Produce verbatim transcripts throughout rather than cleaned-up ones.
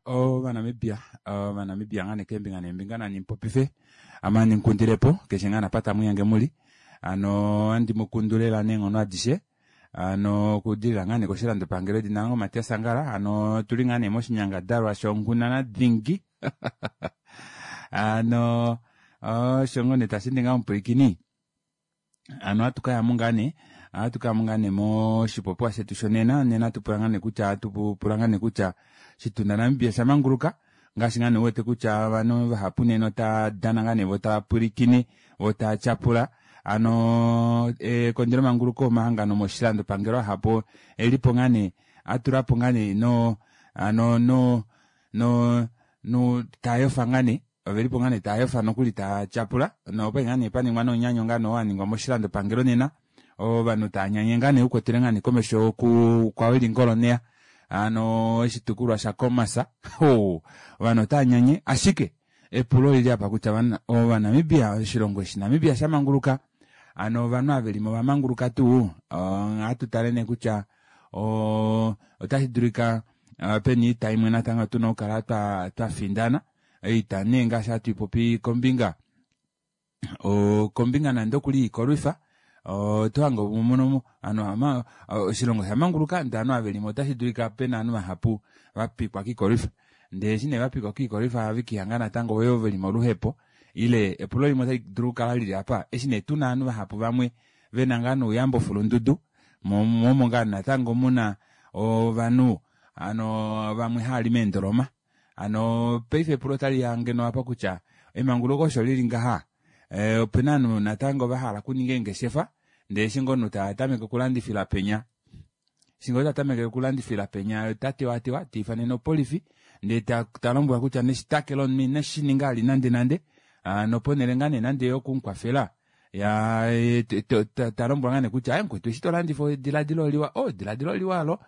Ovanamibia Ovanamibia ngaa nee keembinga neembinga nani mupopife ame handi mukundilepo keshe ngaa napa tamwiihange muli hano handi mukundu lela neenghono adishe hano okudilila ngaa nee koshilandopangelo edina lange Matias Angala hano otuli ngaa nee moshinyangadalwa shonghundana dingi hano osho ngoo nee tasheende ngaho omupwilikini hano ohatu kayamo ngaa nee ohatu kayamo ngaa nee moshipopiwa shetu shonena nena atupula ngaa nee kutya atupula ngaa nee kutya oshitunda Namibia osha manguluka ngaashi ngaa nee uwete kutya ovanhu vahapu nena otava dana ngaa nee voo tava pwilikine voo tava tyapula hano ekondjelomanguluko omahangano moshilandopangelo ahapu elipo ngaa nee atulapo ngaa nee no hano no no no taayofa ngaa nee ovelipo ngaa nee taayofa nokuli taatyapula nokwali ngaa nee paningwa nomunyanyo ngaa nee oo waningwa moshilandopangelo nena ovanhu taanyanye ngaa nee ukwetele ngaa nee komesho kwawili ngoloneya hano oshitukulwa sha Khomas ovanhu otaanyanye ashike epulo olili apa kutya ovanamibia oshilongo eshi Namibia shamanguluka hano ovanhu ava velimo ovamanguluka tuu ohatu tale nee kutya otashi dulika pena oita imwe natango tuna okukala twafindana oita nee ngaashi hatu ipopi kombinga kombinga nande okuli yoikolwifa otohange mono oshilongo oshamanguluka ndee ovanhu ava velimo otashi dulika pena ovanhu vahapu vapikwa koikolwifa ndee eshi nee vapikwa koikolwifa ohavekiihanga natango yoo veli moluhepo ile epulo limwe otali dulu okukala lili aapa eshi nee tuna ovanhu vahapu vamwe vena ngaa nouyamba ofulundudu moo omo ngaa natango muna ovanhu hano vamwe haali meendoloma hano paife epulo otaliya ngeno apa kutya emanguluko osho lili ngaha opena ovanhu natango vahala okuninga eengeshefa ndee eshi ngoo omunhu tatameke okulandifila penya eshi ngoo tatameke okulandifila penya otatewatewa teifanene opolifi ndee talombwelwa kutya neshitake lomunhu ineshininga vali nande nande noponele ngaa nee nande yokumukwafela talombwelwa ngaa nee kutya aaye mukwetu eshi tolandifa edilaadilo oliwa oh edilaadilo oliwa aalo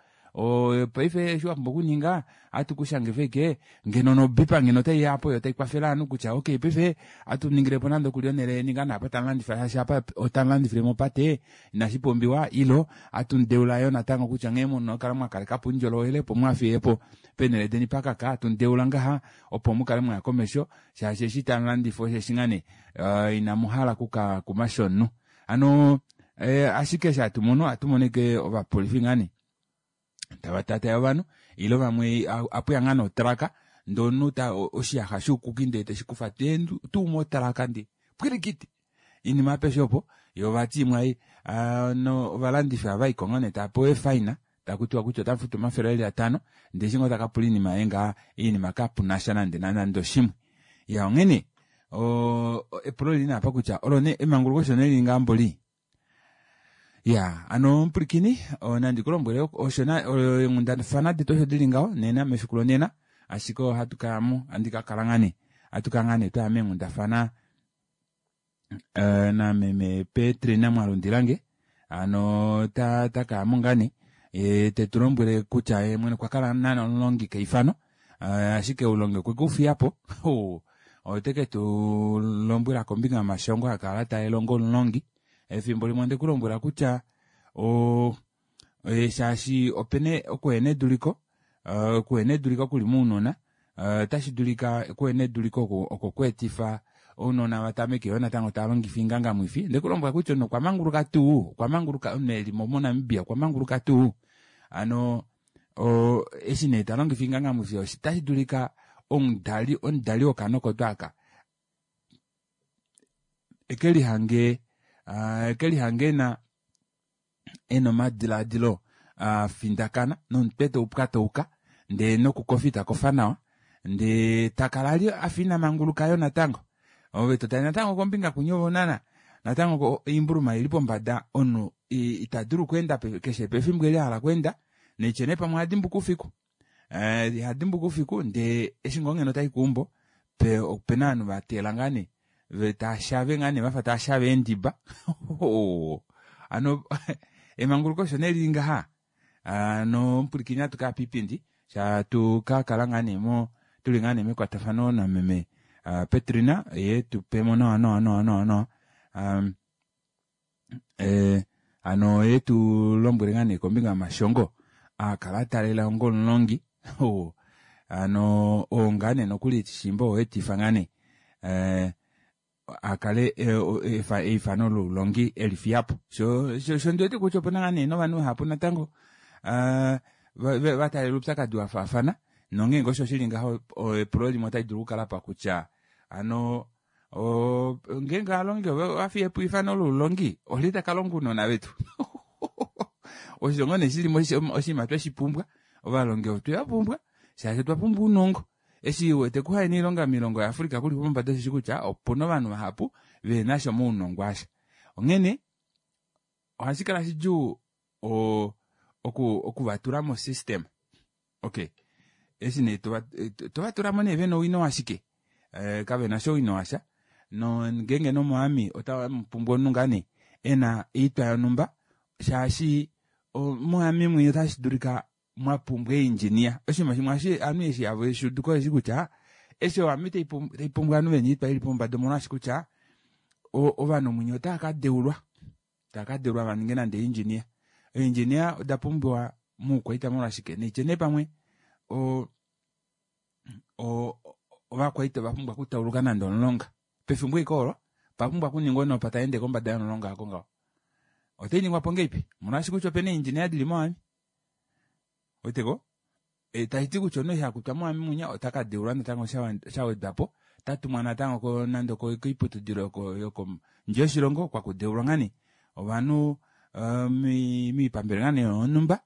paife eshi wapumbwa okuninga ohatu kushangifa ashike ngeno nobipa ngeno otaiya aapo yoo taikwafele ovanhu kutya okey paife ohatu ningilepo nande okuli onele yeni ngaa naapa tamulandifa shaashi apa otamulandifile mopate inashipumbiwa ile ohatu mudeula yoo natango kutya nghee muna okukala mwakalekapo oundjolowele opo muhafiyepo peenele deni pakaka hatu mudeula ngaha opo mukale mwaya komesho shaashi eshi tamulandifa osheshi ngaa nee inamuhala okuka kumasha omunhu hano ashike eshi hatu mono ohatu mono ashike ovapolifi ngaa nee tava tataye ovanhu ile vamwe apuya ngaa notraka ndee omunhu oshiyaxa shoukuki ndee teshikufa tuu motraka ndee pwilikiti oinima apeshe opo yoo vati imwe ovalandifi ohavaiko ngoo nee tavapewa eefine takutiwa kutya otamufutu omafele eli atano ndee eshi ngoo takapula oinima yaye ngaha oinima kapunasha nande nande oshimwe iya onghene epulo olili nee apa kutya olo nee emanguluko osho nee lili ngaha mboli iya hano omupwilikini nandi kulombwele osho eenghundafana detu osho dili ngaho nena mefiku lonena ashike ohatu kayamo handi kakala ngaa nee ohatu kala ngaa nee twaya meenghundafana nameme Petrina Mwalundilange hano takayamo ngaa nee tetulombwele kutya yee mwene okwa kala naana omulongi keifano ashike oulongi okwe kufiyapo ote ketulombwela kombinga yomashongo akala taalela onga omulongi efimbo limwe ondekulombwela kutya shaashi opena okuhena eduliko okuhena eduliko kuli mounona otashi dulika okuhena eduliko oko kweetifa ounona vatameke yoo natango tavalongifa oingangamwifi ondekulombwela kutya omunhu okwa manguluka tuu okwa manguluka omunhu elimo monamibia okwa manguluka tuu hano eshi nee talongifa oingangamwifi otashi dulika omudali omudali wokaana oko tuu aka ekelihange ekelihange ena ena omadilaadilo afindakana nomutwe taupwatauka ndee nokukofa itakofa nawa ndee takala ali afa ina manguluka yoo natango ove totale natango kombinga kwinya naana natango oimbuluma oili pombada omunhu itadulu okweenda keshe pefimbo eli ahala okweenda naitye nee pamwe ohadimbuka oufiku ihadimbuka oufiku ndee eshi ngoo ngeno tayi keumbo opena ovanhu vateela ngaa nee taashave ngaa nee vafa taashave eendiba hano emanguluko osho nee lili ngaha hano omupwilikini ohatu kaya piipindi shatu kakala ngaa nee mo tuli ngaa nee mekwatafano nameme Petrina yee tupemo nawa nawa nawa nawa nawa hano yee tulombwele ngaa nee kombinga yomashongo aakala ataalela onga omulongi Ano oo ngaa nee nokuli shimba oweetifa ngaa nee eh, akale eifano loulongi elifiyapo sho sho ndiwete kutya opena ngaa nee novanhu vahapu natango vataalela oupyakadi wafaafana nongeenge osho shili ngaho epulo limwe otali dulu okukala pa kutya ano ngeenge alongi ovafiyepo eifano loulongi oli takalonga ounona vetu osho nee shili oshinima tweshipumbwa ovalongi otwevapumbwa shaashi otwa pumbwa ounongo eshi wete kuhaena oilonga moilongo yaAfrica kuli pombada osheshi kutya opuna ovanhu vahapu venasha omaunongo asha onghene ohashi kala shidjuu okuvatula mo system okay eshi nee tovatulamo nee vena owino washike kavenasha owino washa no ngeenge nomoami otamupumbwa omunhu ngaa nee ena oitwa yonhumba shaashi moami mwinya otashi dulika mwapumbwa engineer oshinima shimwe ovanhu eshi hava eshuuduko eshi kutya eshi oami taipumbwa ovanhu vena oitwa ili pombada omolwaashi kutya ovanhu mwinya otava kadeulwa tava kadeulwa vaninge nande engineer engineer oda pumbiwa moukwaita molwashike neitye nee pamwe ovakwaita ovapumbwa okutauluka nande omulonga pefimbo ike olo papumbwa okuningwa onopa taende kombada yomulonga ako ngaho otainingwapo ngeipi omolwaashi kutya opena engineer dili moami weteko tashiti kutya omunhu eshi akutwa moami munya otakadeulwa natango shawedwapo tatumwa natango nande koiputudilo yokondje yoshilongo kwakudeulwa ngaa nee ovanhu miipambele ngaa nee yonhumba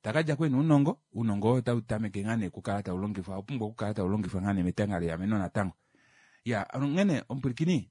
takadja ena ounongo ounongo oo otautameke ngaa nee okukala taulongifwa opumbwa okukala taulongifwa ngaa nee metanga leameno natango ya onghene omupwilikini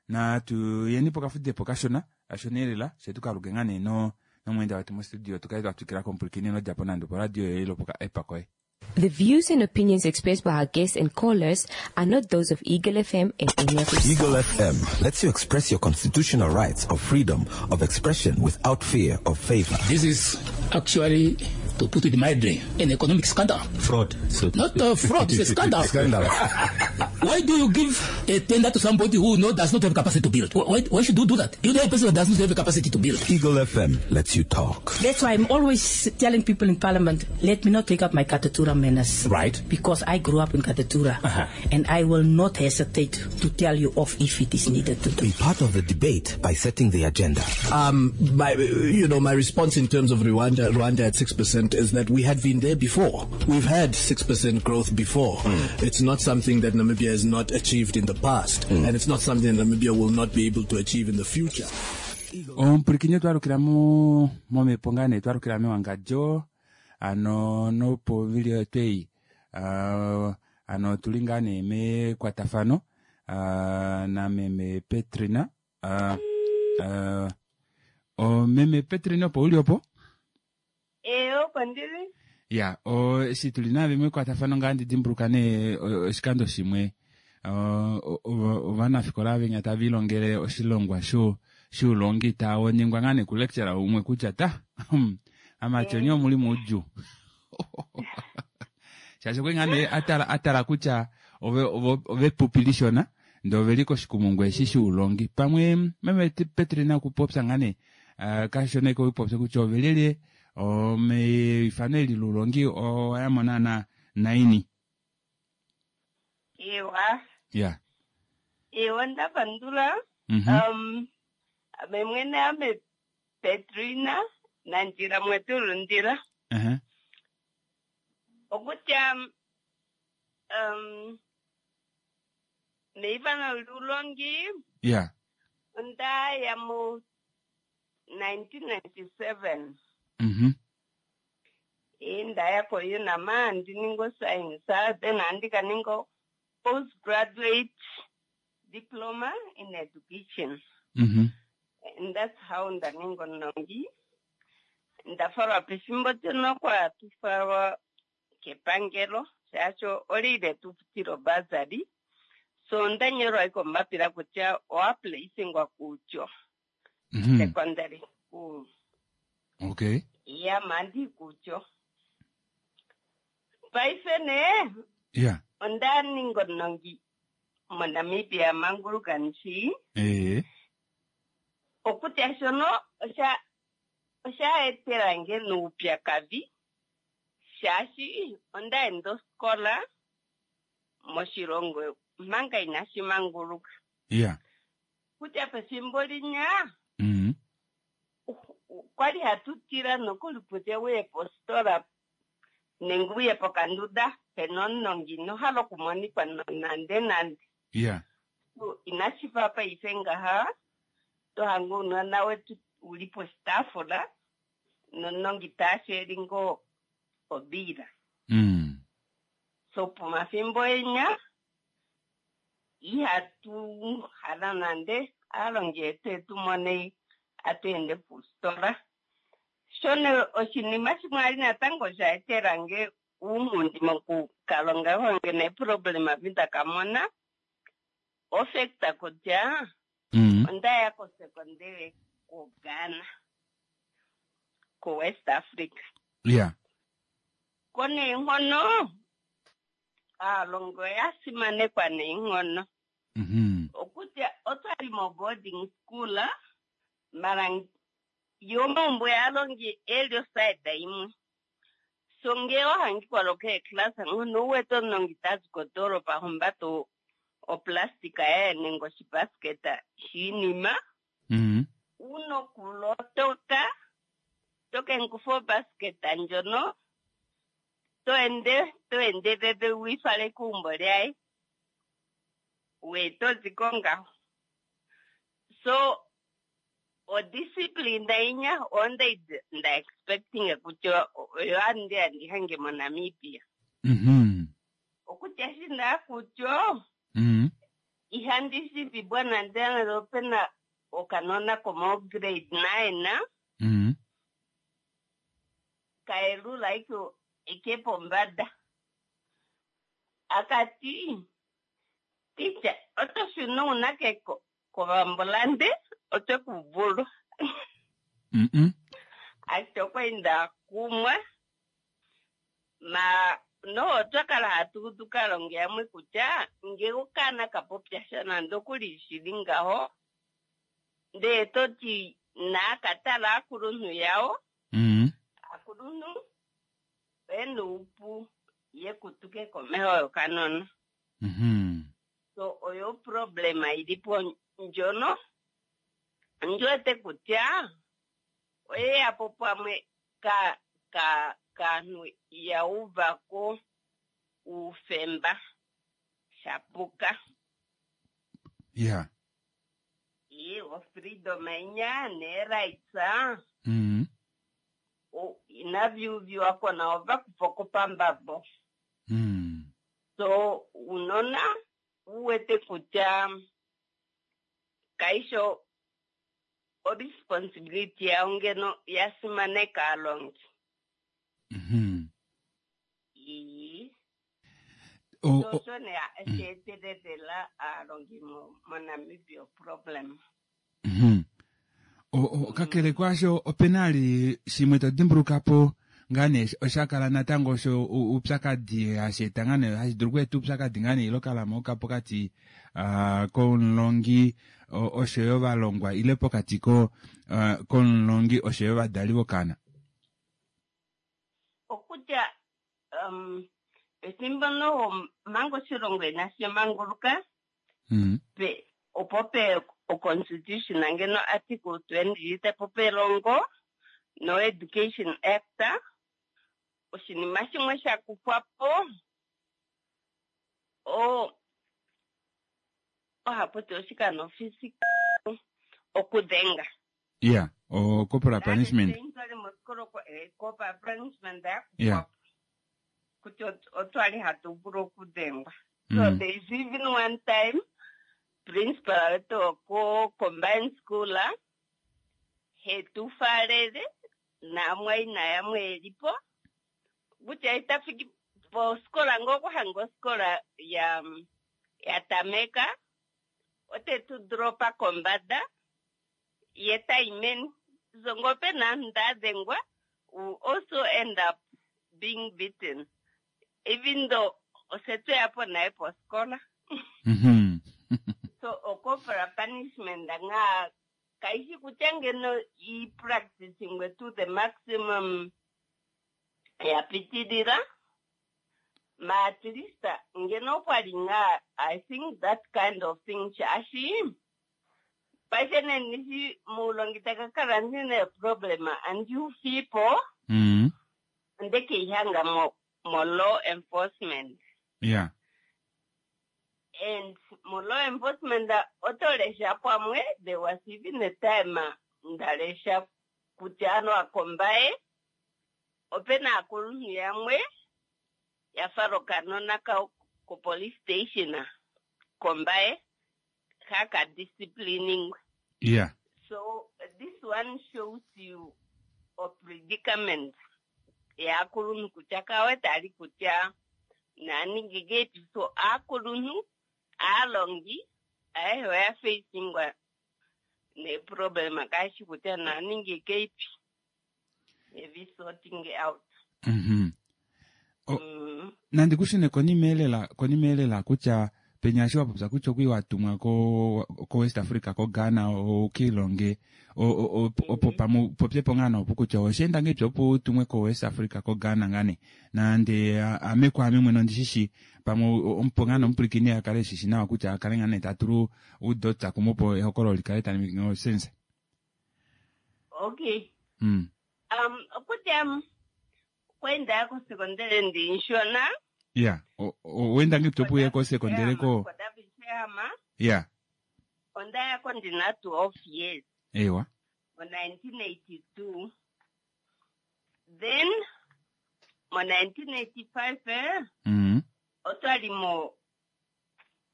natu yeni pokafudepo kashona kashona elela fye tukaluke ngaa nee nomweenda wetu mostudio tukale twatwikila komupwilikini nodjapo nande oporadio yoye lopoka app koye. The views and opinions expressed by our guests and callers are not those of Eagle F M and any of its Eagle F M lets you express your constitutional rights of freedom of expression without fear of favor. This is actually, to put it mildly, an economic scandal. Fraud. So not a fraud, it's a scandal. Scandal. Why do you give a tender to somebody who no, does not have capacity to build? Why, why should you do that? You know a person that does not have the capacity to build. Eagle F M lets you talk. That's why I'm always telling people in Parliament, let me not take up my Katutura manners. Right. Because I grew up in Katutura. Uh-huh. And I will not hesitate to tell you off if it is needed to do. Be part of the debate by setting the agenda. Um, my, you know, my response in terms of Rwanda, Rwanda at six percent is that we had been there before. We've had six percent growth before. Mm. It's not something that Namibia has not achieved in the past. Mm. And it's not something that Namibia will not be able to achieve in the future. Omupwilikini twalukila mo momhepo ngaa nee twalukila mewangadjo ano nopovili twei uh, ano tuli ngaa nee mekwatafano uh, na meme Petrina uh, uh, o meme Petrina opo uli opo? Eh, opo ndili. Ya, o eshi tuli nave mekwatafano ngaa ndidimbuluka nee oshikando shimwe ovanafikola venya tava ilongele oshilongwa sho shuulongi tawoningwa ngaa nee kulecturer umwe kutya ta amati onye omuli muudjuu shaashi okwe ngaa nee atala atala kutya ove ovepupi lishona ndee oveli koshikumungu eshi shuulongi pamwe meme Petrina okupopya ngaa nee kashona ike okupopya kutya ovelele omeifano eli loulongi owayamo na naini. Ewa. Ya. Ewa ndapandula. Um ame mwene ame Petrina Nandjila Mwetulundila. Uh-huh. Okutya um meifano loulongi. Yeah. Ondaya mu nineteen ninety-seven. Mhm. Indaya ko UNAMA ndiningo science then andika ningo postgraduate diploma in education. Mhm. And that's how ndaningo nongi. Ndafalwa pefimbo teno kwa tufalwa kepangelo shaashi olile tufutilo bursary. So ndanyolwa iko mbapila kutya owaplaisingwa kutyo. Mm-hmm. Secondary school. Okay. Ya mandi kutyo. Paife ne. Yeah. Ondaningo nongi moNamibia manguluka nshi. Eh. Okutya shono osha osha etelange nuupyakadhi Shaashi onda enda oskola moshilongo manga inashi manguluka. Yeah. Kutya pefimbo linya Mm. kwali hatu tila nokuli kutya uye positola nenge uye pokanduda pena omunongi inohala okumonikwa nande nande. Yeah. Inashi fa paife ngaha tohanga ounona wetu uli poshitaafula nomunongi taasheli ngoo obiila. Mm. So pomafimbo enya ihatu hala nande aalongi yetu etu mone atu ende positola. Shono oshinima shimwe ali natango sha etelange uunghundi mokukalonga wange neeproblema vi ndakamona ofekta kutya Mm. ondaya kosekondele koGhana koWest Africa. Yeah. Ko neenghono aalongi oya simanekwa neenghono. Mhm. Okutya otwali mo boarding school mara yo omaumbo yaalongi eli osaida imwe. So ngee wahangikwa lokeeklasa ngono uwete omunongi tazi kodoropa humbata oplastika yaye nenge oshibasketa shiinima Mm. unokulotoka tokenkufa obasketa ndjono toende toendelele wiifale keumbo lyaye we toziko ngaho. So odiscipline inya onda nda expecting kutya oyo andi andihange moNamibia. Mhm. Okutya shina kutya Mm. ihandi shivibwa nande opena okanona komo grade nine Mm. kaelula ike ike pombada akati ticha oto shuna unake ko kovambolande otwe kuvulwa. Mm -mm. Ati okwaenda kumwa ma no otwakala hatu tukalonge yamwe kutya nge okana kapopya sha nande okuli shili ngaho ndee toti naakatala aakulunhu yawo. Mm. Aakulunhu oyena oupu yekutuke komeho yokanona. Mhm. So oyo problema ilipo ndjono ndiwete kutya oyeyapo pamwe ka ka kaanhu yauvako uufemba shapuka. Yeah. Iwo freedom inya ne-rights Mm. inavyuviwako nao vakufa pambabo. Mm. So unona uwete kutya kaisho oresponsibility yawo ngeno yasimaneka aalongi. Mhm. Ii. O, So o, sho ne sheetelela aalongi mo moNamibia problem. Mhm. O, o, kakele kwaasho opena ali shimwe to dimbulukapo ngaa nee osha kala natango osho uupyakadi hashi eta ngaa nee hashi dulu okweeta uupyakadi ngaa nee ilo kalamoka pokati uh, komulongi oshoyo ovalongwa ile pokati ko uh, komulongi oshoyo ovadali vokana. Okutya um, pefimbo noho manga oshilongo inashi manguluka mm. pe opo pe oconstitution ngeno article twenty tepo pelongo no Education Act oshinima shimwe sha kufwapo o ohaputi oshikano physical okudhenga. Yeah, o corporal punishment. Corporal punishment Yeah. Kutya otwali hatu vulu okudhengwa. Mm. So there is even one time principal wetu ko combined school hetufalele namwaina yamwe elipo kutya itafiki poskola ngokuhanga oskola ya ya tameka otetu dropa kombada ye taimeni so ngope nandadhengwa we also end up being beaten even though osetweyapo naye poskola. Mm-hmm. So ocorporal punishment nga kaishi kutya ngeno i-practicingwe to the maximum Ya pitilila. Ma at least ngeno opwa li ngaa I think that kind of thing shaashi paife nenishi muulongi taka kala ndina problem and you people Mm. ondekeihanga mo, mo law enforcement Yeah. and mo law enforcement oto lesha pamwe there was even a time ndalesha kutya ano akombaye opena aakuluntu yamwe ya fala okanona kawo ko police station kombaye kaka disciplining Yeah. so this one shows you a predicament yaakuluntu kutya kawete ali kutya naningi getu so aakuluntu aalongi ayehe oya facingwa neproblem kaashi kutya naningi keipi evi sorting out Mhm. O- mm. nandi kushune konima elela konima elela kutya penya eshi wapopya kutya okwi watumwa ko ko West Africa ko Ghana ukiilonge opo pamu popyepo ngaa nopo kutya osheenda ngeipi opo utumwe ko West Africa ko Ghana ngane nande ame kwaame mwene ondishishi pamwe omupo ngaa nomupwilikini akale eshishi nawa kutya akale ngaa nee tatulu udotsa kumwe opo ehokololo likale tali ningi osense. okay Mm. um okutya kwenda kosekondere ndinshona Yeah. Owenda ngeipi opo uye kosekondere ko kodavishehama yeah. ondayako ndina twelve years Ewa. ngo nineteen eighty two then ngo nineteen eighty five eh, Mm. otwali mo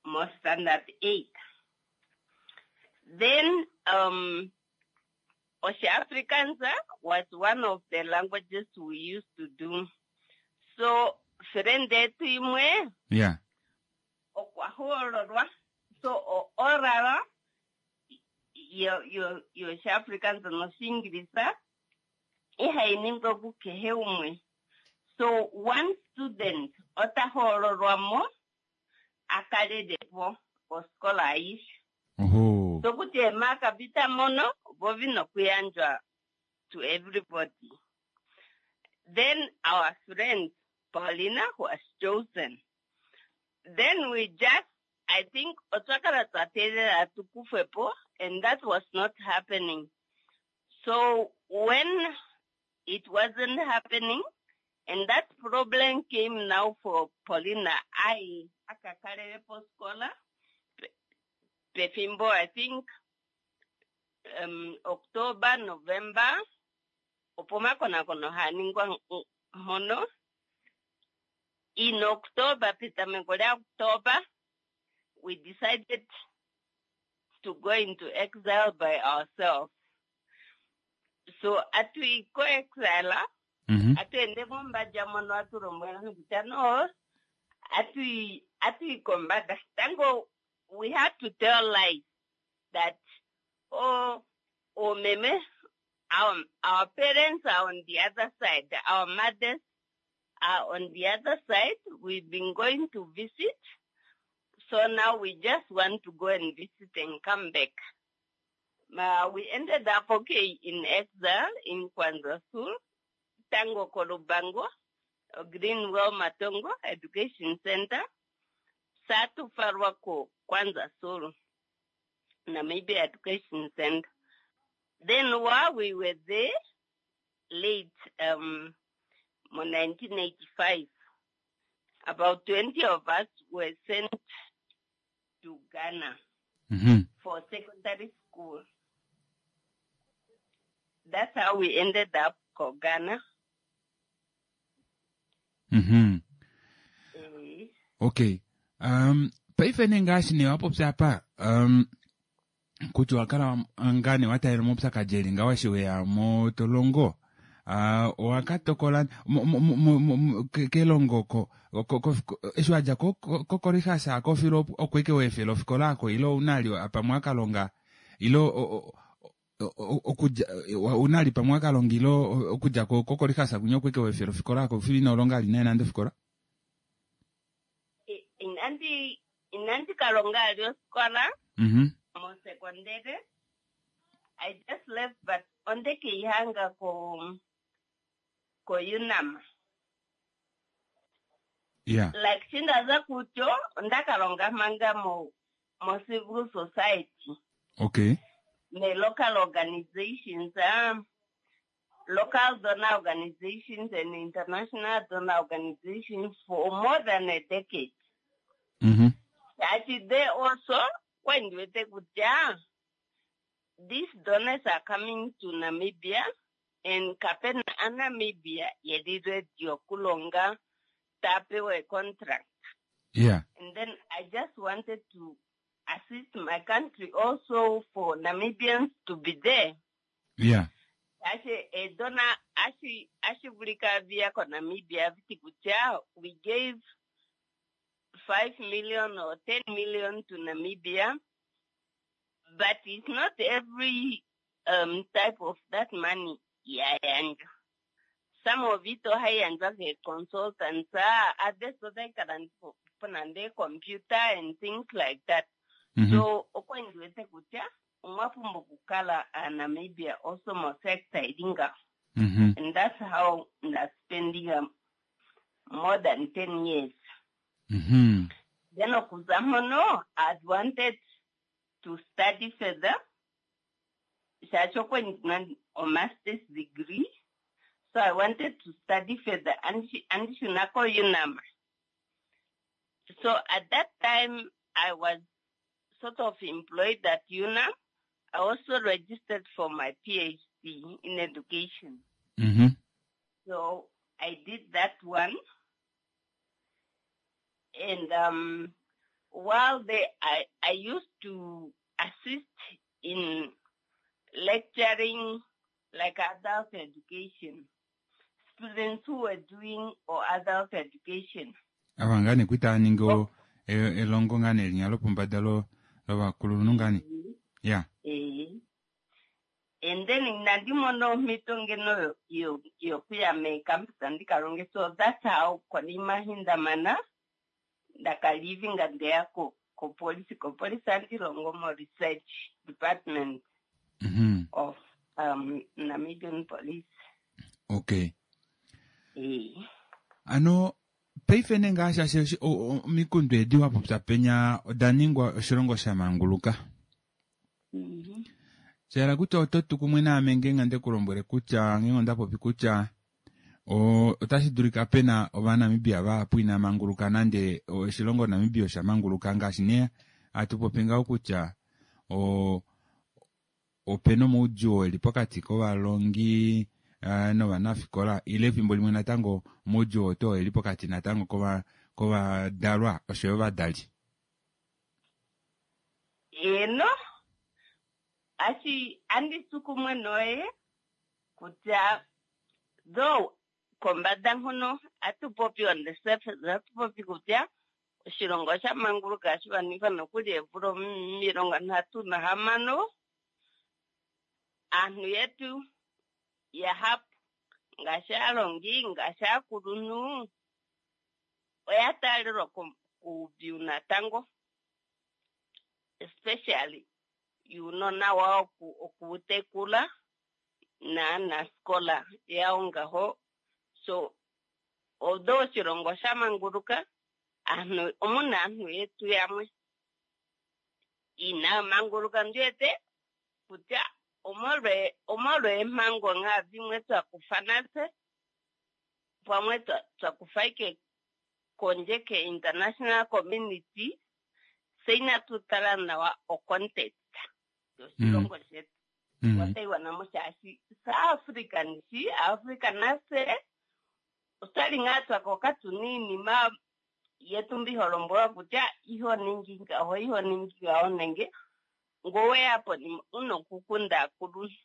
mo standard eight then um Oshiafrikaans was one of the languages we used to do so friend yetu imwe Yeah. okwa hoololwa so o oral yo yo yoshiafrikaans noshiingilisa ihayi ningwa kukehe umwe so one student ota hoololwa mo akalelepo oskola aishe Oho. so kuti emaka vita mono vo vina okuyandjwa to everybody then our friend Paulina was chosen then we just I think otwa kala twa teelela tukufwepo and that was not happening so when it wasn't happening and that problem came now for Paulina I akakalelepo skola pefimbo I think um, October November opo omakonakono haaningwa mpono in October petameko lya October we decided to go into exile by ourselves so atuyi ko exile Mhm. atuende mombadja mono atulombwela kutya no atuyi atuyi kombada tango we had to tell lies that oh oh meme our our parents are on the other side our mothers are on the other side we've been going to visit so now we just want to go and visit and come back uh, we ended up okay in exile in Kwanza Sul, Tango Kolubango, Greenwell Matongo Education Center, Satu Farwako Kwanza Sul, Namibia Education Center. Then while we were there, late um, nineteen eighty-five, about twenty of us were sent to Ghana Mhm. for secondary school. That's how we ended up ko Ghana. Mhm. Eh, Okay. Um paife nee ngaashi nee wapopya apa um kutya owakala ngaa nee wataalela omaupyakadi eli ngaho eshi weya motolongo uh, owakatokola mo- mo- mo- mo- mo- ke- kelongo ko ko- ko- ko- eshi wadja ko- ko- kokorihasa kofilo oko ike weefela ofikola ako ile ounali pamwe wakalonga ile o- o- o- o- okudja ounali pamwe wakalonga ile okudja ko- kokorihasa kunya oko ike weefela ofikola ako filo inolonga ali naye nande ofikola i- inandi inandi kalonga ali osikola mhm mosekondere. I just left but ondekeihanga ko ko UNAM. Yeah. Like shi nda za kucho onda ka longa manga mo mo civil society. Okay. Me local organizations, um, local donor organizations and international donor organizations for more than a decade. Mhm. Shaashi they also when ndiwete kutya these donors are coming to Namibia and kape na aNamibia yeli ready okulonga taya pewa contract. Yeah. And then I just wanted to assist my country also for Namibians to be there. Yeah. Ashi edona ashi ashi vulika via ko Namibia viti kutya we gave five million or ten million to Namibia, but it's not every um, type of that money yayandjwa. Some of it ohayi yandjwa ke consultants, ah, others otayi ka nande computer and things like that. Mm -hmm. So okwa ndiwete kutya omwa pumbwa okukala aaNamibia also mo sector ili ngaho. Mm -hmm. And that's how nda spending um, more than ten years. Mm -hmm. Then okuza mpono, I'd wanted to study further. Shaashi okwa ndina o master's degree. So I wanted to study further and shuna ko UNAM. So at that time, I was sort of employed at UNAM. I also registered for my P H D in education. Mm -hmm. So I did that one. And um, while they, I, I used to assist in lecturing like adult education, students who were doing or adult education. Ava ngaa nee kwita ningi elongo ngaa nee linya lopombada lovakulunhu ngaa nee. Yeah. Eh. And then inandi mona omhito ngeno yokuya meecampus ndika longe. So that's how konima eshi ndamana ndakalivinga ndeya kopolisi. Kopolisi andi longo mo research department mm -hmm. of um, Namibian Police. Okay. Eh. Ano paife nee ngaashi ashe omikundu edi wa popya penya oda ningwa oshilongo sha manguluka. Mm -hmm. Shayela kutya oto tu kumwe naame ngeenge nde ku lombwele kutya ngeenge onda popi kutya otashi dulika pena Ovanamibia vahapu ina manguluka nande oshilongo Namibia osha manguluka ngaashi nee hatu popi ngaho kutya opena omaudjuu eli pokati kovalongi novanafikola ile efimbo limwe natango omaudjuu oto eli pokati natango kovadalwa oshoyo ovadali. Eno ashi andi tu kumwe noye kutya though kombada nhuno atupopi on the surface atupopi kutya oshilongo osha manguluka hashi vanifwa nokuli eemvula omilongo nhatu nahamano aanhu yetu yahapu ngaashi aalongi ngaashi aakulunhu oya taalelwa kuudhigu natango especially yuunona wawo okuutekula naanasikola yawo ngaho. So although oshilongo sha manguluka aanhu omuna aanhu yetu yamwe inaya manguluka ndiwete kutya omolwa eemhango ngaa dhimwe twakufa natse pamwe twakufa ike kondje ke international community se inatu tala nawa o context yoshilongo shetu otaiwana mo shaashi saAfrican shi Africa nase otwali ngaa twakoka tuna iinima yetu mbi holombwelwa kutya iho ningi ngaho iho ningi ngaho nenge ngoweya po una okukunda aakuluntu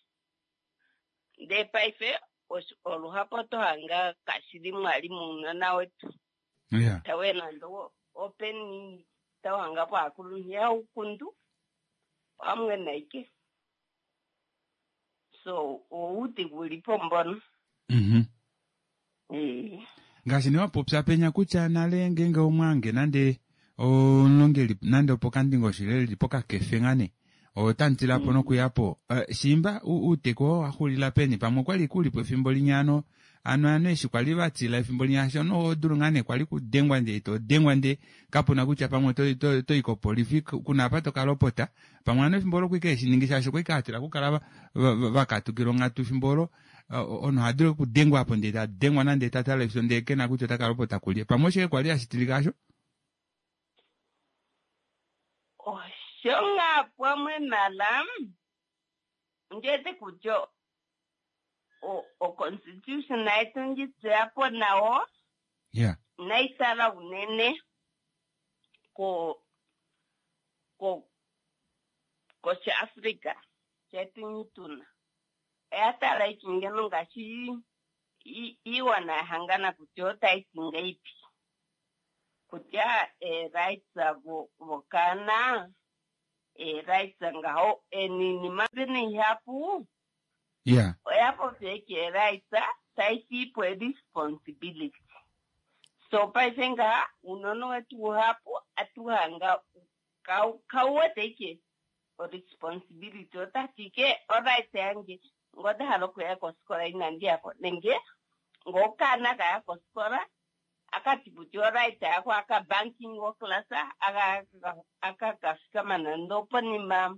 ndee paife oluhapo oto hanga kashili mwali muunona wetu Yeah. tawe nande openi tawanga po aakuluntu yaukundu pamwe naike so oudhigu uli po mbono. Mm -hmm. Ngaashi nee wapopya penya kutya nale ngeenge omwange nande omulongeli nande opokandingosho ile lili pokakefe ngane otanditilapo nokuyapo uh, shimba uuteku oo waxulila peni pamwe okwali kulipo efimbo linyano Ano ano eshi kwali vatila efimbo linyasha ono odulu ngaa nee kwali kudengwa ndee todengwa ndee kapuna kutya pamwe otoyi kopolifi kuna apa tokalopota pamwe ano efimbo olo kwike eshiningi shaashi okwike atila okukala vakatukila onghatu efimbo olo ono ohadulu okudengwa apo ndee tadengwa nande tatala efyo ndee kena kutya otakalopota kulye pamwe oshike kwali hashitilika asho osho ngaa pamwe mala ndiwete kutya o-constitution yetu ndjitseyapo nawo yeah naitala unene ko ko koshiafrica chetu nyituna oyatala ichingeno ngaashi iiwana yahangana kutya otaiti ngaipi kutya e-rights vokana e-rights ngaho eninima vene ihapu yeah oya popya eke rights taitipo e-responsibility so paife ngaha uunona wetu uhapu atuhanga kauwete ike o-responsibility otati ike oright yange ngodahala okuya kosikola inandiyako nenge ngokana kaya kosikola akati kutya oright yako aka banking oklasa akakafikama nando oponima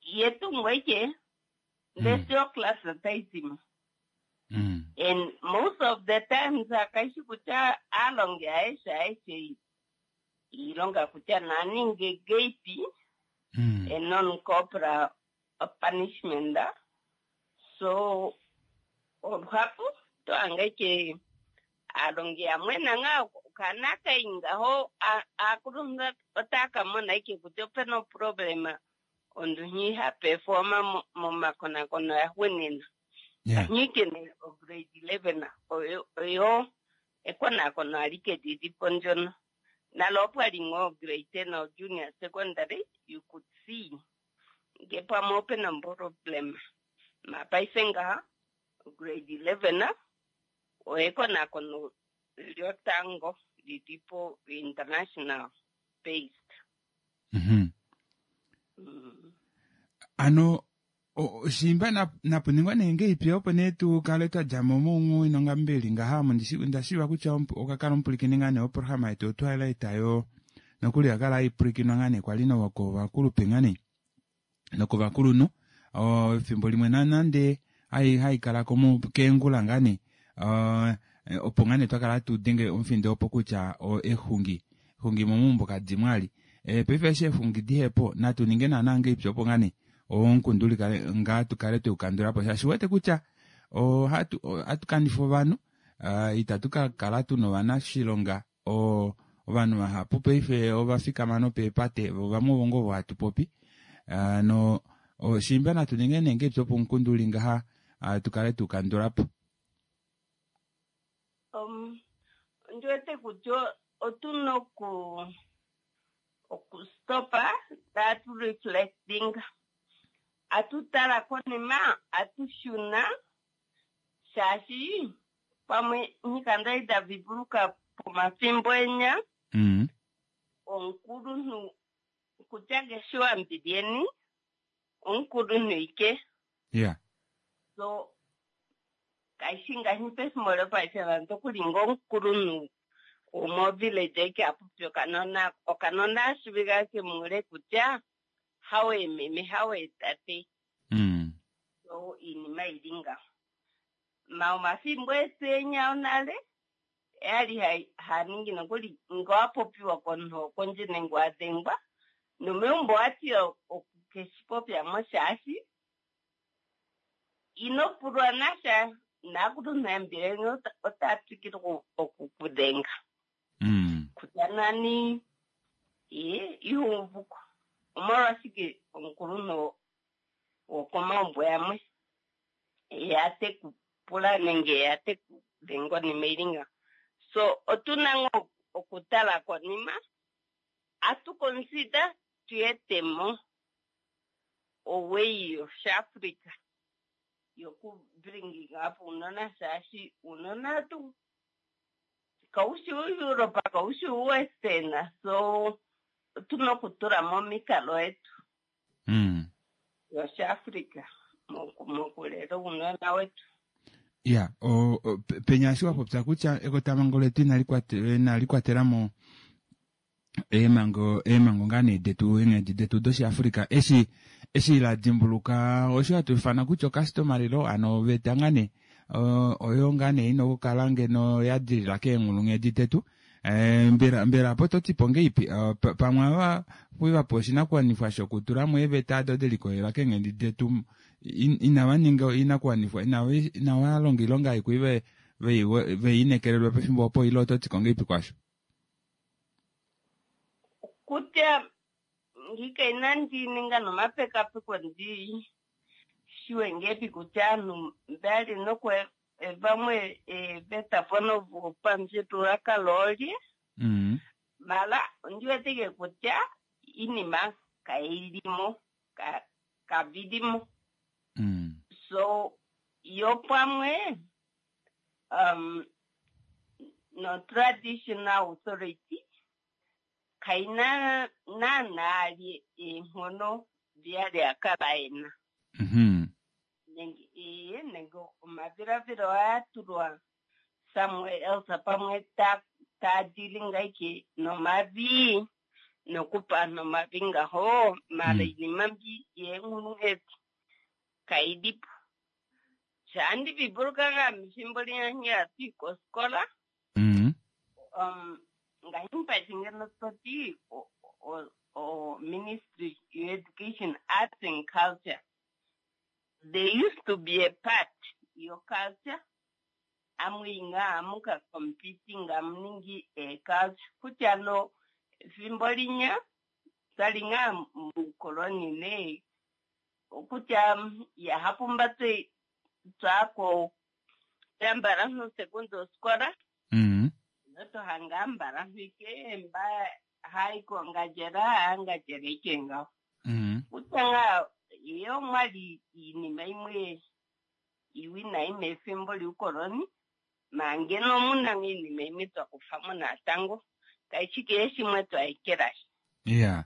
yetungo ike ndesi oklasa taizima mm. and most of the times akaishi kutya aalongi aeshe aeshe iilonga kutya naninge geipi mm. a non-corporal punishment so oluhapu tohanga ike aalongi yamwe nanga okana kaingaho aakuluntu otakamona ike kutya opena oproblema ondu hapefoma momakonakono yaxuunina yeah nyikene o-grade eleven oyo oyo ekonakono alike lilipo ndyono nalo opwali ngoo grade ten or junior secondary you could see nge pamwe opena problem mapaife ngaha grade eleven oekonakono lyotango lilipo international based mm-hmm. mm. ano shimba napuningwa nee ngeipi opo nee tukale twadjamo moungu mbeli ngaha omo ndashiiva kutya okakala omupulikini ngaa nee oprograma yetu otwalaita yo nokuli yakala aipulikinwa ngaa nee kwali nokovakulupe ngaa nee nokovakulunhu efimbo limwe nanande haikalako keengula ngaa nee opo ngaa nee twakala tudenge omufindo opo kutya exungi exungi momumbo kadimwali paife eshi exungi dihepo natu ninge naana ngeipi opo ngaa nee omukundu likale ngaa tukale tweukandulapo shaashi wete kutya ohatu kanifa ovanhu itatu kakala tuna ovanashilonga ovanhu vahapu paife ovafikama nopeepate vamwe ovo ngoo hatu popi no shimba natu ninge nee ngeipi opo omukundu uli ngaha tukale tuukandulapo um ndiwete kutya otuna oku okustopa tatu reflecting atutala konima atushuna shaashi pamwe nyikanda idavivuluka pomafimbo enya mm. omukulunhu kutya ngeshiwambilyeni omukulunhu ike yeah so kaishi ngashi pefimbo lopaife vantu okulinga omukulunhu womovillage eke apopi okanona okanona ashivika kemule kutya hawe meme hawe tate mm. so iinima ili ngaho ma omafimbo etu enya onale yali haningi nokuli ngowapopiwa komunhu wokondje nenge wadengwa nomeumbo wati okukeshipopyamo shaashi ino pulwa nasha naakulunhu yambileni otatwikile okukudenga mm. kutya nani ye ihuuvuko omolwashike omukulunhu wokomaumbo yamwe yate kupula nenge yate kudengwa onima ili ngaho so otuna ngoo okutala konima atu consider tuyetemo oway yoshaafrica yoku bringing up uunona shaashi uunona tu kaushi uEurope kaushi uWestern so otuna okutula momikalo yetu mm. yoshaafrica mokulela uunona wetu. Ya, o, o, pe- penya eshi wa popya kutya ekotamhango letu inali kwate- inali kwatela mo eemhango eemhango ngaa nee detu eenghedi detu doshiafrika eshi eshi la dimbuluka osho hatu ifana kutya ocustomary law ano oveta ngaa nee o- oyo ngaa nee ina okukala ngeno ya dilila keenghulunghedi detu. Eh, mbela mbela apo to tipo ngeipi? Eh, pa- pamwe ava vapewa oshinakuwanifwa shokutula mo eeveta ado delikolelela keenghedi detu in- inava ninga oinakuwanifwa inava inava longa oilonga aikwi ve vei- veiinekelelwe pefimbo opo ile oto ti ko ngeipi kwasho? Kutya ngika inandi ninga nomapekapeko ndi shiwe ngepi kutya aantu mbali nokwe vamwe eeveta mpono vopamufyuululwakalo olye Mm. mala ondi weteke kutya iinima kayilimo ka kavilimo Mm. so yo pamwe um no traditional authority kaina naanaa li eenghono vyali akala ena Mhm. nenge ee nenge omavilavilo ayatulwa somewhere else pamwe ta taadilinga ike nomavi nokupa nomavi ngaho mala Mm. iinima mbi yeenghulunghedi kailipo shandi vibuluka nga mifimbo linyanya tui kosikola Mm. um ngahimpa ngeno toti o, o, o ministry of education arts and culture there used to be a part your culture amwinga amuka competing amuningi e culture kutya no fimbo linya twalinga mukoloni ne kutya yahapumba twe twako yambala no segundo skola Mm. notohanga mbala ike mba haiko ngajera angajera ike ngaho Mm. kutanga iyo mwali iinima imwe iwinayi mefimbo liukoloni mangeno muna iinima imwe twakufamo natango kaishi kehe shimwe twaekelashi Yeah.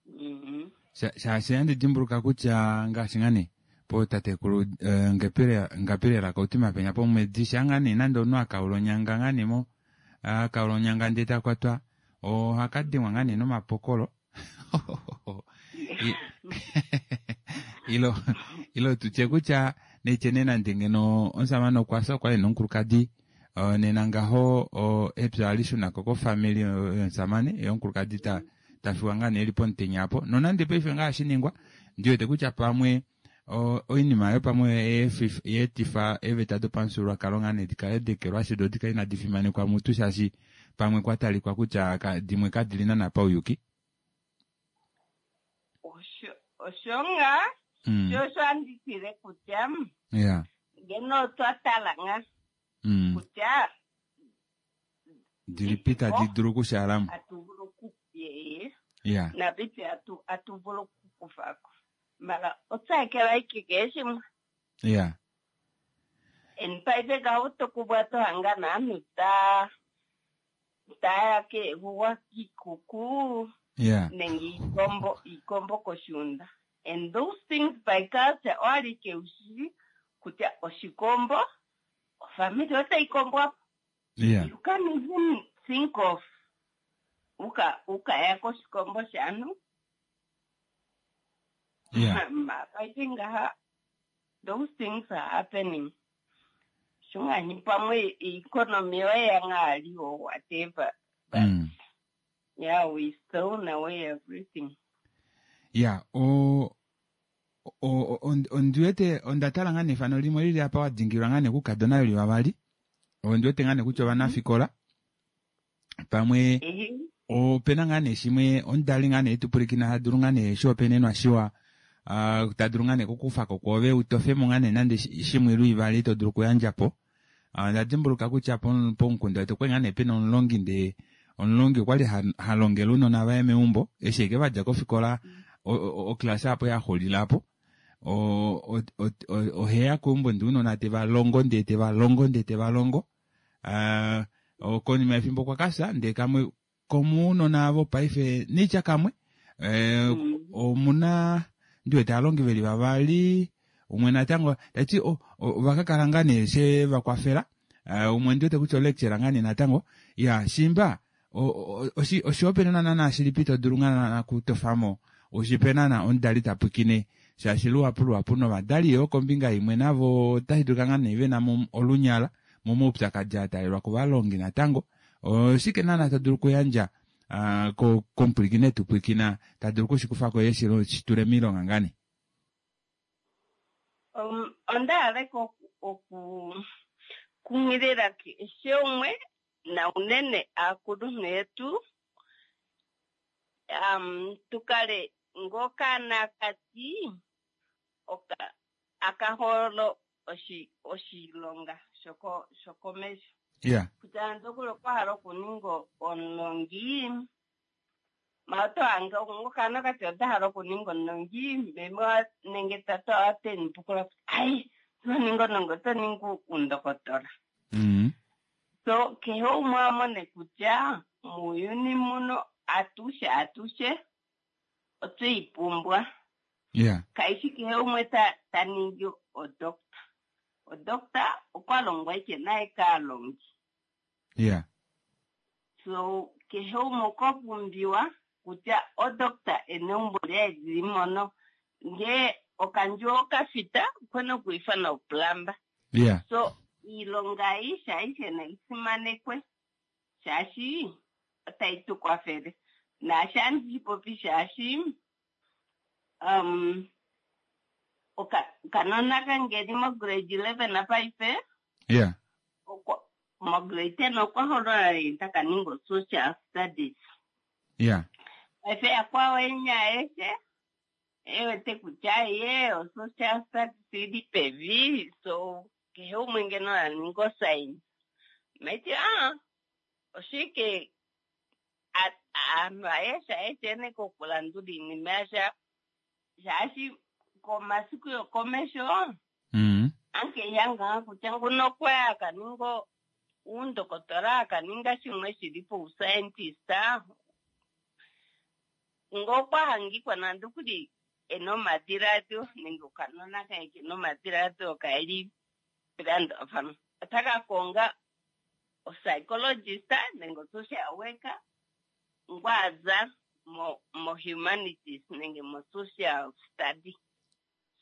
Mhm. Sha- shaashi andi dimbuluka kutya ngaashi ngane potatekulu eh, ngapile ngapilela kautima penya pomwedi shangane nande omunhu akaula onyanga ngane mo akaula onyanga ndee takwatwa ohaka dengwa ngane nomapokolo I- ilo ilo tutye kutya neitye nee nande ngeno omusamane okwafya okwali nomukulukadi uh, nena ngaho uh, epya alishunako kofamili yomusamane ye omukulukadi ta tafiwa ngaa nee eli pomutenya apo nonande paife ngaa shiningwa ndiwete kutya pamwe o- oinima oyo pamwe yeefif- yeetifa eeveta dopamufyuululwakalo ngaa nee dikale dekelwashi do dikale inadi fimanekwa mutu shaashi pamwe kwa talikwa kutya ka, dimwe kadili naana pauyuki. Osho osho nga Mm. sho osho anditile kutya Yeah. ngeno twatala nga Mm. kutya Dilipi tadi dulu okushalamo. atuvulu oku yeye Yeah. navipi atu atuvulu okukufako mara otsaekela ike kehe shimwe Yeah. and paife gaho tokubwa tohanga naanhu ta taya kehuwa kiikuku Yeah. nenge iikombo iikombo koshiunda and those things by culture owali keushi kutya oshikombo ofamili otayi kombwapo Yeah. you can't even think of uka ukaya koshikombo shaanhu Yeah. mapaife ngaha those things are happening shunganyi pamwe economy yoyanga or whatever but Mm. yeah we stole away everything Yeah. O o o- ondiwete onda tala ngaa nefano limwe lili apa wadingilwa ngaa nekukadona veli vavali ondiwete ngaa nekutya ovanafikola pamwe ehe opena ngaa nee shimwe omudali ngaa nee tupulikina hadulu ngaa nee shihopaenenwa shiwa uh, tadulu ngaa nee kukufako kwoove utofemo ngaa nee nande shi- shimwe luivali to dulu okuyandja po. Uh, onda dimbuluka kutya pom- pomukunda wetu okwali ngaa nee pena omulongi ndee omulongi okwali ha- ha longele ounona vaye meumbo eshi eke vadja kofikola oklasa apo yaxulilapo o- o- o- o- oheya keumbo ndee ounona tevalongo ndee tevalongo ndee tevalongo uh, konima yefimbo okwa kafya ndee kamwe komuunona avo paife neitya kamwe eh, Mm. omuna ndiwete aalongi veli vavali Umwe natango tati ovakakala ngaa nee she vakwafela. Umwe ndiwete kutya olecturer ngaa nee natango. Ya shimba oshihopaenenwa naana shilipi to dulu ngaa naana kutofamo ushipe naana omudali tapwiikine shaashi luhapu luhapu novadali yoo kombinga imwe navo otashi dulika ngaa nee vena mo olunyala momaupyakadi atalelwa kovalongi natango. Oshike naana to dulu okuyandja komupwilikine tupwiikina ta dulu okushikufako ye shitule miilonga ngaa nee? Onda hala oku kunghilila keshe umwe na unene aakulunhu yetu um tukale ngokaana kati akaholo oshilonga shoko shokomesho. Yeah. Kutya ndokuli okwa hala okuninga omulongi maoto ange ngokaana kati ota hala okuninga omulongi meme nenge tata oateni pukula ai oto ningi omulongi oto ningi undokotola. Mm. So kehe umwe amone kutya muuyuni muno atushe atushe otweipumbwa. Yeah. Kaishi kehe umwe ta ta ningi odokta. Odokta okwa longwa ike naye kaalongi. Yeah. So kehe umwe okwa pumbiwa kutya odokta eneumbo lyaye lili mono ngee okandjuwo okafita okuna okwiifana oplumber. Yeah. So iilonga aishe aishe nayi simanekwe shaashi otayi tu kwafele. Naashi andi popi shaashi um okanona kange li mo grade eleven paife. Yeah. Mo grade ten okwa holola taka ninga social studies. Yeah. Paife yakwawo enya aeshe ewete kutya ye o social studies ili pevi, so kehe umwe ngeno a ninga oscience. Maiti ah oshike aantu aeshe aeshe ene kokulandula iinima yasha shaashi komasiku yokomesho mm. anke yanga kutya nguno okwaya akaninga uundokotola akaninga shimwe shili pouscientist ngokwa hangikwa nande okuli ena omadhiladhilo nenge okanona kaye kena omadhiladhilo kaeli pilandafano otaka konga opsychologist nenge osocial worker ngwaza mo mo humanities nenge mo social study.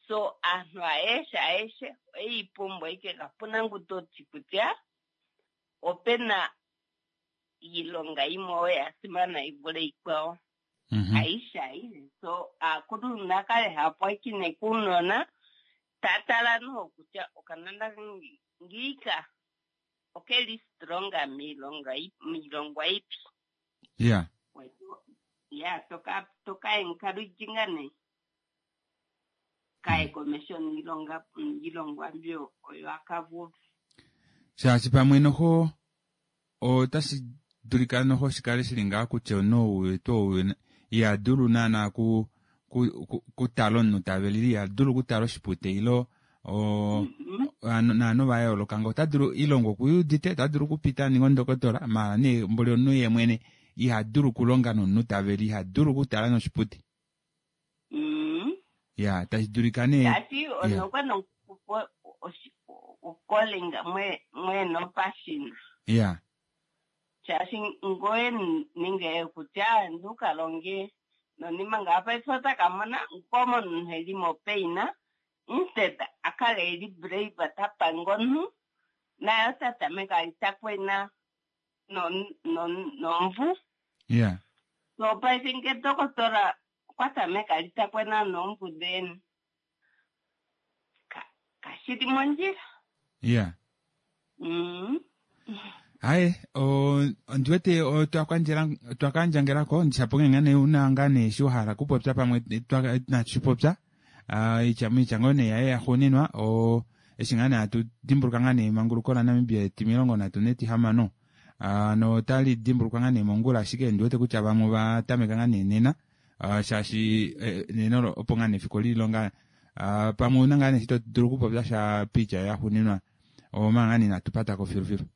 So aantu aeshe aeshe oyipumbwa ike kapuna ngu toti kutya opena iilonga yimwe oyo ya simana yi vule iikwawo. Mm-hmm. Aishe aishe. So aakuluntu nakale hapwakine kuunona tatala noho kutya okanona ngiika okeli stronga miilonga miilongwa ipi. Yeah. Ya toka toka encouraging ne kaye komesho niilonga iilongwa mbyo oyo akavulu. Shaashi pamwe noho otashi dulika noho shikale shili ngaa kutya omunhu wetu ou iha dulu naana ku kutala omunhu tavelile, iha dulu okutala oshipute ilo naanhu va yooloka ngo ota dulu ilongo okuyudite, ota dulu okupita aninge ondokotola, maala nee mboli omunhu ye mwene iha dulu okulonga nomunhu taveli, iha dulu okutala noshipute. Ya tashi dulika nee shaashi onokwe okolinga mwene opashina. Ya shaashi ngoye ninge kutya ndukalonge nonima nga paife otakamona nkomo omunhu eli mopaina instead akale eli brave tapanga omunhu naye ota tameka ali takwena nomvu. Yeah. So paife nge dokotola okwa tameka ali takwena nomvu then kashili mondjila. Yeah. Mm. Hayi ondiwete twakandjangelako ndishapo ngene una ngaa nee shi wahala kupopya pamwe natshipopya itya ngoo nee yaye yaxuuninwa eshi ngaa nee hatu dimbuluka ngaa nee emanguluko laNamibia etimilongo nhatu netihamano notali dimbulukwa ngaa nee mongula, ashike ndiwete kutya vamwe ova tameka ngaa nee nena shaashi nena opo ngaa nee efiku lilonga pamwe una ngaa nee shi to dulu okupopya sha piitya yaxuuninwa omanga ngaa nee inatu patako filufilu.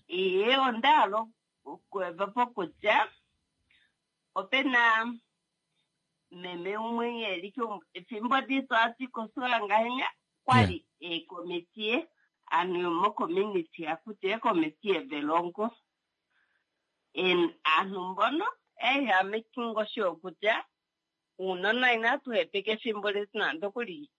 Iye onda hala okueva po kutya opena Meme umwe eli efimbo ditu ati kosikola ngahenya kwali eekomitiye aanhu yomocommunity akuti eekomitiye dhelongo. En aantu mbono eya making sure kutya uunona inatu hepeka efimbo letu nande okuli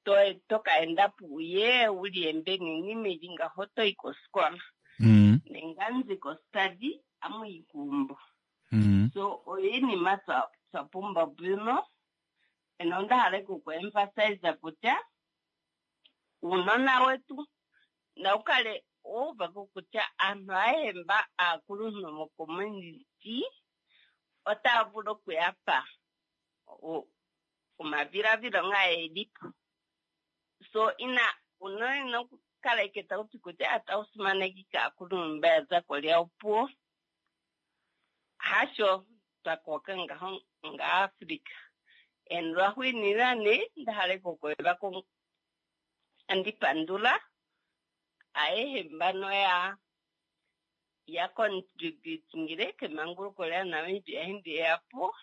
to tokaenda puye uliembe ninima ili ngaho toyi kosikola Mm. nenganzi kostadi amuyi kuumbo. Mm. So oinima twa twa pumba bwino eno onda hala oku emphasize kutya uunona wetu naukale wouvako kutya aantu ayehe mba aakuluntu mocommunity otaya vulu okuyapa o- omadhiladhilo nga elipo. So ina uunona ina okukala ike tauti kutya tawu simanekike aakuluntu mba ya za kolya opuwo. Hasho twakoka ngaho ngaAfrica. And lwahuinina ne ndahala okukweva andi pandula ayehe mbano ya ya contributingile kemanguluko lya Namibia hindi yapo.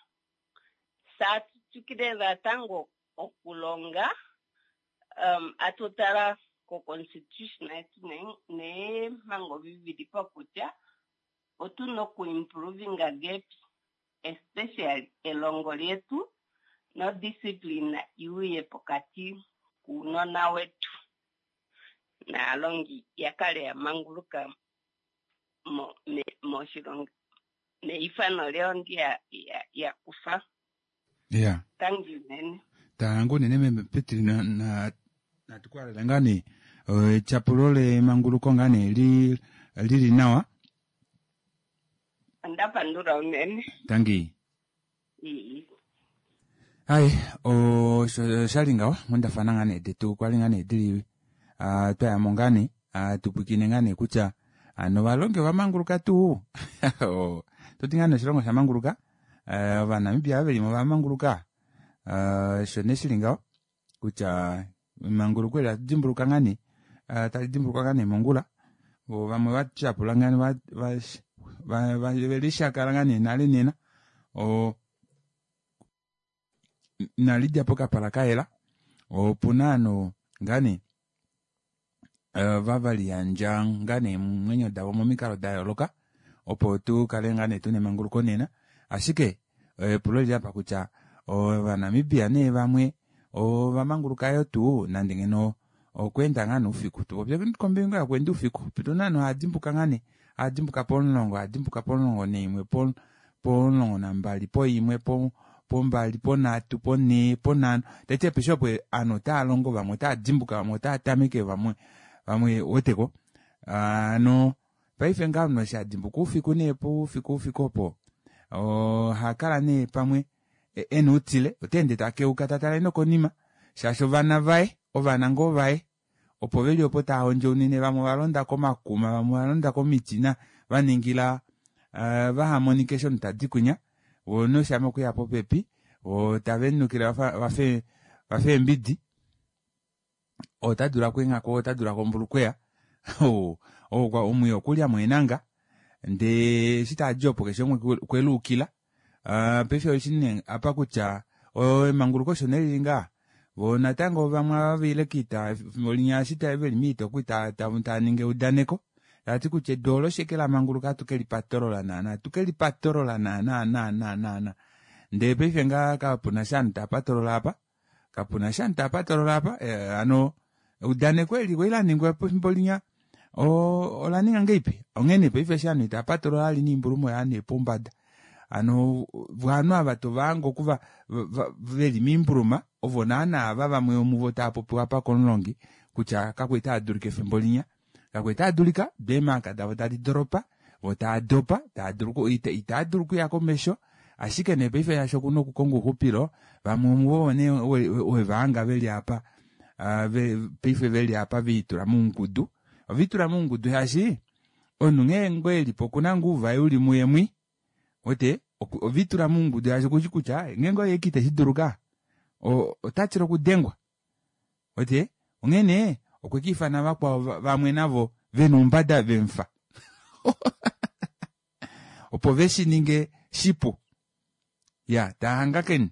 Saatutukile natango okulonga um, atutala ko constitution yetu neempango vivili po kutya otuna okuimprovinga gap especially elongo lyetu no discipline iuye pokati kuunona wetu naalongi yakale ya manguluka mo, me, moshilongo neifano lyawo ndi ya, ya, ya kufa. Yeah. Tangi unene. Tangu unene meme Petri na na natukwalela ngani etyapulo lemanguluko ngani li lili nawa. Onda pandula unene. Tangi. Ii. Hai, osho shali ngaho mondafana ngane detu kwali ngane dili uh, twayamo ngane uh, tupwikine ngane kutya ano valongi ovamanguluka tuu. Toti ngane oshilongo shamanguluka, uh, Ovanamibia velimo vamanguluka. Uh, sho nee shili ngaho kutya emanguluko eli atudimbuluka ngane uh, tali dimbulukwa ngane mongula. Vo vamwe vatyapula ngane va, va, va, va, velishakala ngane nale nena. O, nalidja pokapala kayela opuna ano ngane uh, vavaliyandja ngane mwenyo davo momikalo da yooloka opo tukale ngane tuna emanguluko nena. Ashike epulo lili apa kutya Ovanamibia nee vamwe ovamanguluka yo tuu nande ngeno okweenda ngane oufiku. Tupopye kombinga yokweenda oufiku pituna ano ohadimbuka ngane ohadimbuka pomulongo ohadimbuka pomulongo naimwe pomulongo nambali poimwe po pombali ponhatu ponhee ponhano taiti apeshe opo ovanhu otava longo vamwe otava dimbuka vamwe otava tameke vamwe vamwe weteko. Ano paife ngaa omunhu eshi adimbuka oufiku nee poufiku oufiku opo ohakala nee pamwe ena outile otaende takeuka tatale nokonima shaashi ovana vaye ovana ngoo vaye opo veli opo tava hondjaunine vamwe ovalonda komakuma vamwe ovalonda komiti na vaningila uh, vahamonike eshi omunhu tadi kunya vo noshama okuya popepi vo tave nukile vafe vafe eembidi ota dula kwenghako ota dula kombulukweya omwiyo okulya mweenanga ndee eshi tadi opo keshe umwe okweluukila. Uh, paife oshine apa kutya emanguluko osho nelili ngaa vo natango vamwe ava vaile kiita efimbo linya eshi veli miita okuli tava ningi eudaneko tati kutya edu olo sheke lamanguluka atukelipatolola naana atukelipatolola naana naana naana ndee paife ngaa kapuna sha ovanhu tava apa kapuna sha ovanhu tava apa eh, ano eudaneko eli kwali laningwa pefimbo linya ola ninga ngeipi onghene paife eshi ovanhu itava patolola ali noimbulumo oya nee pombada. Ano vanhu ava tovange okuva veli miimbuluma ovo naana ava vamwe vomuvo tava popiwa apa komulongi kutya kakwali tava dulika efimbo linya kakwali tava dulika deemaka davo tadi doropa vo tava dopa itava dulu okuya komesho ashike nee paife shaashi okuna okukonga ouxupilo vamwe vomuvo nee wevahanga veli apa paife veli apa veitula moungudu oveitula moungudu shaashi omunhu nghee ngoo elipo okuna ngoo uvaye uli muye mwi ote ovitula moungudu shaashi okushi kutya ngeenge oye ite shiduluka ota tila okudengwa ote onghene okwe kiifana vakwao vamwe navo vena oumbada vemufa opo veshi ninge shipu ya tahangakeni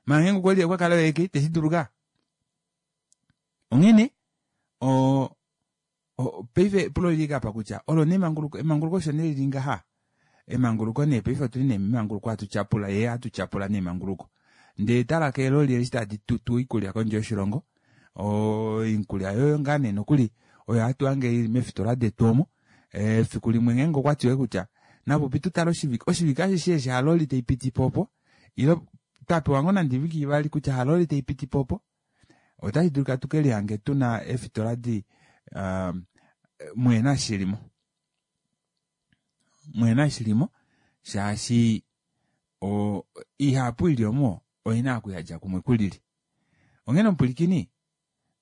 Maange okwali okwa kala eke teshi duluka. Onghene o paife epulo lili apa kutya olo nee emanguluko emanguluko osho nee lili ngaha. Emanguluko nee paife otuli nee memanguluko hatu tyapula yee hatu tyapula nee emanguluko. Ndee tala keeloli eshi tadi tutu oikulya kondje yoshilongo, oikulya yoyo ngaa nee nokuli oyo hatu hange ili meefitola detu omo. Efiku limwe ngeenge okwa tiwa kutya napopi tutale oshivike oshivike ashishe eshi haloli taipiti po opo ile twapewa ngoo nande oivike ivali kutya haloli taipiti po opo otashi dulika tukelihange tuna eefitola di um, mwena shilimo mwena shilimo shaashi o ihapu ili omo oina okuyadja kumwe kulili. Onghene omupwilikini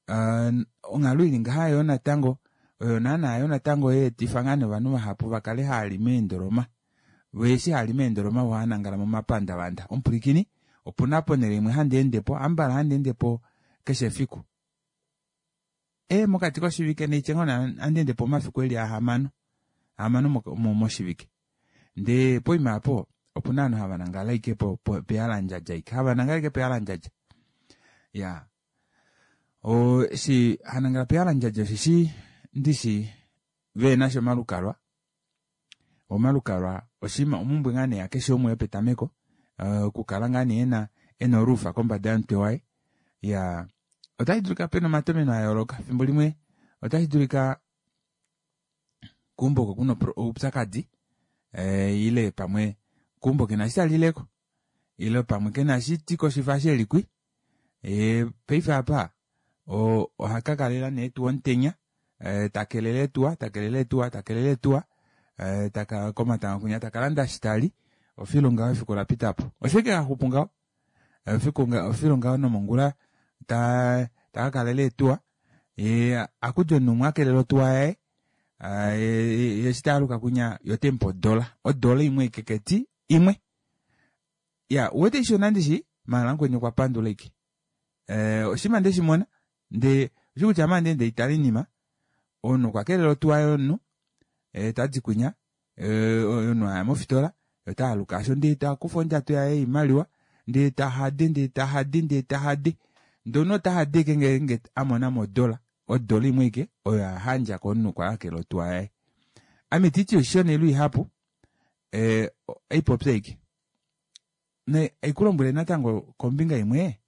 uh, onghalo ili ngaha yo natango oyo naana yo natango yeetifa ngaa novanhu vahapu vakale haali meendoloma veeshi haali meendoloma vohanangala momapandavanda. Omupwilikini opuna ponhele imwe handi endepo ambala handi endepo keshe efiku e mokati koshivike neitye ngoo handi endepo omafiku eli ahamano ahamano moshivike. Ndee poima apo opuna ovanhu hava nangala ike pehalandjadja ike hava nangala ike pehalandjadja ya o eshi hanangala pehalandjadja osheshi ndishi veenasha omalukalwa omalukalwa oshinima omumbwe ngaa nee yakeshe umwe yopetameko okukala ngaa nee ena ena oluufa kombada yomutwe waye ya otashi dulika pena omatomeno a yooloka fimbo limwe otashi dulika keumbo oko kuna oupyakadi ile pamwe keumbo kena eshi talileko ile pamwe kena eshi tikoshifa shelikwi e paife apa ohakakalela nee tuu omutenya takelele etuwa takelele etuwa takelele etuwa taka komatango kwinya takalanda shitali ofilu ngaho efiku lapitapo oshike haxupu ngaho efiku ofilu ngaho nomongula ta takakalela etuwa ye akudi omunhu umwe akelela otuwa yaye eshi taaluka kwinya yotemupe odola odola imwe keketi imwe ya uwete ishona ndishi maala mukweni okwa pandula ike oshinima ndeshimona ndee oshi kutya ame ande ndeitala oinima omunhu okwa kelela otuwa yomunhu tadi kwinya omunhu aya mofitola otaaluka asho ndee takufa ondjato yaye yoimaliwa ndee tahade ndee tahade ndee tahade ndee omunhu otahade ike ngeenge amonamo odola odola imwe ike oyo ahandja komunhu kwa akela otuwa yaye. Ame titi oshishona ilo ihapu aipopya ike ne aikulombwele natango kombinga imwe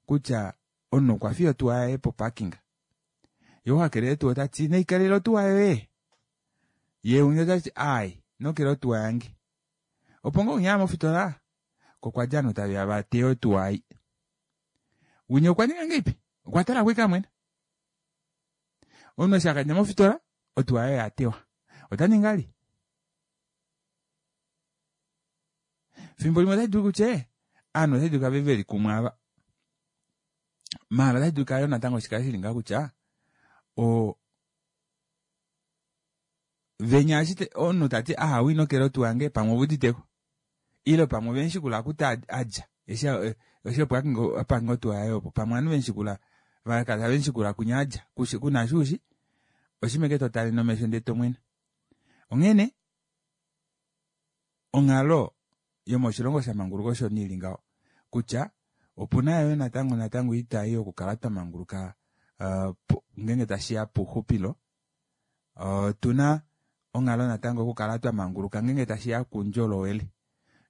kutya omunhu okwa fiya otuwa yaye poparking ye ohakelele tuu otati naikalele otuwa yoye ye umwe otati ai nokele otuwa yange opo ngoo unya mofitola kokwadja ovanhu taveya vateya otuwa ai winya okwa ninga ngeipi okwa tala kwika mwene omunhu eshi akadja mofitola otuwa yaye yatewa ota ninga li fimbo limwe otashi dulu kutya ovanhu otashi dulika ve veli kumwe ava maala otashi dulika yo natango shikale shili ngaho kutya o venya ashite omunhu tati aha inokele otuwa yange pamwe ovuuditeko ile pamwe vemushikula akuti adja eshi eshi opo apange otuwa yaye opo pamwe ovanhu vemushikula vakala tavemushikula kwinya adja kuna shuushi oshimeke totale nomesho ndee tomwene. Onghene onghalo yomoshilongo shamanguluka osho niili ngaho kutya opuna yo natango natango oitai yokukala twamanguluka uh, ngeenge tashiya pouxupilo otuna onghalo natango okukala twamanguluka ngeenge tashiya kuundjolowele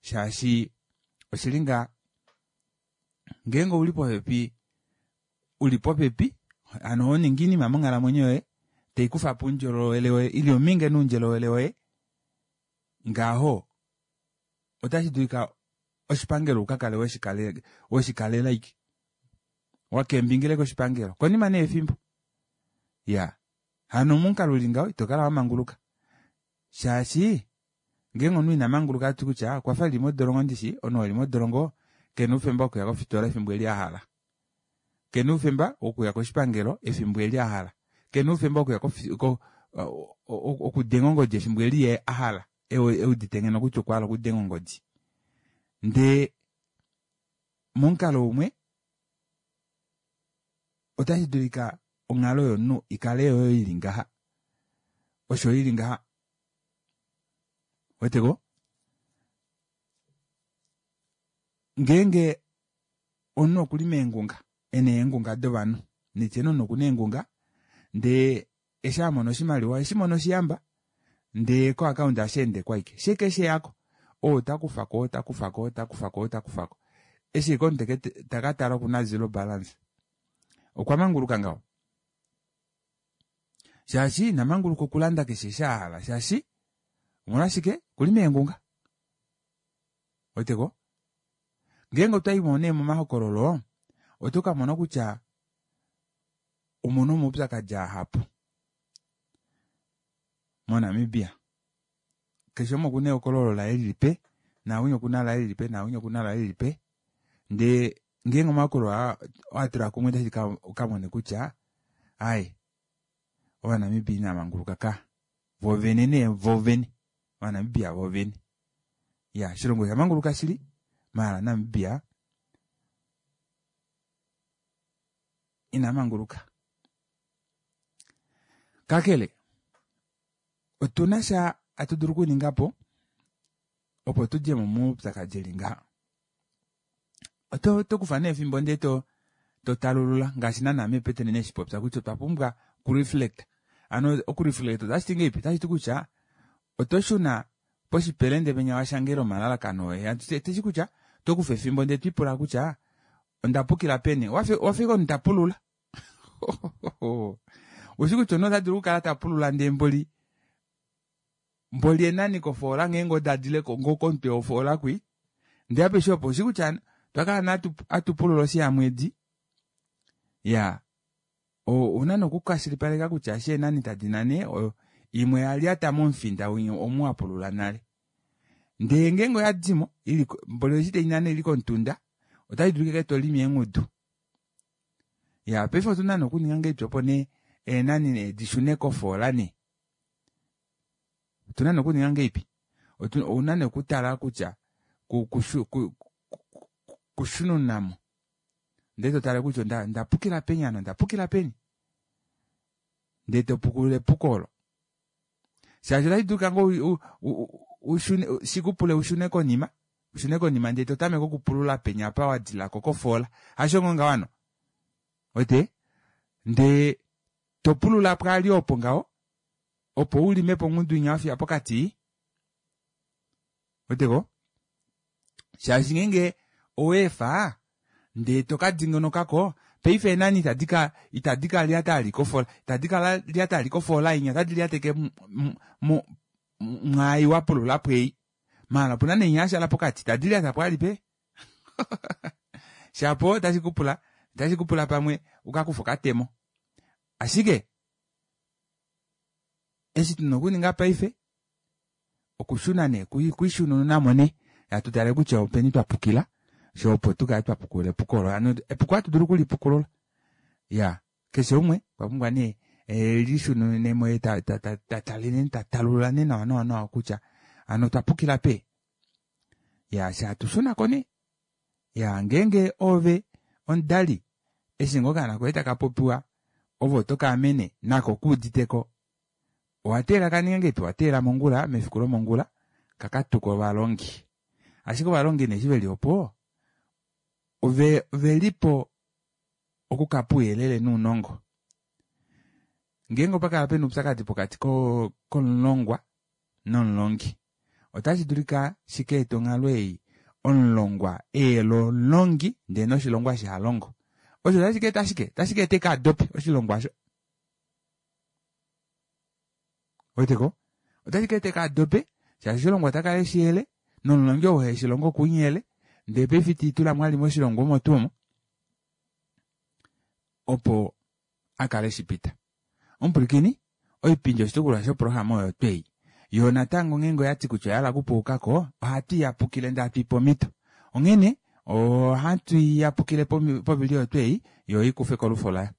shaashi oshili nga ngeenge uli popepi uli popepi hano honingi oinima monghalamwenyo yoye taikufa po oundjolowele woye ili ominge noundjolowele woye ngaho otashi dulika oshipangelo ukakale weshikalela ike wakembingile koshipangelo konima nee efimbo ya hano momukalo uli ngaho itokala wamanguluka shaashi ngeenge omunhu ina manguluka ati kutya okwafa eli modolongo ndishi omunhu eli modolongo kena oufemba wokuya kofitola efimbo eli ahala kena oufemba wokuya koshipangelo efimbo eli ahala kena oufemba wokuya okudenga ongodi efimbo eli ye ahala eudite ngeno kutya okwa hala okudenga ongodi ndee momukalo umwe otashi dulika onghalo yomunhu ikale yoyo ili ngaha osho ili ngaha weteko ngeenge Omunhu okuli meengunga, ena eengunga dovanhu. Nitye nee omunhu okuna eengunga ndee eshi amona oshimaliwa eshimona oshiyamba ndee ko account asheendeko aike shekesheyako oo otakufako otakufako otakufako otakufako eshi ike omunhu takatala okuna zero balance okwa manguluka ngaho shaashi ina manguluka okulanda keshe eshi ahala shaashi omolwashike okuli meengunga weteko ngeenge otwaimo nee momahokololo oto kamona kutya omuna omaupyakadi ahapu moNamibia keshe umwe okuna ehokololo laye lilipe nawinya okuna laye lilipe nawinya okuna laye lilipe ndee ngeenge omahokololo aa owatula kumwe otashi ukamone kutya aaye ovanamibia inamanguluka ka vovene nee vovene ovanamibia vovene ya oshilongo oshamanguluka shili maala Namibia ina manguluka kakele otuna sha hatu dulu okuningapo opo tudjemo moupyakadi eli ngaha oto oto kufa nee efimbo ndee to totalulula ngaashi naana meePeteni neshipopya kutya otwa pumbwa okureflect ano okureflect otashiti ngeipi otashiti kutya oto shuna poshipelende penya washangela omalalakano oye teshi kutya tokufa efimbo ndee twipula kutya onda pukila peni wafika omunhu tapulula ushi kutya omunhu ota dulu okukala tapulula ndee mboli mboli enani kofoola ngeenge odadile ngoo komutwe wofoola kwi ndee apeshe opo ushi kutya twakala hatupulula oshiyamwedi ya ouna nokukwashilipaleka kutya eshi eenani tadi nane imwe yalyata momufinda winya omu wapulula nale ndee ngeenge oyadimo ili mboli eshi tainane ili komutunda otayi dulu ike tolimi eengudu ya paife otuna nee okuninga ngahelipi opo nee eenani nee dishune kofoola nee otuna nee okuninga ngahelipi ouna nee okutala kutya kushununamo ndee totale kutya ondapukila peni hano ondapukila peni ndee topukulula epuko olo shaashi otashi dulika ngoo ushune shikupule ushune konima ushune konima ndee totameke okupulula penya apa wadilako kofoola hasho ngoo ngaho hano wete ndee topulula pwaali opo ngaho opo ulimepo ongudu inya wafiya pokati weteko shaashi ngeenge oweefa ndee tokadingonokako paife eenani itadi ka itadi ka lyata ali kofola itadi ka lyata ali kofola inya otadi lyateke mwaai wapulula pwei maala opuna neinya yashala pokati itadi lyata pwaali pe shapo otashi kupula otashi kupula pamwe ukakufe okatemo ashike eshi tuna okuninga paife okushuna nee kwishunununamo nee hatutale kutya openi twapukila sho opo tukale twapukulula epuko olo hano epuko ohatu dulu okulipukulula ya keshe umwe okwa pumbwa nee elishununemo ye tatale tatalulula nee nawa nawa nawa kutya hano otwapukila pe ya shatushunako nee ya ngeenge ove omudali eshi ngoo okaana koye taka popiwa ove oto kaamene nako kuuditeko owateelela kaninge ngeipi owateelela mongula mefiku lomongula kakatuka ovalongi ashike ovalongi nee eshi veli opo ove ovelipo okukapa ouyelele nounongo ngeenge opakala pena oupyakadi pokati komulongwa nomulongi otashi dulika shika ete onghalo ei omulongwa eyele omulongi ndee noshilongwa shihalongo osho otashi ka eta shike otashi ka eta eke adope oshilongwa osho weteko otashi ka eta eke adope shaashi oshilongwa otakala eshiyele nomulongi ou heshilongo okunyele ndee paife itiitulamo ali moshilongwa omo tuu omo opo akale eshipita omupwilikini oipindi oshitukulwa shoprograma oyo twei yoo natango ngeenge oyati kutya oyahala okupuukako ohatu iyapukile ndee hatu ipe omhito onghene ohatu iyapukile povili oyo twei yo ikufe kolufo layo.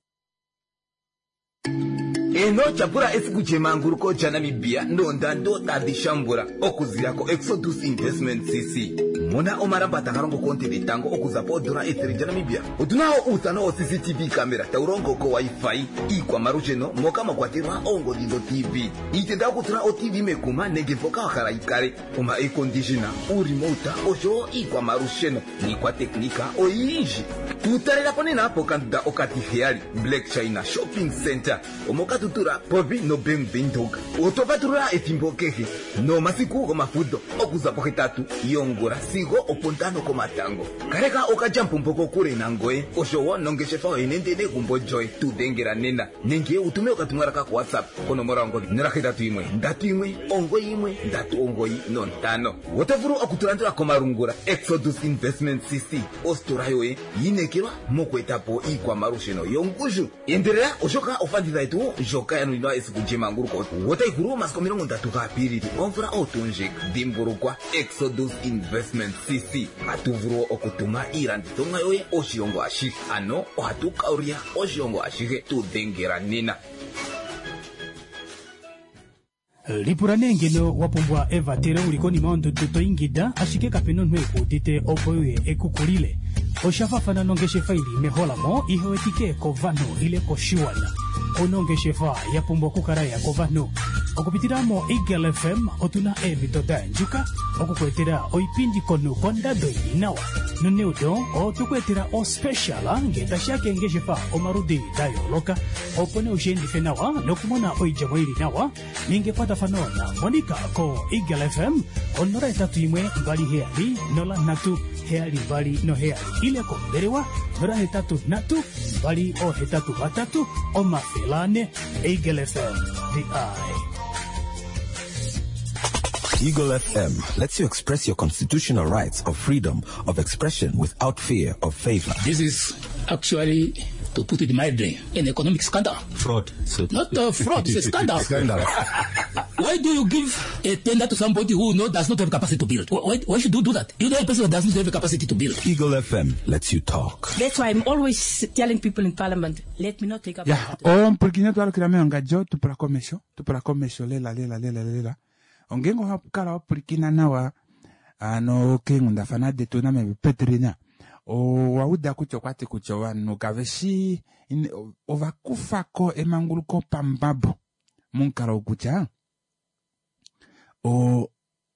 Eno tyapula esiku lyemanguluko lyaNamibia noondando tadhi shambula okuzila ko Exodus Investment C C. Mona omalamba taga longo koonte dhetango okuza poondola ethele lyaNamibia. Otuna wo uuthano wo C C T V camera tawu longo ko Wi-Fi, iikwamalusheno moka mwa kwatelwa oongodhi dho T V, iitenda yokutula o T V mekuma nenge mpoka wa hala yi kale, oma air conditioner, uuremote oshowo iikwamalusheno niikwateknika oyindji. Tu talela po nena pokandunda okatiheyali Black China Shopping Center omoka tutula popi noBank Windhoek. Oto patulula ethimbo kehe nomasiku gomafudho okuza pohetatu yongula sigo opontano komatango. Kaleka okalyamupombo kokule nangoye oshowo nongeshefa yoye nende negumbo lyoye. Tu dhengela nena nenge utume okatumwalaka ko WhatsApp konomola yongodhi nola hetatu yimwe ndatu yimwe omugoyi yimwe ndatu omugoyi nontano. Oto vulu okutulandula komalungula Exodus Investment C C, ositola yoye yinekelwa moku eta po iikwamalusheno yongushu. Endelela oshoka ofanditha yetu ndjoka ya nuninwa esiku lyemanguluko otayi hulu omasiku omilongo ndatu gaApilili omvula oyo tuu ndjika. Dhimbulukwa Exodus Investment C C, ohatu vulu okutuma iilandithomwa yoye oshilongo ashihe, ano ohatu kaulya oshilongo ashihe. Tu dhengela nena. Lipula nee ngeno wa pumbwa evatelo uli konima yondudu to ingida, ashike kapena omunhu ekuudite opo uye ekukulile. Osha faafana nongeshefa ili meholamo ihewetike kovanhu ile koshiwana. Onongeshefa ya pumbwa okukala ya kovanhu. Okupitila mo Eagle F M otuna eemhito da andjuka okukuetela oipindi komunhu kondado ili nawa. Noneudo otukuetela ospecial ngee tashiya keengeshefa omaludi da yooloka, opo nee ushiendife nawa nokumona oidjemo ili nawa. Ninga ekwatafano na Monica ko Eagle F M onola etatu imwe mbali heyali nola nhatu heyali mbali noheyali ile kombelewa nola hetatu nhatu mbali ohetatu vatatu omafele ane. Eagle F M, the eye. Eagle F M lets you express your constitutional rights of freedom of expression without fear of favor. This is actually, to put it mildly, an economic scandal. Fraud. So Not a fraud, it's a scandal. Scandal. Why do you give a tender to somebody who no, does not have capacity to build? Why, why should you do that? You know a person who does not have a capacity to build. Eagle F M lets you talk. That's why I'm always telling people in Parliament, let me not take up... Yeah. Oh, mpulukine twalukila meongadjo, tupula komesho, tupula komesho, lela, lela, lela, lela. Ongengo hapukala wapulikina nawa, ano keenghundafana detu nameme Petrina. Owauda kutya okwati kutya ovanhu kave shi, in-, ovakufako emanguluko pambabo momukalo wokutya, o-,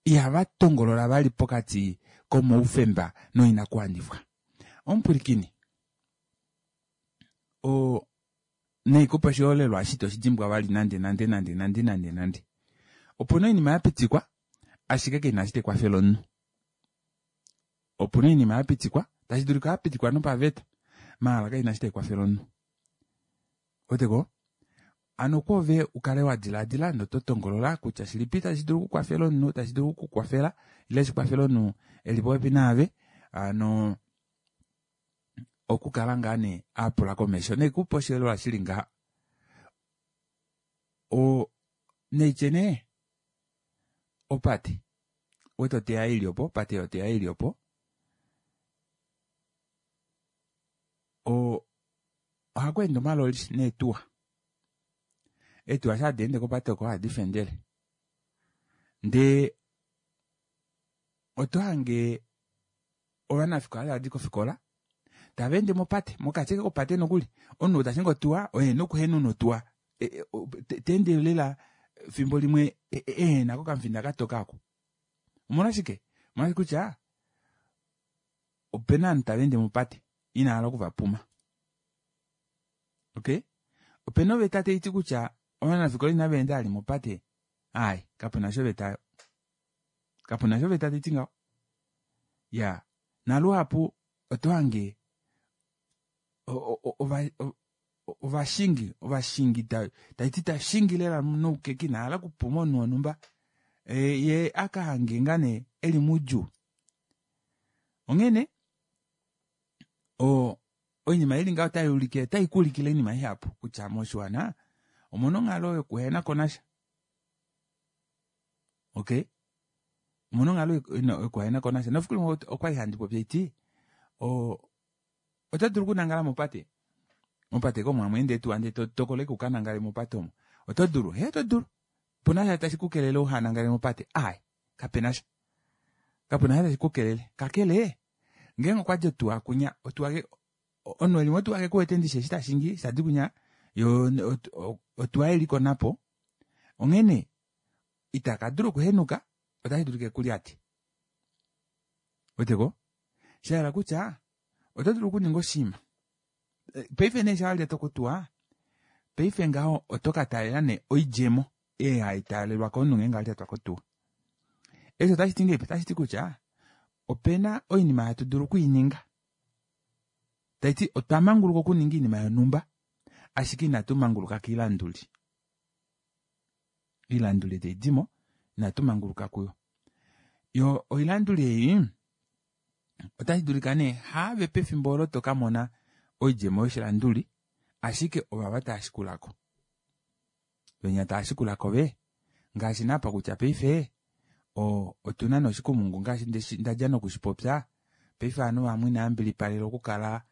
ihava tongolola vali pokati komaufemba noinakuwanifwa. Omupulikini, o-, neikupa oshiholelwa ashike oshidimbwa vali nande, nande, nande, nande, nande, nande. Opuna oinima ya pitikwa, ashike keina ashike ekwafelo omunhu. Opuna oinima ya pitikwa, tashi dulika ya pitikwa nopaveta, maala keina ashike ekwafelo omunhu. Oteko? Ano kwove ukale wa diladila noto tongolola kutya shilipi tashi dulu okukwafela omunhu, tashi dulu okukwafela, ile shikwafela omunhu eli popepi naave, ano okukala ngaa nee a pula komesho. Neikupa oshiholelwa shili ngaha. O, neitye nee, opate. Wete oteya ili opo, opate yoteya ili opo. O, ohaku ende omaloli neetuwa. Eetuwa sha hadi ende kopate oko hadi fendele. Ndee, oto hange ovanafikola tava di kofikola, tava ende mopate, mokati kopate nokuli. Omunhu ta shingi otuwa, oye nokuhenuna otuwa. E, e, o, te, te ende lela fimbo limwe, e, e, e, nako kamfinda katoka ako. Omolwashike? Omolwashike kutya opena ovanhu tava ende mopate, ina hala okuvapuma. Okay? Opena oveta tai ti kutya ovanafikola inava enda ali mopate. Ai, kapena sho oveta. Kapena sho oveta tai ti ngaho. Ya, naluhapu oto hange o-, o-, ova-, o-, ovashingi, ovashingi ta-, tai ti ta shingi lela noukeki na hala kupuma omunhu wonhumba. E, ye aka hange nga nee eli mudjuu. Onghene, o-, oinima ili ngaho otai ulike, otai ku ulikile oinima ihapu kutya moshiwana omuna onghalo yokuhena ko nasha. Okay? Omuna onghalo yokuhena ko nasha. Nofiku limwe okwa li handi popi eti, o-, oto dulu okunangala mopate. Mopate ko mwamwe ende tu ande to tokole ku kanangale mopate omo. Oto dulu, he, oto dulu. Puna sha tashi ku kelele uhanangale mopate. Ai, kapena sha. Kapuna sha tashi kukelele. Kakele ngeenge okwadi otuwa kunya otuwa ke omunhu eli motuwa kekuwete ndishi eshi tashingi shadi kunya yo otuwa yeliko napo onghene ita kadula okuhenuka otashi dulika ekulyate. Ouweteko? Shahala kutya oto dulu okuninga oshinima paife nee shawalyatwa kotuwa paife ngaho oto kataalela nee oidjemo ei haitaalelwa komunhu ngeenge alyatwa kotuwa. Eshi otashiti ngahelipi? Otashiti kutya opena oinima hatu dulu okwiininga taiti otwa manguluka okuninga oinima yonhumba ashike inatu manguluka koilanduli. Oilanduli taidimo inatu manguluka kuyo. Yoo oilanduli ei otashi dulika nee haave pefimbo olo tokamona oidjemo yoshilanduli ashike ovava taashikulako. Venya taashikulako vee ngaashi naapa kutya paife oo otuna nee oshikumungu ngaashi ndadja nokushipopya paife ovanhu vamwe inavambilipalelwa okukala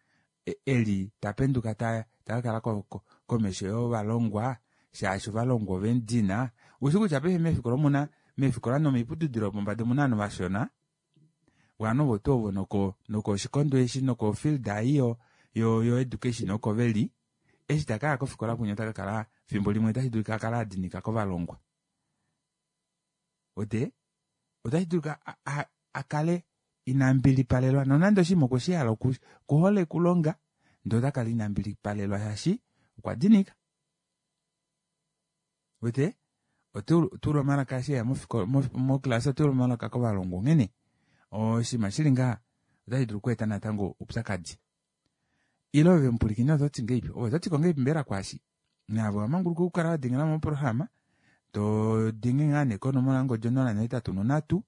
eli tapenduka takakala komesho yovalongwa shaashi ovalongwa ovemudina. Ushi kutya paife meefikola omuna meefikola nomoiputudilo yopombada omuna ovanhu vashona ovanhu ovo tuu ovo noko nokoshikondo eshi nokofield ei yo yo education oko veli eshi takaya kofikola kunya otakakala fimbo limwe otashi dulika akale adinika kovalongwa. Ote otashi dulika akale ina mbilipalelwa nonande oshinima okweshihala okuhole okulonga ndee otakala ina mbilipalelwa shaashi okwa dinika. Wete otuulwa omalaka eshi eya moclass otuulwa omalaka kovalongwa onghene oshinima shili ngaha otashi dulu okweeta natango oupyakadi. Ile ove mupwilikini ototi ngahelipi? Ove ototiko ngahelipi mbela kwaashi? Naave owamanguluka okukala wadengela moprograma todenge ngaa nee konomola yongodi onola nohetatu nonhatu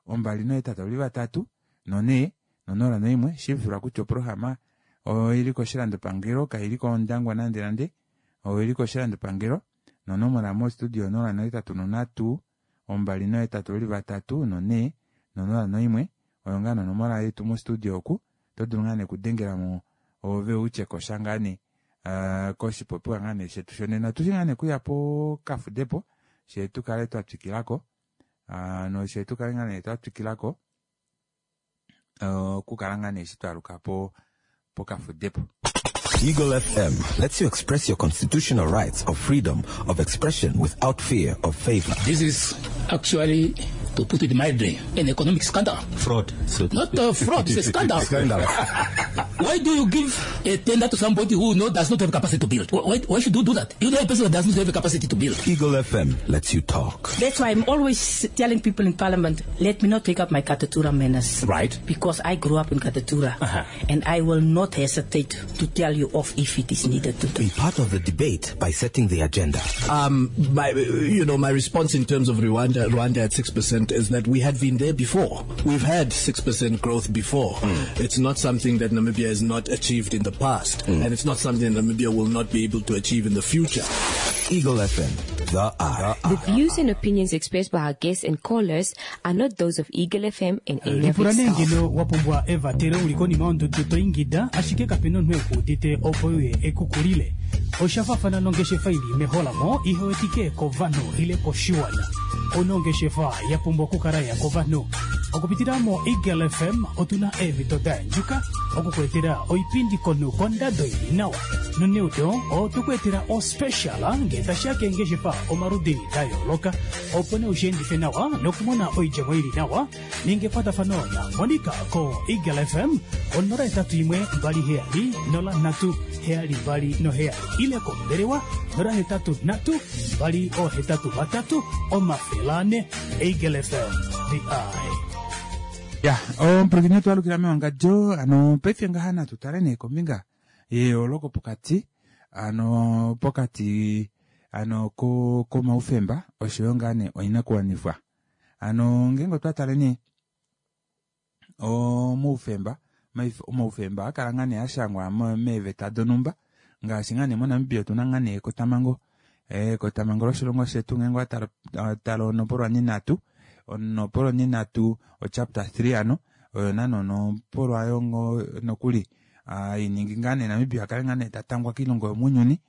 ombali nohetatu ovali vatatu nonhee nonola noimwe shiivifilwa kutya oprograma oili koshilandopangelo kaili kOndangwa nande nande oili koshilandopangelo nonomola mo studio onola nohetatu nonhatu ombali nohetatu ovali vatatu nonhee nonola noimwe oyo ngaa nonomola yetu mo studio oku oto dulu ngaa nee okudengelamo ove utye kosha ngaa nee koshipopiwa ngaa nee shetu shonena otushi ngaa nee okuya pokafudepo shee tukale twatwikilako noshe tukale ngaa nee twatwikilako okukala ngaa nee eshi twaluka po pokafudepo. Eagle F M lets you express your constitutional rights of freedom of expression without fear of favor. This is actually, to put it mildly, an economic scandal. Fraud. So Not a fraud, it's a scandal. Scandal. Why do you give a tender to somebody who no, does not have capacity to build? Why, why should you do that? You know a person that does not have a capacity to build. Eagle F M lets you talk. That's why I'm always telling people in Parliament, let me not take up my Katutura manners. Right. Because I grew up in Katutura. Uh-huh. And I will not hesitate to tell you off if it is needed to do. Be part of the debate by setting the agenda. Um, my, you know, my response in terms of Rwanda, Rwanda at six percent is that we had been there before. We've had six percent growth before. Mm. It's not something that Namibia has not achieved in the past. Mm. And it's not something that Namibia will not be able to achieve in the future. Eagle F M, the eye. The views and opinions expressed by our guests and callers are not those of Eagle F M and any of its Lipula nee staff. ngeno wapumbwa evatelo uli konima yondudu to ingida ashike kapena omunhu ekuudite opo uye ekukulile. Oshafafana nongeshefa ili meholamo ihewetike kovanhu ile koshiwana. Onongeshefa ya pumbwa okukala ya kovanhu. Okupitila mo Eagle F M otuna eemhito da yandjuka okukuetela oipindi komunhu kondado ili nawa. Noneudo otukuetela ospecial ngee tashiya keengeshefa omaludi da yooloka opo nee ushiendife nawa nokumona oidjemo ili nawa. Ninga ekwatafano na Monica ko Eagle F M onola hetatu imwe mbali heyali nola nhatu heyali mbali noheyali ile kombelewa nola hetatu nhatu mbali ohetatu vatatu omafele ane. Eagle F M, the eye. Ya, omupulakeni wetu alukila mewangadjo ano paife ngaha natu tale nee kombinga yeyooloko pokati ano pokati ano ko komaufemba oshoyo ngaa nee oinakuwanifwa. Ano ngeenge otwa tale nee omaufemba, omaufemba akala ngaa nee ashangwa meeveta donhumba ngaashi ngaa nee moNamibia otuna ngaa nee ekotamhango, ekotamhango loshilongo shetu ngeenge owatala tala onopolwa ninhatu onopolwa ninhatu ochapter three ano oyo naana onopolwa yongo nokuli iningi ngaa nee Namibia akale ngaa nee tatangwa koilongo yomounyuni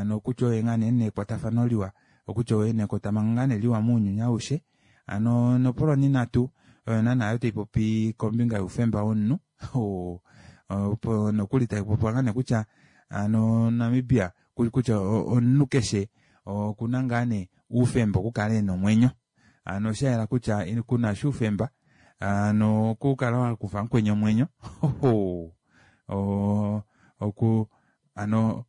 nokutya oye ngaa nee nekwatafano liwa okutya oye nekotamhango ngaa nee liwa mounyuni aushe. Ano onopolwa ninhatu Oyo naana yo taipopi kombinga youfemba womunhu opo nokuli taipopiwa ngaa nee kutya hano Namibia kutya omunhu keshe okuna ngaa nee oufemba okukala ena omwenyo hano oshayela kutya kunasha oufemba hano okukala wakufa mukweni omwenyo oo oku hano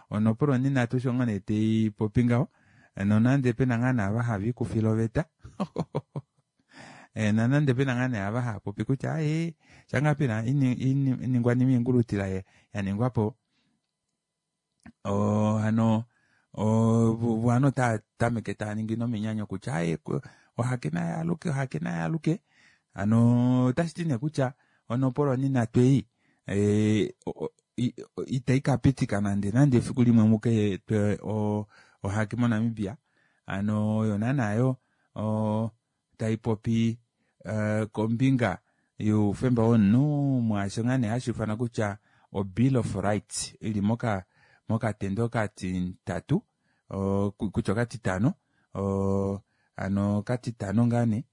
onopolo onhinatu osho ngoo nee taipopi ngaho nonande pena ngaa naava haviikufile oveta nonande pena ngaa nee ava haapopi kutya aaye shaangaa pena oiningwanima oingulutila yaningwapo oo hano ovanhu otaatameke taaningi nominyanyo kutya aaye ohake nayaaluke ohake nayaaluke hano otashiti nee kutya onopolo onhinatu ei itaikapitika nande nande efiku limwe mukaetwe ohake mo Namibia hano oyo naana yo taipopi kombinga youfemba womunhu mwaasho ngaa nee hashuufanwa kutya o bill of rights ili moka mokatendo okatitatu kutya okatitano hano okatitano ngaa nee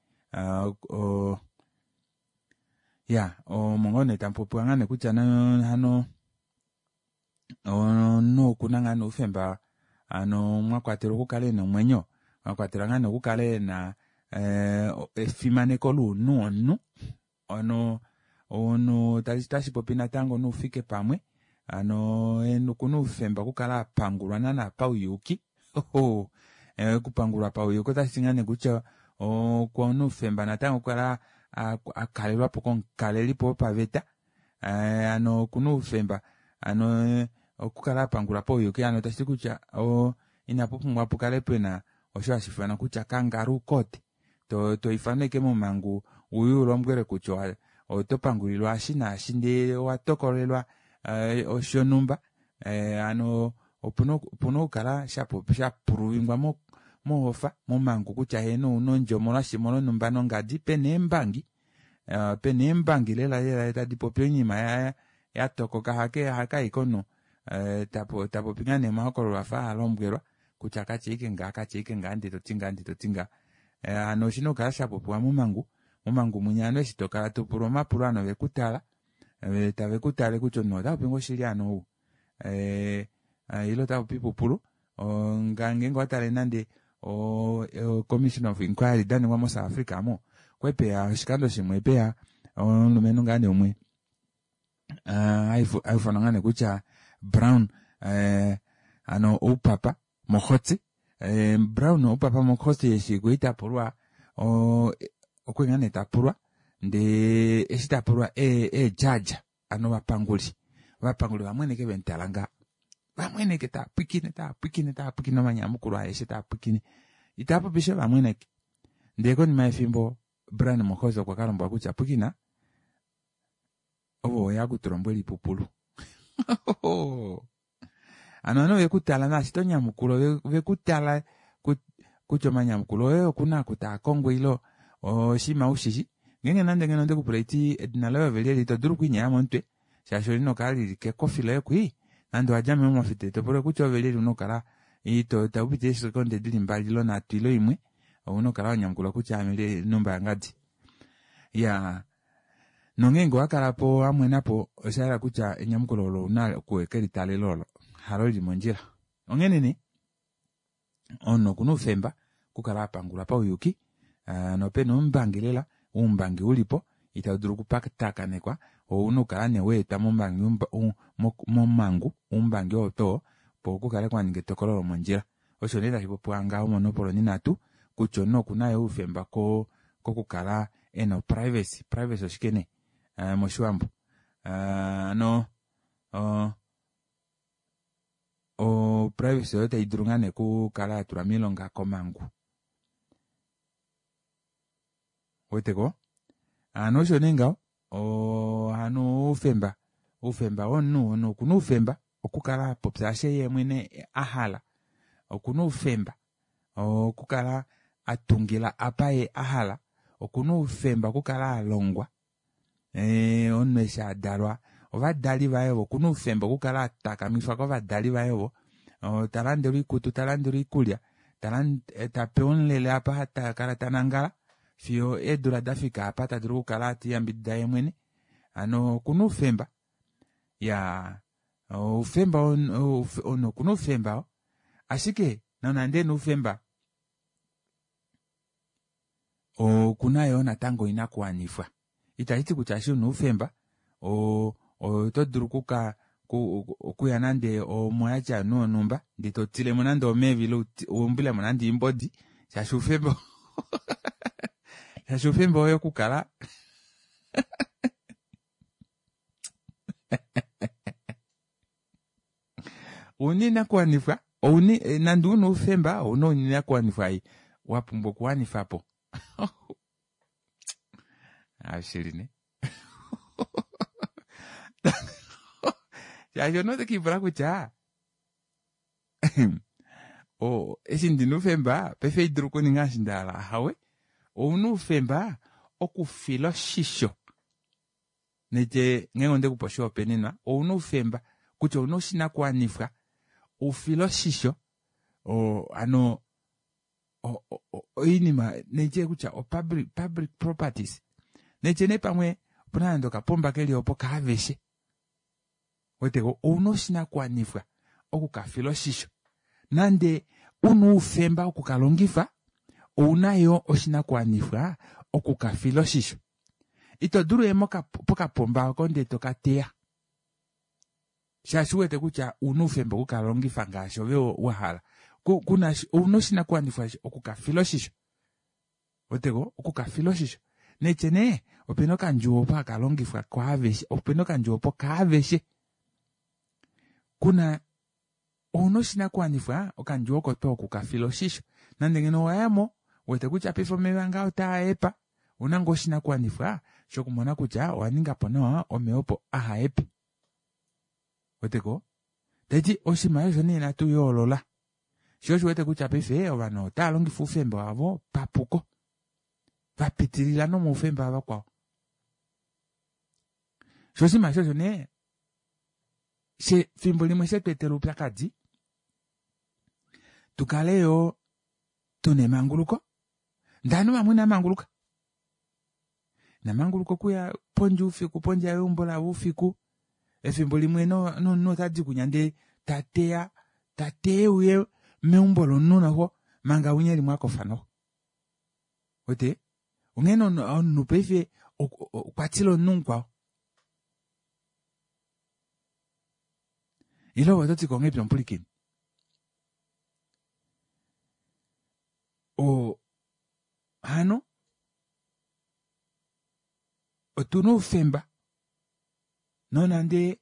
ya omo ngoo nee tamupopiwa ngaa nee kutya hano omunhu okuna ngaa nee oufemba hano mwakwatelwa okukala ena omwenyo mwakwatelwa ngaa nee okukala ena efimaneko lounhu womunhu hano omunhu otashipopi natango noufike pamwe hano okuna oufemba okukala apangulwa naana pauyuuki okupangulwa pauyuuki otashiti ngaa nee kutya okuna oufemba natango okukala akalelwapo komukalelipo wopaveta hano okuna oufemba hano okukala apangulwa pauyuuki hano tashiti kutya inapupumbwa pukale pena osho hashiifanwa kutya kangaroo court toifanwa ashike momangu uye ulombwelwe kutya oto pangulilwa eshi naashi ndee owatokolelwa shonumba hano opuna okukala shapuluvingwa mohofa momangu kutya heeno ouna ondjo omolwashi omolwonumba nongadi pena eembangi pena eembangi lela lela tadi popi oinima yatokoka hakaike omunhu tapopi ngaa nee omahokololo afa alombwelwa kutya katya ashike ngaha katya ashike ngaha ndee toti ngaha ndee toti ngaha hano oshina okukala shapopiwa momangu momangu munya ovanhu eshi tokala topulwa omapulo ovanhu ovekutala tavekutale kutya omunhu otapopi ngoo oshili hano ou ile otapopi oipupulu ngeenge owatale nande o commission of inquiry daningwa mo South Africa aamo okwali peya oshikando shimwe peya omulumenhu ngaa nee umwe haifanwa ngaa nee kutya Brown hano oupapa Mogotsi Brown oupapa Mogotsi eshi kwali tapulwa okwali ngaa nee tapulwa ndee eshi tapulwa eejudge hano ovapanguli ovapanguli vamweneke vemutala ngaha vamweneke taapwiikine taapwiikine taapwiikine omanyamukulo aeshe taapwiikine itaapopisha vamweneke ndee konima yefimbo Brown Mogotsi okwa kalombwelwa kutya pwiikina ove oweya okutulombwela oipupulu hano ovanhu vekutala naashi tonyamukula vekutala kutya omanyamukulo oye okuna oku taakongo ile oshinima ushishi ngeenge nande ngeno ondekupula haiti edina loye ove lyelye ito dulu okwiinyaya momutwe shaashi olina okukala lili kekofi loye kwii nande owadja mo mofita topula kutya ove lyelye una okukala taupiti eesekonde dili mbali ile nhatu ile imwe ouna okukala wanyamukula kutya aame numba yangadi iyaa nongeenge owakalapo wamwenapo oshayela kutya enyamukulo olo ouna okukelitalela olo halo lili mondjila onghene nee omunhu okuna oufemba okukala apangulwa pauyuuki nopena oumbangi lela oumbangi ulipo itaudulu okupatakanekwa ouna okukala nee waetwa momangu oumbangi oo too opo kukale kwaninga etokolo lomondjila osho nee tashipopiwa ngaho monopolo onhinatu kutya omunhu okuna yoo oufemba kokukala ena o privacy privacy oshike nee moshiwambo hano o privacy oyo taidulu ngaa nee okukala yatulwa moilonga komangu ouweteko hano osho nee ngaho hano oufemba oufemba womunhu omunhu okuna oufemba okukala apopya osho yeemwene ahala okuna oufemba okukala atungila apa yee ahala okuna oufemba okukala alongwa omunhu eshi adalwa ovadali vaye ovo okuna oufemba okukala atakamifwa kovadali vaye ovo talandelwa oikutu talandelwa oikulya tapewa omulele apa takala tanangala Fiyo eedula dafika apa tadulu okukala teyambidida yemwene hano okuna oufemba iyaa oufemba omunhu okuna oufemba ashike nonande ena oufemba okuna yoo natango oinakuwanifwa itashiti kutya eshi una oufemba oo otodulu okuka okuya nande omoyatya yovanhu vonhumba ndee totilemo nande omeva ile waumbilemo nande oimbodi shaashi oufemba shaashi oufemba woye okukala ouna oinakuwanifwa ouna nande una oufemba ouna oinakuwanifwa ei wapumbwa okuwanifapo ashili nee shaashi omunhu otekiipula kutya eshi ndina oufemba paife haidulu okuninga eshi ndahala ahawe ouna oufemba okufila oshisho naitye ngeenge ondekupe oshihopaenenwa ouna oufemba kutya ouna oshinakuwanifwa ufile oshisho hano oinima naitye kutya o public, public properties naitye nee pamwe opuna nande okapomba keli opo kaaveshe weteko ouna oshinakuwanifwa okukafila oshisho nande una oufemba okukalongifa ouna yoo oshinakuwanifwa okukafila oshisho ito dulu uye pokapomba oko ndee tokateya shaashi uwete kutya ouna oufemba okukalongifa ngaashi ove wahala kuna ouna oshinakuwanifwa okukafila oshisho weteko okukafila oshisho naitye nee opena okandjuwo opo hakalongifwa kwaaveshe opena okandjuwo opo kaaveshe kuna ouna oshinakuwanifwa okandjuwo oko tuu okukafila oshisho nande ngeno owayamo uwete kutya paife omeva ngaa otaahepa ouna ngoo oshinakuwanifwa shokumona kutya owaningapo nawa omeva opo ahahepe weteko taiti oshinima osho nee natu yoolola shoo osho uwete kutya paife ovanhu otava longifa oufemba wavo papuko vapitilila nomoufemba wavakwao shoo oshinima eshi osho nee fimbo limwe shetweetela oupyakadi tukale yoo tuna emanguluko ndee ovanhu vamwe inavamanguluka inamanguluka okuya pondje oufiku pondje yeumbo lavo oufiku efimbo limwe nomunhu otadi kunya ndee tateya tateya euye meumbo lomunhu noxo manga winya eli mwakofa noxo uwete onghee omunhu paife okwatila omunhu mukwao ile ove ototi ngahelipi omupulikini oo hano otuna oufemba nonande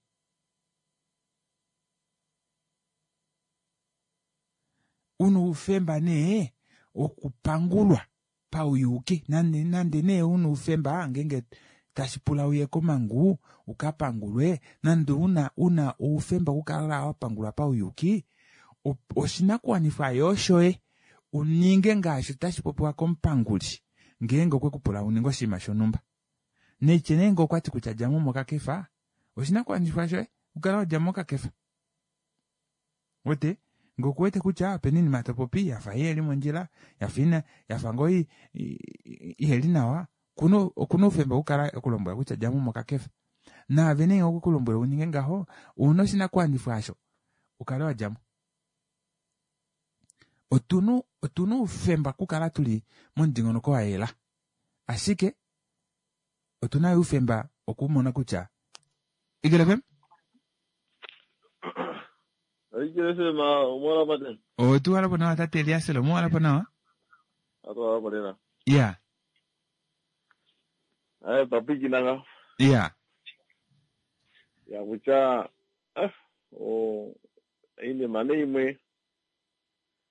una oufemba nee wokupangulwa pauyuuki nande nande nee una oufemba ngeenge tashipula uye komangu ukapangulwe nande una una oufemba okukala wapangulwa pauyuuki oshinakuwanifwa yoo shoye uninge ngaashi tashipopiwa komupanguli ngeenge okwekupula uninge oshinima shonumba naitye nee ngee okwati kutya djamo mokakefa oshinakuwanifwa shoye okukala wadjamo mokakefa uwete ngee okuwete kutya opena oinima topopi yafa iheli mondjila yafa ina yafa ngoo iheli nawa okuna oufemba okukala ekulombwela kutya djamo mokakefa naave nee okwe kulombwela uninge ngaho ouna oshinakuwanifwa aasho ukale wadjamo otuna otuna oufemba okukala tuli momudingonoko wayela ashike otuna yo oufemba okumona kutya Eagle F M Eagle F M omwalapo tena otuwalapo nawa tate Eliasel omuwalapo nawa atuwalapo lela iya aye twapwikina nga iya ya kutya eh, o iinima nee imwe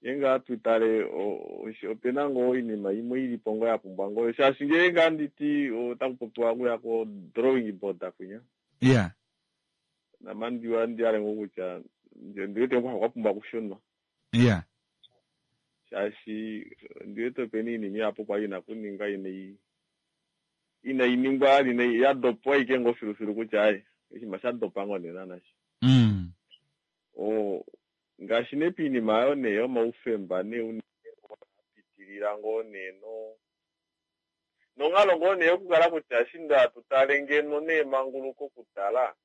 nge tutale opena ngoo iinima imwe ilipo ngoo yapumbwa ngoo shaashi ngee ngaa nditi otaku popiwa okuya ko drawing board kwinya iya namandiwa ndihale ngoo kutya ndiwete ngoo kwapumbwa okushunwa iya shaashi ndiwete opena iinima ihapu kwali ina kuningwa inayi inayi ningwa inayi yadopwa ashike ngoo filufilu kutya aye oshinima shadopa ngoo nee naana mm. o ngaashi nee piinima ayo nee yomaufemba nee unene pitilila ngoo nee no Nonghalo ngoo nee okukala kutya eshi nda tutale ngeno neemanguluko okutala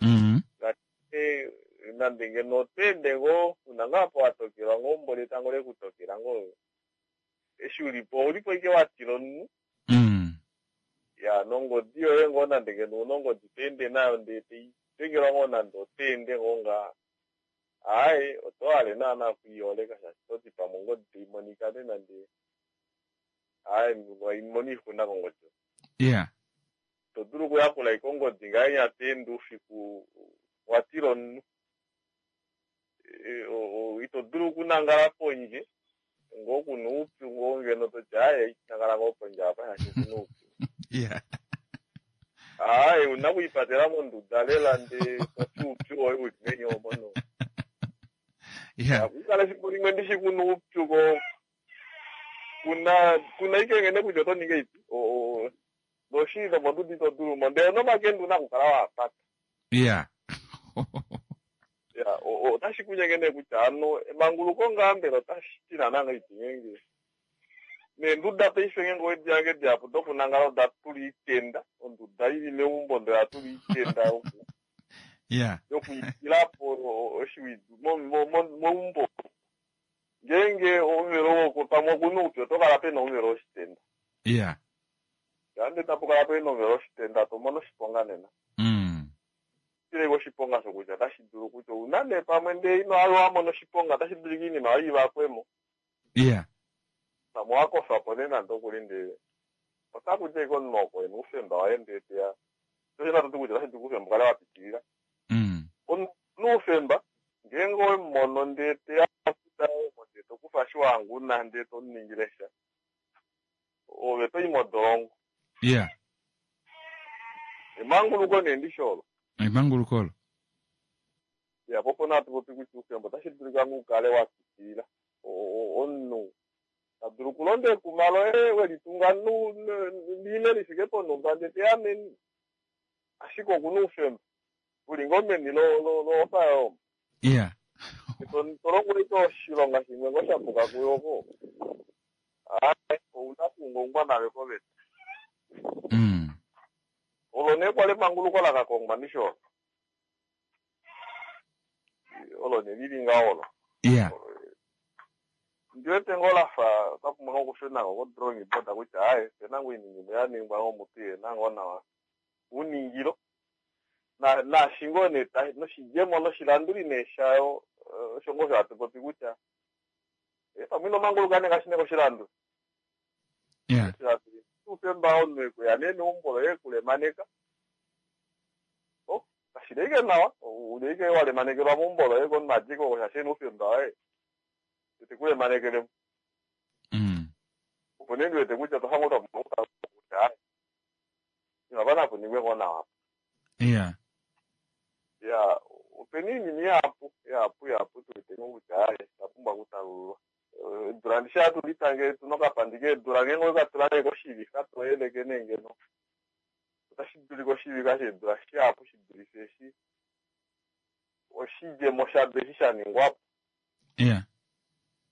Mm. ngaashi nande ngeno otweende ngoo una ngaa apa watokelwa ngoo mboli etango lekutokela ngoo eshi ulipo oulipo ike watila omunhu Mm. ya nongodi yoye ngoo nande ngeno una ongodi toende nayo ndee teidengelwa ngoo nande oteende ngoo ngaa aaye otohale naana okwiiyoleka shaashi toti pamwe ongodi taimonika ne nande aaye waimona oixuna kongodi Yeah. to dulu okuyakula ike ongodi ngahenya toende oufiku watila omunhu E, o- o- ito dulu okunangala pondje ngoo kuna oupyu ngoo ngeno toti aaye nangala ngoo pondje apa shaashi okuna oupyu Yeah. aaye una okwiipatela monduda lela ndee toti oupyu woye uli meni omo no Yeah. akukala efimbo limwe ndishi kuna oupyu ko kuna kuna ike ngene kutya oto ningi ipi O- o- noshili nomonduda ito dulu mo ndele nomakende una okukala waapata Yeah. ya o- o- otashi kunyenge kutya ano emanguluko ngaa mbela otashi ti naana ngahelipi ngenge neenduda paife ngenge owedi yange dihapu dokunangala oda tula iitenda onduda ili meumbo ndele oya tula iitenda yoku Yeah. yokuikilapo oshiwidu mo- mo- mo- meumbo ngeenge omuvelo woko pamwe okuna oupyu oto kala pena omuvelo woshitenda Yeah. ande tapu kala pena omuvelo woshitenda tomono oshiponga nena Mm. tileko oshiponga shokutya otashi dulu kutya una nee pamwe ndee ino alo wamona oshiponga otashi dulika iinima yoye ivakwemo Yeah. pamwe wakofapo nee nande okuli ndee otaku ti ike omunhu oko ena oufemba waye ndee teya toshina toti kutya otashi dulu oufemba ukale wapitilila Mm. omunhu oufemba ngeenge owemumono ndee teya mo ndee tokufa eshi wahanga ndee tomuningile sha ove toyi modolongo Yeah. emanguluko nee ndishi olo Emanguluko olo. ya po opona hatu popi kutya oufemba otashi dulika ngoo ukale wapitilila O- o- omunhu tadulu okulonda ekuma loye welitunga nu- nu- lile lifike ponhumba ndee teya meni ashike okuna oufemba uli ngoo meni lo- lo- loofa yomo Yeah. to longo ike oshilonga shimwe ngoo shapuka kuyoko aye ouna okuungaungwa nayo koveta Mm. olo nee kwali emanguluko lakakongwa ndishi olo olo nee lili ngaho olo Yeah. ndiwete ngoo lafa otapumbwa ngoo okushuna ko kodrawing board kutya aye opena ngoo iinima imwe yaningwa ngoo mutu yena ngoo nawa uningilo na naashi ngoo nee ta- noshidjemo noshilanduli nee shayo eh, osho ngoo osho hatu popi kutya eh, pamwe ino manguluka nee ngaashi nee koshilanduli Yeah. oshilanduli oufemba omunhu ekuya nee meumbo loye ekulemaneka o kashili ike nawa uli ike walemanekelwa meumbo loye komunhu adiko shaashi ena oufemba waye tekulemanekele Mm. opo nee ndiwete kutya tohango twa kutya aye inapa napuningwe ngoo nawa Yeah. ya opena iinima ihapu ihapu ihapu tuwete ngoo kutya aye oyapumbwa okutalululwa Eh, edula ndishi hatu litange tuna okapandi keedula ngeenge owekatula nee koshivixa toyeleke nee ngeno otashi dulika oshivixa sheedula shihapu shidulife eshi oshidjemo shado eshi shaningwapo Yeah.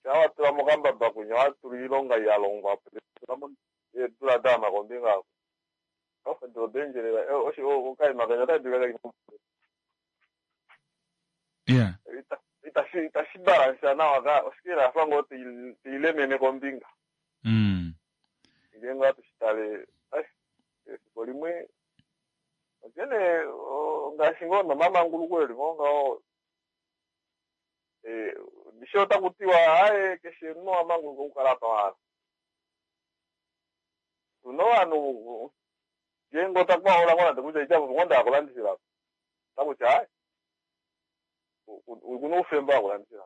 shaa watula mokambaba kunya watula oilonga yalongwapo tulamo eedula daama kombinga ako edula odaendjelela okaima kenya otashi dulika Yeah. ita- itashi itashi balansa nawa ka oshike lafa ngoo tei- teilemene kombinga Mm. ngeenge ohatu shitale ai, efiko limwe onkene o- ngaashi ngoo nomamanguluko eli ngoo ngaho eh, ndishi otaku tiwa aye keshe omunhu owa manguluka okukala apa wahala tuna ovanhu ngeenge otakuhaula ngoo nande kutya itavo ngoo ndaa kulandifila otakutya aye okuna oufemba wakulandifila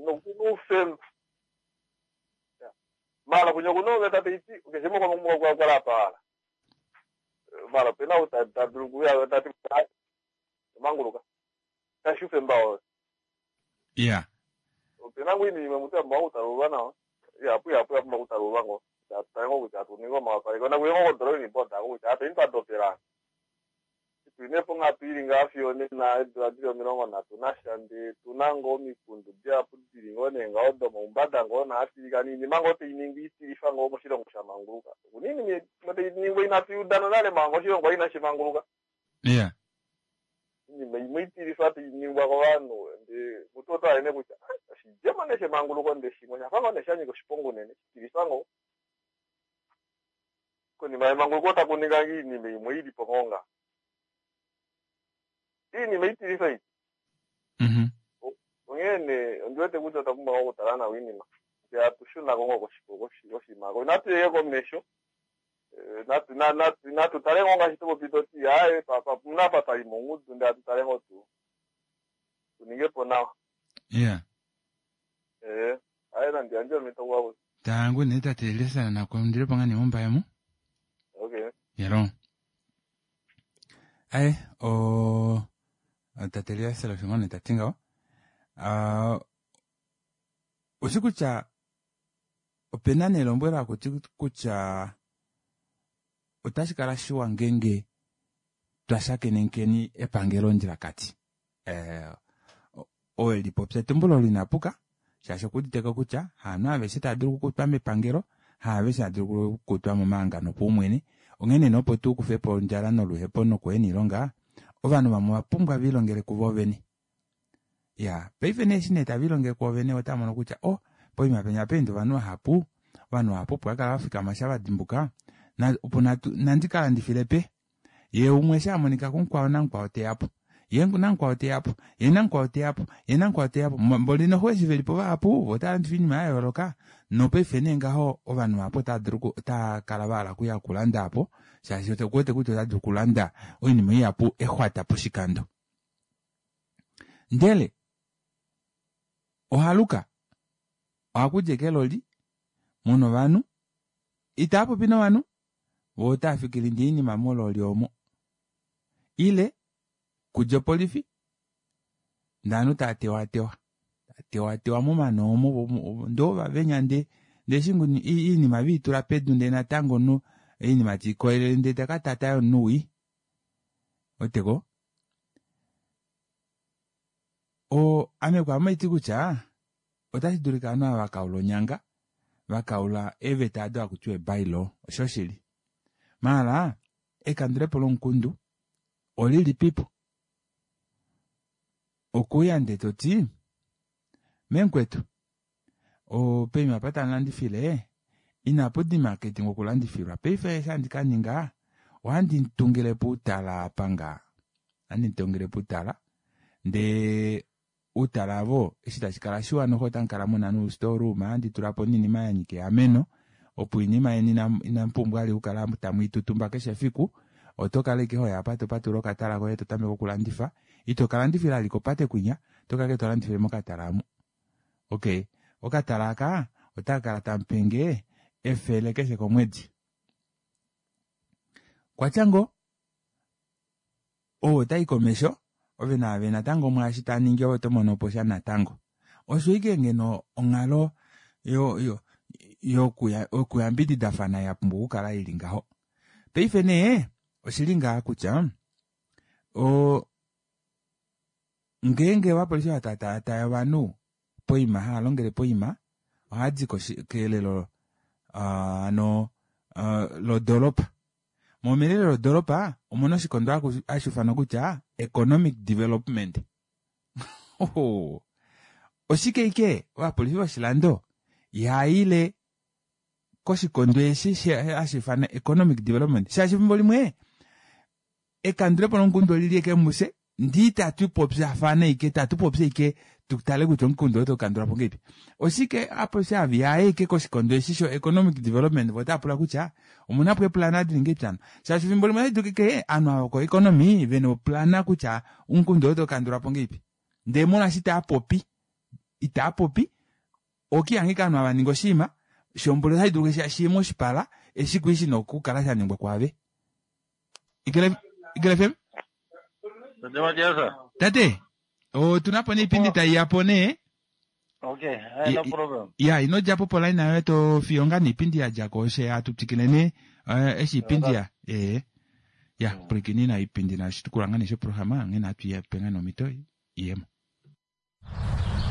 nokuna oufemba mala kunya kuna oveta taiti keshe moko mukala apa wahala mala opena ou ta- tadulu okuya tati aye manguluka kashi oufemba woye Yeah. opena ngoo iinima imwe mutu yapumbwa okutalululwa nawa ihapu ihapu yapumbwa okutalululwa ngoo tatale ngoo kutya atuninga omawapaleko nakuye ngoo kodrawing board ako kutya apeni twadopela Tuli nee ponghatu ili ngaa fiyo nena eedula dili omilongo nhatu nasha ndee tuna ngoo omikundu dihapu dili ngoo nee ngaho domaumbada ngoo naatilika niinima ngoo tainingwa itilifa ngoo moshilongo shamanguluka. Okuna iinima imwe tainingwa inatu yuda nonale manga oshilongo inashi manguluka. Yeah. Iinima imwe itilifa tainingwa kovanhu ndee mutu oto hale nee kutya "Ah, oshidjemo nee shemanguluko ndee shimwe oshafa ngoo nee shanyika oshiponga unene shitilifa ngoo. Konima yemanguluko taku ninga iinima imwe ilipo ngoo nga. Iinima itilifa ei. Mhm. Onghee nee ondiwete kutya otwa pumbwa okutala nawa iinima. Ndee hatu shunako ngoo koshima. Inatu ye komesho. Natu natu natu tale ngoo ngaashi topopi toti aaye puna apa twali mongudu ndee hatu tale ngoo tu tuninge po nawa. Yeah. Eh, aye nandi yandje omhito kwavo. Tangu nee tate Eliaser nakundile po ngaa nee mombaye mu. Okay. Yalo. Aye, o tate Eliaser osho ngoo nee tati ngaho. Ah, oshi kutya opena nee elombwelo hakuti kutya otashi kala shiwa ngeenge twa shakenenkeni epangelo ondjilakati. Eh, owe lipopya etumbulo linapuka shaashi okuuditeko kutya haanhu aveshe tava dulu okukutwa mepangelo, haaveshe hava dulu okukutwa momahangano opaumwene. Onghene nee opo tu kufepo ondjala noluhepo nokuhena oilonga, ovanhu vamwe ova pumbwa velilongele kuvo vene. Ya, paife nee eshi nee tave lilongele kuvo vene otava mono kutya oh, poima penya peenda ovanhu vahapu, ovanhu vahapu opo vakala vafikama sha vadimbuka, na, opo natu, nandi ka landifile pe. Ye umwe eshi amonika kumukwao namukwao teyapo. Ye namukwao teyapo, ye namukwao teyapo, ye namukwao teyapo. Mboli noxo eshi velipo vahapu, vo otava landifa oinima ya yooloka. Nopaife nee ngaho ovanhu vahapu otava dulu otava kala vahala okuya okulanda apo, shaashi okuwete kutya ota dulu okulanda oinima ihapu exwata poshikando. Ndele ohaluka ohakudja eke loli muna ovanhu itava popi novanhu vo otava fikile ndee oinima mololi omo ile kudja opolifi ndee ovanhu tava tewatewa tewatewa momano omo ndee ovavenya ndee ndee eshi oinima veitula pedu ndee natango no oinima tiikoyelele ndee takatata yomunhu wii weteko o ame kwaame ohaiti kutya otashi dulika ovanhu ava vakaula onyanga vakaula eeveta ado hakutiwa ebylaw oshoshili maala ekandulepo lomukundu olilipipo okuuya ndee toti memukwetu poima apa tamulandifile inapu dima ketingo okulandifilwa paife eshi handi kaninga ohandi tungilepo outala apa ngaa ohandi tungilepo outala ndee outala avo eshi tashi kala shiwa noxo otamukala muna noustore handi tulapo noinima yanyika eameno opo oinima yeni inamupumbwa vali okukala tamwiitutumba keshe efiku oto kala ashike hoya apa topatulula okatala koye totameke okulandifa ito kalandifila vali kopate kwinya oto kala ashike tolandifile mokatala omo. Okay, okatala aka otakakala tamupenge efele keshe komwedi. Kwatya ngoo ou otai komesho ove naave natango mwaashi taningi ove oto mono po sha natango. Osho ike ngeno onghalo yo yo yokuyambididafana ya pumbwa okukala ili ngaho. Paife nee oshili ngaa kutya o ngeenge ovapolifi vatataataya ovanhu poima hava longele poima ohadi kelelo ano lodoropa. Mo melelo lodoropa omuna oshikondo hashi ifanwa kutya economic development. Oshike ike ovapolifi voshilando ihaile koshikondo eshi hashi ifanwa economic development shaashi efimbo limwe ekandulepo lomukundu olili eke muse ndii tatupopyafana ike tatupopya ike tutale kutya omukundu oto kandula po ngeipi. Oshike apolisi ava ike koshikondo eshi sho economic development vo otava kutya omuna po eplana dili ngeipi ano shaashi efimbo limwe otashi dulu ovanhu ava ko economy vena oplana kutya omukundu oto kandula po ngeipi. Ndee molwaashi itaapopi itaapopi okihangika ovanhu ava ninga oshinima shomboli otashi dulu shiye moshipala eshi kwali shina okukala shaningwa kwaave. Ikele F M? Tate Matiasa. Tate, otuna po neipindi taiyapo nee. Okay, no problem. Ya, ino djapo poline yoye to fiyo ngaa neipindi ya djako oshe hatu twikile nee eshi ipindi ya. Eh. Ya pwilikini Ipindi nashitukulwa nga nee shoprograma nghene hatu yape nga nomhito iyemo.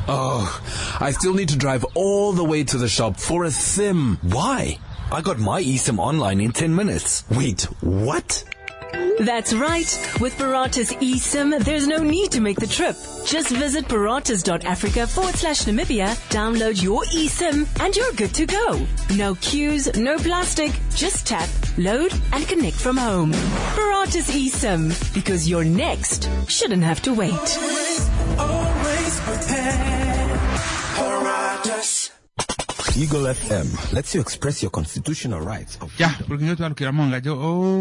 Oh, I still need to drive all the way to the shop for a SIM. Why? I got my eSIM online in ten minutes. Wait, what? That's right. With Paratus eSIM, there's no need to make the trip. Just visit paratus.africa forward slash Namibia, download your eSIM, and you're good to go. No queues, no plastic. Just tap, load, and connect from home. Paratus eSIM, because your next shouldn't have to wait. Always, always prepared. Paratus. Eagle F M lets you express your constitutional rights of Ya, pulukini twalukila mongajo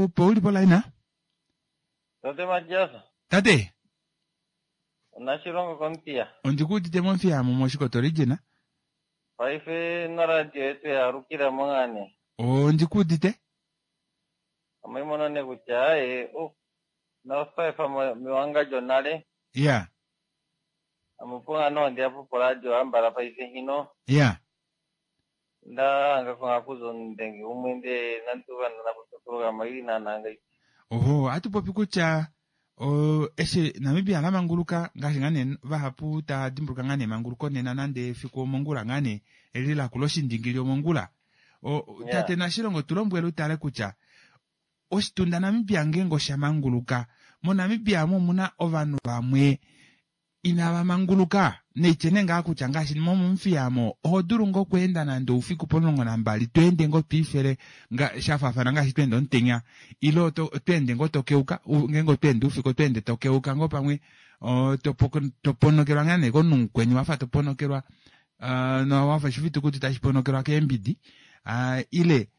opo ulipo laina. Tate Matias. Tate. Onashilongo kompiya. Ondikuudite momfiya mo moshikoto lijina. Paife noradio yetu yaalukila mongane. Ondikuudite. Amoimono ne kutya e oh nofaifa mewangadjo nale. Ya. Amupunga no ndiapo poradio ambala paife hino. Ya. Ndanga konga ndenge umwende nantu vana nakutoprogram ili nananga. Oho, atupopi kutya o eshe Namibia lamanguluka ngaashi ngane vahapu ta dimbuluka ngane manguluko nena nande efiku omongula ngane eli lakula oshindingili omongula. O Yeah. Tate Nashilongo tulombwele utale kutya oshitunda Namibia ngenge osha manguluka. MoNamibia mo muna ovanhu vamwe inava manguluka neitye ngaa kutya ngaashi momomufiyamo oho dulu ngo okweenda nande oufiku pomulongo nambali tweende ngo twiifele nga shafaafana ngaashi tweende omutenya ile tweende ngo tokeuka ngeenge otweende oufiku otweende tokeuka ngo pamwe toponokelwa ngaa nee komunhu mukweni wafa toponokelwa nowafa oshifitukuti tashi ponokelwa keembidi ile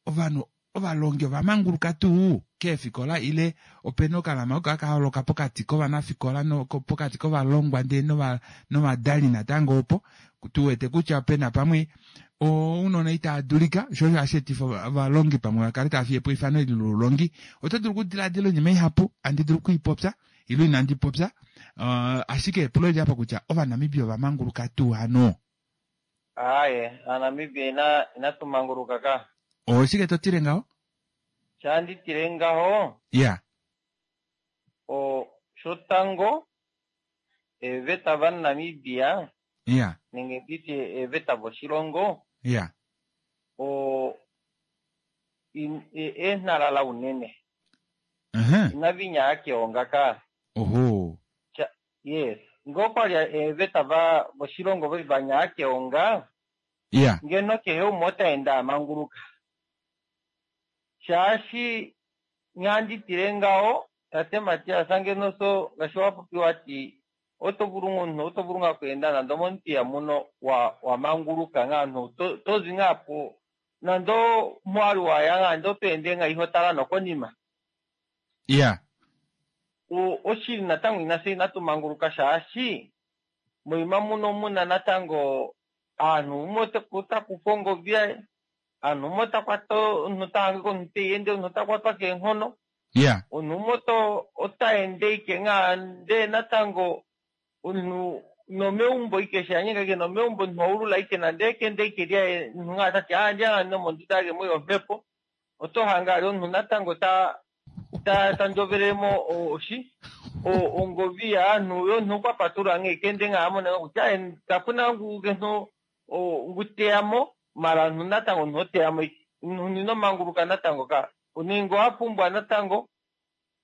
ovanhu ovalongi ovamanguluka tuu keefikola ile opena okalama oko haka holoka pokati kovanafikola no pokati kovalongwa ndee novadali natango opo tuwete kutya pena pamwe ounona itaa dulika sho osho hashi etifa ovalongi pamwe vakale tava fiye po eifano eli loulongi. Oto dulu okudiladila oinima ihapu andi dulu okuipopya ile inandi popya uh, ashike epulo eli apa kutya Ovanamibia ovamanguluka tuu hano? Aye, Anamibia ina inatumanguluka ka. Oshike totile ngaho? Shanditile ngaho. Yeah. O shotango eveta va Namibia. Yeah. Nenge nditye eveta voshilongo. Yeah. O enhalala unene. Uh-huh. Inavinya akeonga ka. Oho. Cha, yes. Ngokwali eveta va voshilongo vanya akeonga. Yeah. Ngeno kehe umwe otaenda amanguluka. Shaashi nyanditile ngaho tate Matias ngeno so ngaashi wapopiwa ati oto vulu omunhu oto vulu nga okweenda nande omomuthiya muno wa wamanguluka nga omunhu tozi nga po nande mwali waya nga nande oto ende nga iho tala nokonima. Yeah. O oshili natango inase inatumanguluka shaashi moima muno muna natango aanhu umwe otakufa ongovi yaye aanhu umwe otakwata omunhu otahangika omunhu teiende omunhu otakwatwa keenghono. Yeah. Omunhu umwe otaende ike nga ndee natango omunhu nomeumbo ike shanyika ke nomeumbo omunhu oulula ike nande ekende ike lyaye omunhu nga tati aandja nga nomonduda yake mwi omhepo oto hanga ali omunhu natango ta ta tandjovelemo oshi ongovi yaanhu yomunhu okwapatulula nga ekende nga amona kutya kapuna ngu ngeno nguteyamo mara omunhu natango omunhu oteyamo omunhu inomanguluka natango ka oninga owapumbwa natango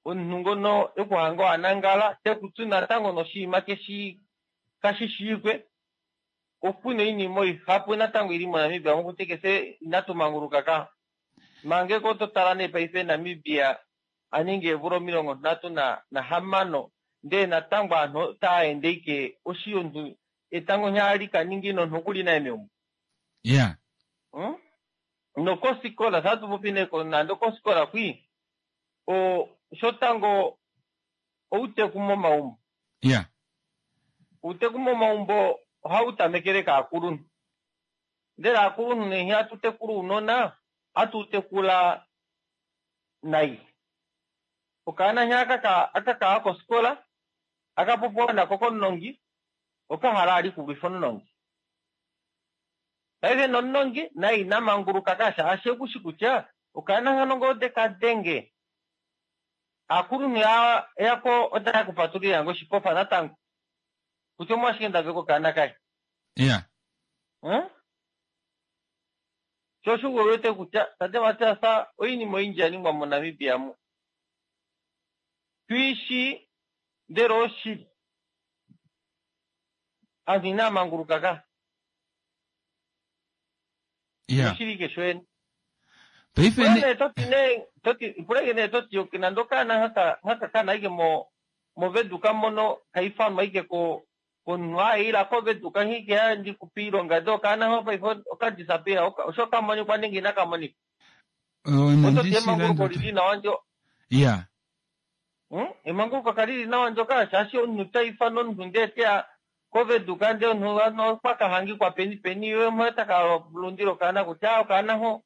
omunhu ngono ekuhanga wanangala tekutsu natango noshinima keshi kashishiikwe okuna oinima oihapu natango ili moNamibia mokuti kese inatumanguluka ka mangeko ototala nee paife Namibia aningi eemvula omilongo nhatu na nahamano ndee natango aanhu otaende ike oshi omunhu etango nghali kaningi nomunhu okuli naye meumbo. Yeah. Hmm? Nokosikola satupopi neko nande okosikola kwi o shotango outeku momaumbo. Yeah. Outeku momaumbo ohau tamekele kaakulunhu. Ndele aakulunhu nee hatu tekula ounona hatu tekula nai. Okaana nghee akaka akaka kosikola akapopiwa nako komunongi okahala ali kulwifa omunongi. Paife nomunongi naye ina manguluka ka shaashi ekushi kutya Okaana hano ngoo dekadenge aakulunhu yako otaya kupatulila ngo oshipofa natango kutya omwashike ndaveka okaana kaye ya hmm? Sho osho wete kutya tate Matias oinima oyindji ya ningwa moNamibia mu tuishi ndele oshili aantu inaa manguluka ka ya oshili ike shoyene paife pula ne nee toti nee toti puleke nee toti nande okaana haka haka kana ike mo moveduka mono kaifanwa ike ko komunhu aayila koveduka nhike andikupa iilonga de okaana ho paife okadisappear osho kamonikwa nenge inakamonika oh, ototi emanguluko lili nawa ndyo ya Hmm? Emanguluko kalili nawa ndyoka shaashi omunhu taifana omunhu ndee teya koveduka ndee omunhu ano okwakahangikwa peni peni ye mwe takalundila okaana kutya okaana ho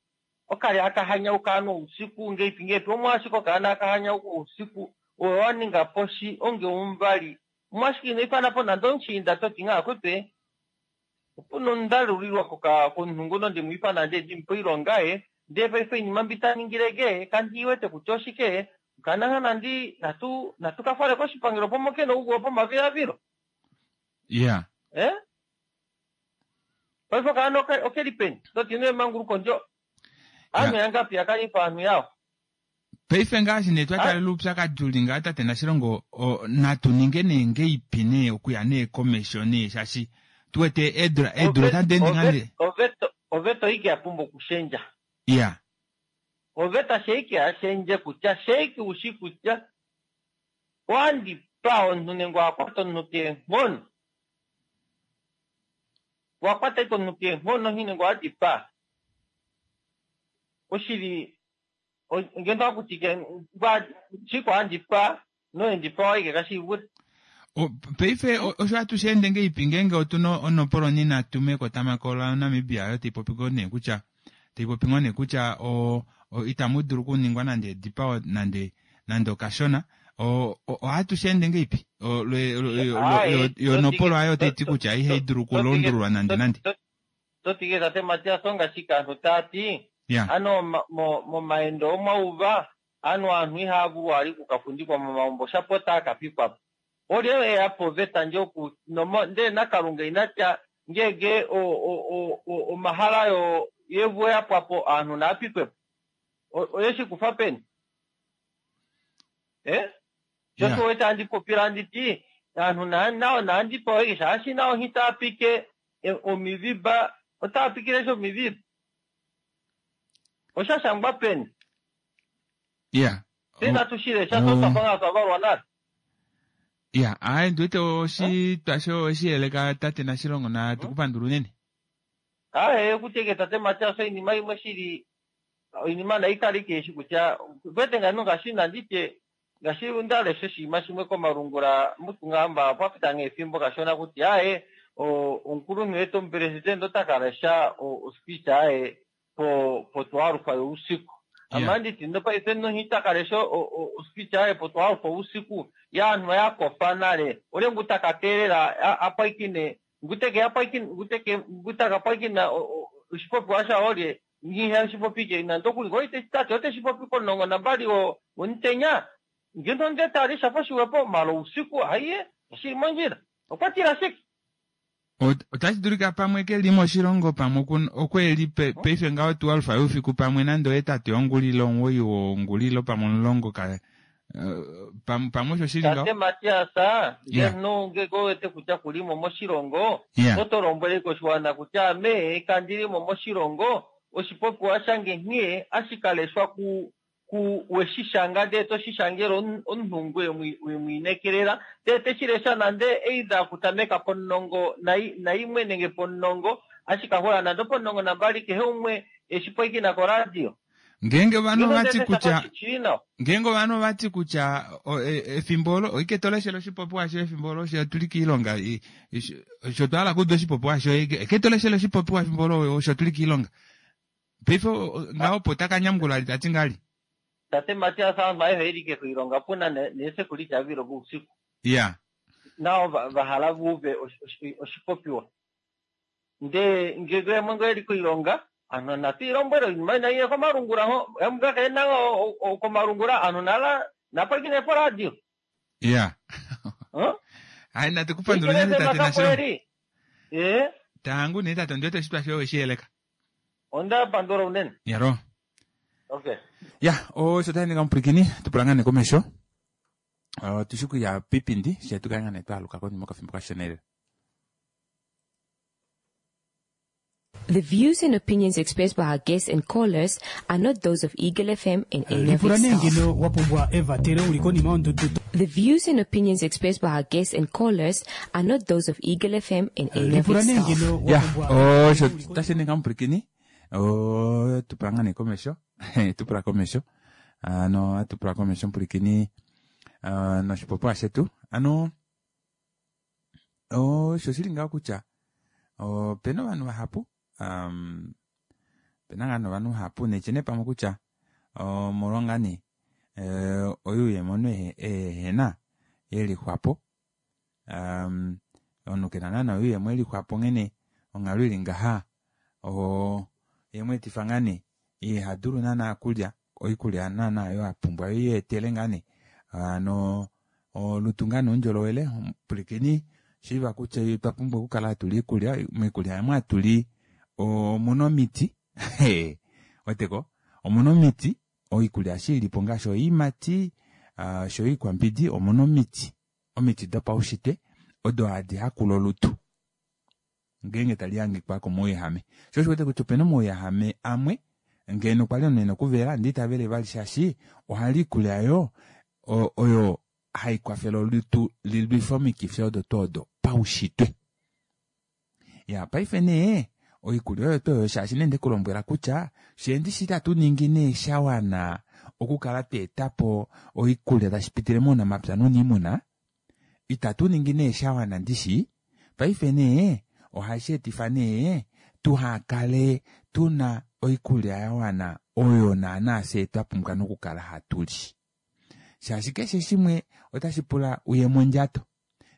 okali akahanyauka ano ousiku ngeipi ngeipi omwashike okaana akahanyauka ousiku owe waninga po shi onge omuvali omwashike ino ifana po nande omushiinda toti ngaa kutwe opuna omundalulilwa koka komunhu nguno ndimwiifana ndee ndimupe oilonga ye ndee paife oinima mbi taningileke kandi iwete kutya oshike okaana nga nandi natu natu kafale koshipangelo pomo kena ouguwa pomavilavilo ya eh paife okaana oke- okeli peni toti ino emanguluko ndyo aanhu yangapi yakanifa aanhu yawo paife ngaashi nee twatalela oupyakadi uli ngaa tate Nashilongo o, natu ninge nee ngeipi nee okuya nee komesho nee shaashi tuwete eedula eedula otadi ende ngaa nee oveta oveta oike yapumbwa okushendja ya oveta sheike yashendje kutya sheike ushi kutya wandipa omunhu nenge wakwata omunhu keenghono wakwata ike omunhu keenghono nhi nenge wadipaa oshili o- ngeno akutike shiko andipa noendipa waike kashivule O, paife o- osho hatu sheende ngeipi ngeenge otuna onopoloni natume kotamako la Namibia oyo taipopi ngoo nee kutya taipopi ngoo nee kutya o, o, itamu dulu okuningwa nande edipao nande nande okashona o- o- ohatu sheende ngeipi O, lwe- lwe- yo- yo- yo nopolo ayo taiti kutya ihai dulu okulundululwa nande nande totike tate Matias ongashike aantu taati ya ano ma- mo- momaendo omwauva ano aanhu ihaya vulu ali kukafundikwa momaumbo shapo taa kapikwapo olye eya po oveta ndje oku nomo ndee nakalunga inatya ngeenge o- o- o- o- omahala yo yevu yapwapo aanhu naapikwepo O- oyeshi kufa peni eh sho Yeah. tuwete andipopila anditi aanhu na- nao naandipa eke shaashi nao hitaapike e, omiviba otaapikile sho omiviba oshashangwa peni ya tse natushile sha totwafa nga twavalwa nale ya ayi ndiwete oshitwa sho oshiyeleka tate Nashilongo na tukupandula unene aye kuteke tate Matias oinima imwe shili oinima nayi kali keeshi kutya kwete ngano ngashi nanditye ngashi ndalesha oshinima shimwe komalungula mutungamba pwapita nga efimbo kashona kutya aye o- omukulunhu wetu omupresidente ota kalesha o- ospeech aye po potwalufa yousiku ama nditi nopaife nohita kalesha o- o- ospeech aye potwalufa usiku yaanhu yakofa nale olye ngu takateelela a- apwaikine nguteke yapwaikine nguteke ngutakapwaikina oshipopiwa sha olye ngiha oshipopi ke nande okuli ngo tate oteshipopi komulongo nambali wo womutenya ngeno nde tali shafa shiwepo malo usiku haiye oshili mondjila okwa tila shike Ot- otashi dulika pamwe keli moshilongo pamwe okun- okweli pe- paife ngaho twelve youfiku pamwe nande ohetatu yongulilo omuwoi wongulilo pamwe omulongo ka eh, pam- pamwe osho shili tate ngaho Matias Yeah. ngeno ngeke owete kutya kulimo moshilongo Yeah. oto lombwele koshiwana kutya ame kandilimo moshilongo oshipopiwa shange nghee ashikaleshwa ku ku weshishanga ndee toshishangela omu- omunhu ngu wemwi- wemwiinekelela ndee teshilesha nande either okutameka pomulongo nai- naimwe nenge pomulongo ashikahula nande opomulongo nambali kehe umwe eshipwikina koradio ngeenge ovanhu Ngeno ovati ndee kutya shafa shili nawa ngeenge ovanhu ovati kutya o- e- efimbo olo oike toleshele oshipopiwa shoye efimbo olo sho tuli kiilonga i- i- sho twahala kuuda oshipopiwa shoye ike ike toleshele oshipopiwa efimbo olo osho tuli kiilonga paife o- o- ngaho opo takanyamukula ali tati ngali tate Matias aantu ayehe ili ke koilonga puna ne- neesekuliti avilo bousiku ya nao va- vahala vuuve oshi- oshi- oshipopiwa ndee ngege yamwe ngo eli koilonga Anhu natu ilombwele oinima inaiye komalungula ho emukakena komalungula anhu nala napwilikine poradio. Ya. Hai natu kupandula unene tate Nashilongo. Eh? Tangu nee tate ondiwete oshitwa shoye weshiyeleka. Onda pandula unene. Yaro. Okay. Ya, osho tayi omupwilikini tupula ngaa nee komesho. Otushi kuya piipindi she tukale ngaa nee twaaluka konima okafimbo kashona elela. The views and opinions expressed by our guests and callers are not those of Eagle F M and any of lipula its nee staff. ngeno wa pumbwa evatelo uli konima yondudu The views and opinions expressed by our guests and callers are not those of Eagle F M and any of lipula its nee staff. ngeno wa Ya, pumbwa osho tashi ninga omupwilikini. Tupula ngaa nee komesho. Tupula komesho. Ano atupula komesho omupwilikini noshipopiwa shetu. Ano osho shili ngaho kutya opena ovanhu vahapu um, opena ngaa novanhu vahapu netye nee pamwe kutya omolwa ngaa nee oyuuyemo omunhu ehena yelixwapo um, omunhu kena naana oyuuyemo yelixwapo nghene onghalo ili ngaha yemweetifa ngaa nee ihadulu naana okulya oikulya naana oyo apumbwa yo iyeetele ngaa nee hano olutu ngaa nee oundjolowele pwilikini shiiva kutya otwa pumbwa okukala hatuli iikulya moikulya yamwe hatuli omuna omiti weteko omuna omiti oikulya eshi ilipo ngaashi oiimati osho yo iikwambidi omuna omiti omiti dopaushitwe odo hadi hakula olutu ngeenge tali hangikwa komauyehame sho osho wete kutya opena omauyehame amwe ngeno kwali omunhu ena okuvela ndee itavele vali shaashi ohali iikulya yo oyo haikwafele olutu lilwife omikifi odo tuu odo paushitwe. Ya paife nee oikulya oyo tuu oyo shaashi nee ndekulombwela kutya sheendi shi itatu ningi nee shawana okukala tweetapo oikulya tashi pitile mounamapya nouniimuna itatu ningi nee shawana ndishi paife nee ohashi etifa nee tuhakale tuna oikulya yawana oyo naana fye twapumbwa nokukala hatuli. Shaashi keshe shimwe otashi pula uye mondjato.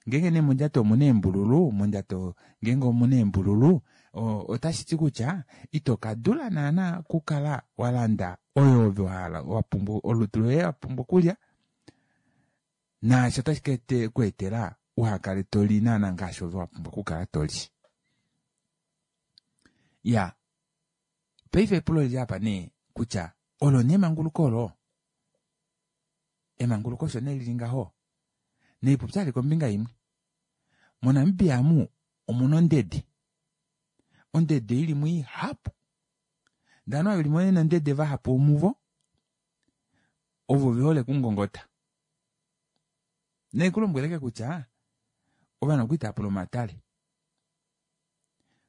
Ngeenge nee mondjato omuna eembululu, mondjato ngeenge omuna eembululu otashi ti kutya ito kadula naana okukala walanda oyo ove wahala wapumbwa olutu loye wapumbwa okulya naasho otashi ku etela uhakale toli naana ngaashi ove wapumbwa okukala toli. Ya, paife epulo lili apa nee kutya olo nee emanguluko olo emanguluko osho nee lili ngaho neipupya ali kombinga imwe. MoNamibia amu omuna ondede. Ondede ili mo ihapu. Ndee ovanhu ava veli nondede vahapu muvo ovo vehole okungongota. Naikulombweleke kutya ovanhu okwali tavapula omatale.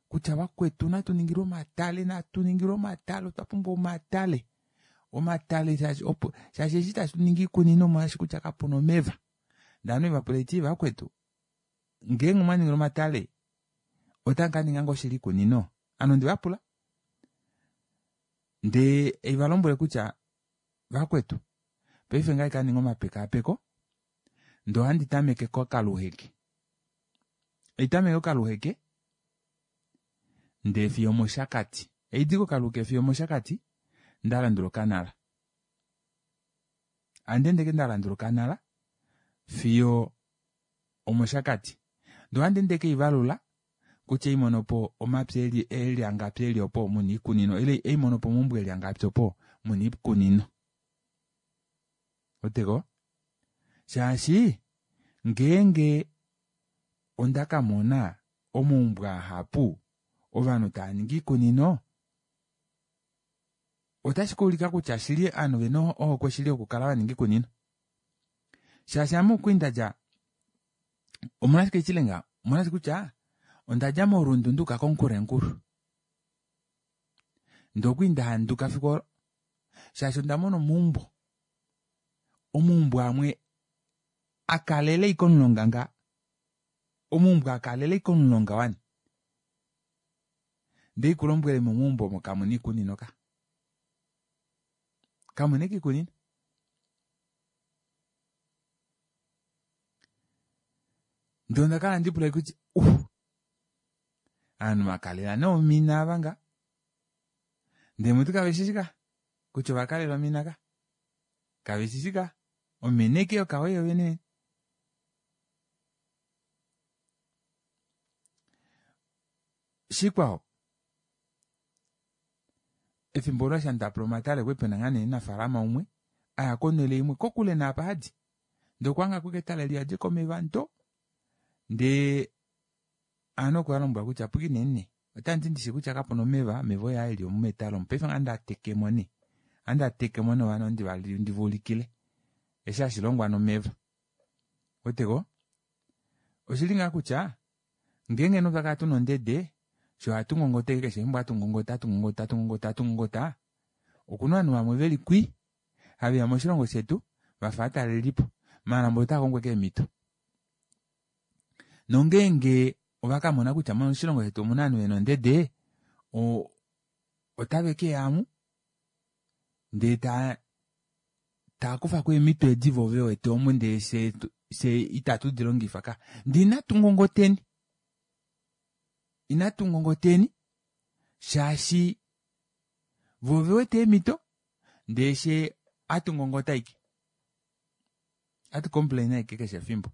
Kutya vakwetu natu ningilwe omatale, natu ningilwe omatale, otwa pumbwa omatale. Omatale shaashi opo shaashi eshi tashi ningi iikunino molwaashi kutya kapuna omeva. Ndee ovanhu vapula eti vakwetu ngeenge omwa ningilwa omatale otamu kaninga ngoo shili iikunino? Ame ondevapula ndee eivalombwele kutya vakwetu paife ngaha kaninga omapekaapeko ndee ohandi tameke kokaluheke. Eitameke kokaluheke ndee fiyo omoshakati. Eidi kokaluheke fiyo omoshakati ndalandula okanala. Handiendeke ndalandula okanala fiyo omoshakati. Ndee ohandi ndeke ivalula kutya eimonopo omapya eli eli angapi eli opo muna iikunino ile eimonopo omaumbo eli angapi opo muna iikunino. Weteko? Shaashi ngeenge onda kamona omaumbo ahapu ovanhu tava ningi iikunino otashi kaulika kutya shili ovanhu vena ohokwe shili yokukala vaninga iikunino. Shaashi ame okwali ndadja omolwashike ichilenga omolwashike kutya ondadja morundu nduuka koNkurenkuru. Ndee okwali ndahanduka fiku olo shaashi onda mona omaumbo omaumbo amwe akalele ashike omulonga nga omaumbo akalele ashike omulonga wani. Ndee ikulombwele momaumbo omo kamuna iikunino ka. Kamuna ashike iikunino. Ndee ondakala handipula kutya uh aanhu vakalela nee omina ava nga. Ndee mutu kave shi shi ka kutya ovakalela omina ka kave shi shi ka omina eke yokawe yovene. Shikwao efimbo olo shandapula omatale kwali pena ngaa nee omunafaalama umwe aya konele imwe kokule naapa hadi ndee okwahanga ashike etale liyadi komeva ndo ndee ovanhu okwa lombwela kutya pwikineni nee otandi ndishi kutya kapuna omeva omeva oyaa eli omu metale omu paife ohandi atekemo nee ohandi atekemo nee ovanhu ndiva ulikile eshi hashilongwa nomeva ouweteko oshili ngaa kutya ngeenge nee otwa kala tuna ondede fyee ohatu ngongota ashike keshe efimbo hatu ngongota hatu ngongota hatu ngongota hatu ngongota okuna ovanhu vamwe veli kwii haveya moshilongo shetu vafa ovatalelipo maala mboli otaakongo ashike eemito nongeenge ovakamona kutya moshilongo shetu omuna ovanhu vena ondede otave keyamu ndee taa taakufako eemito edi voo vewete omu ndee fyee fyee itatu dilongifa ka ndee inatu ngongoteni inatu ngongoteni shaashi voo ovewete eemito ndee fyee ohatu ngongota ashike ohatu complain ashike keshe efimbo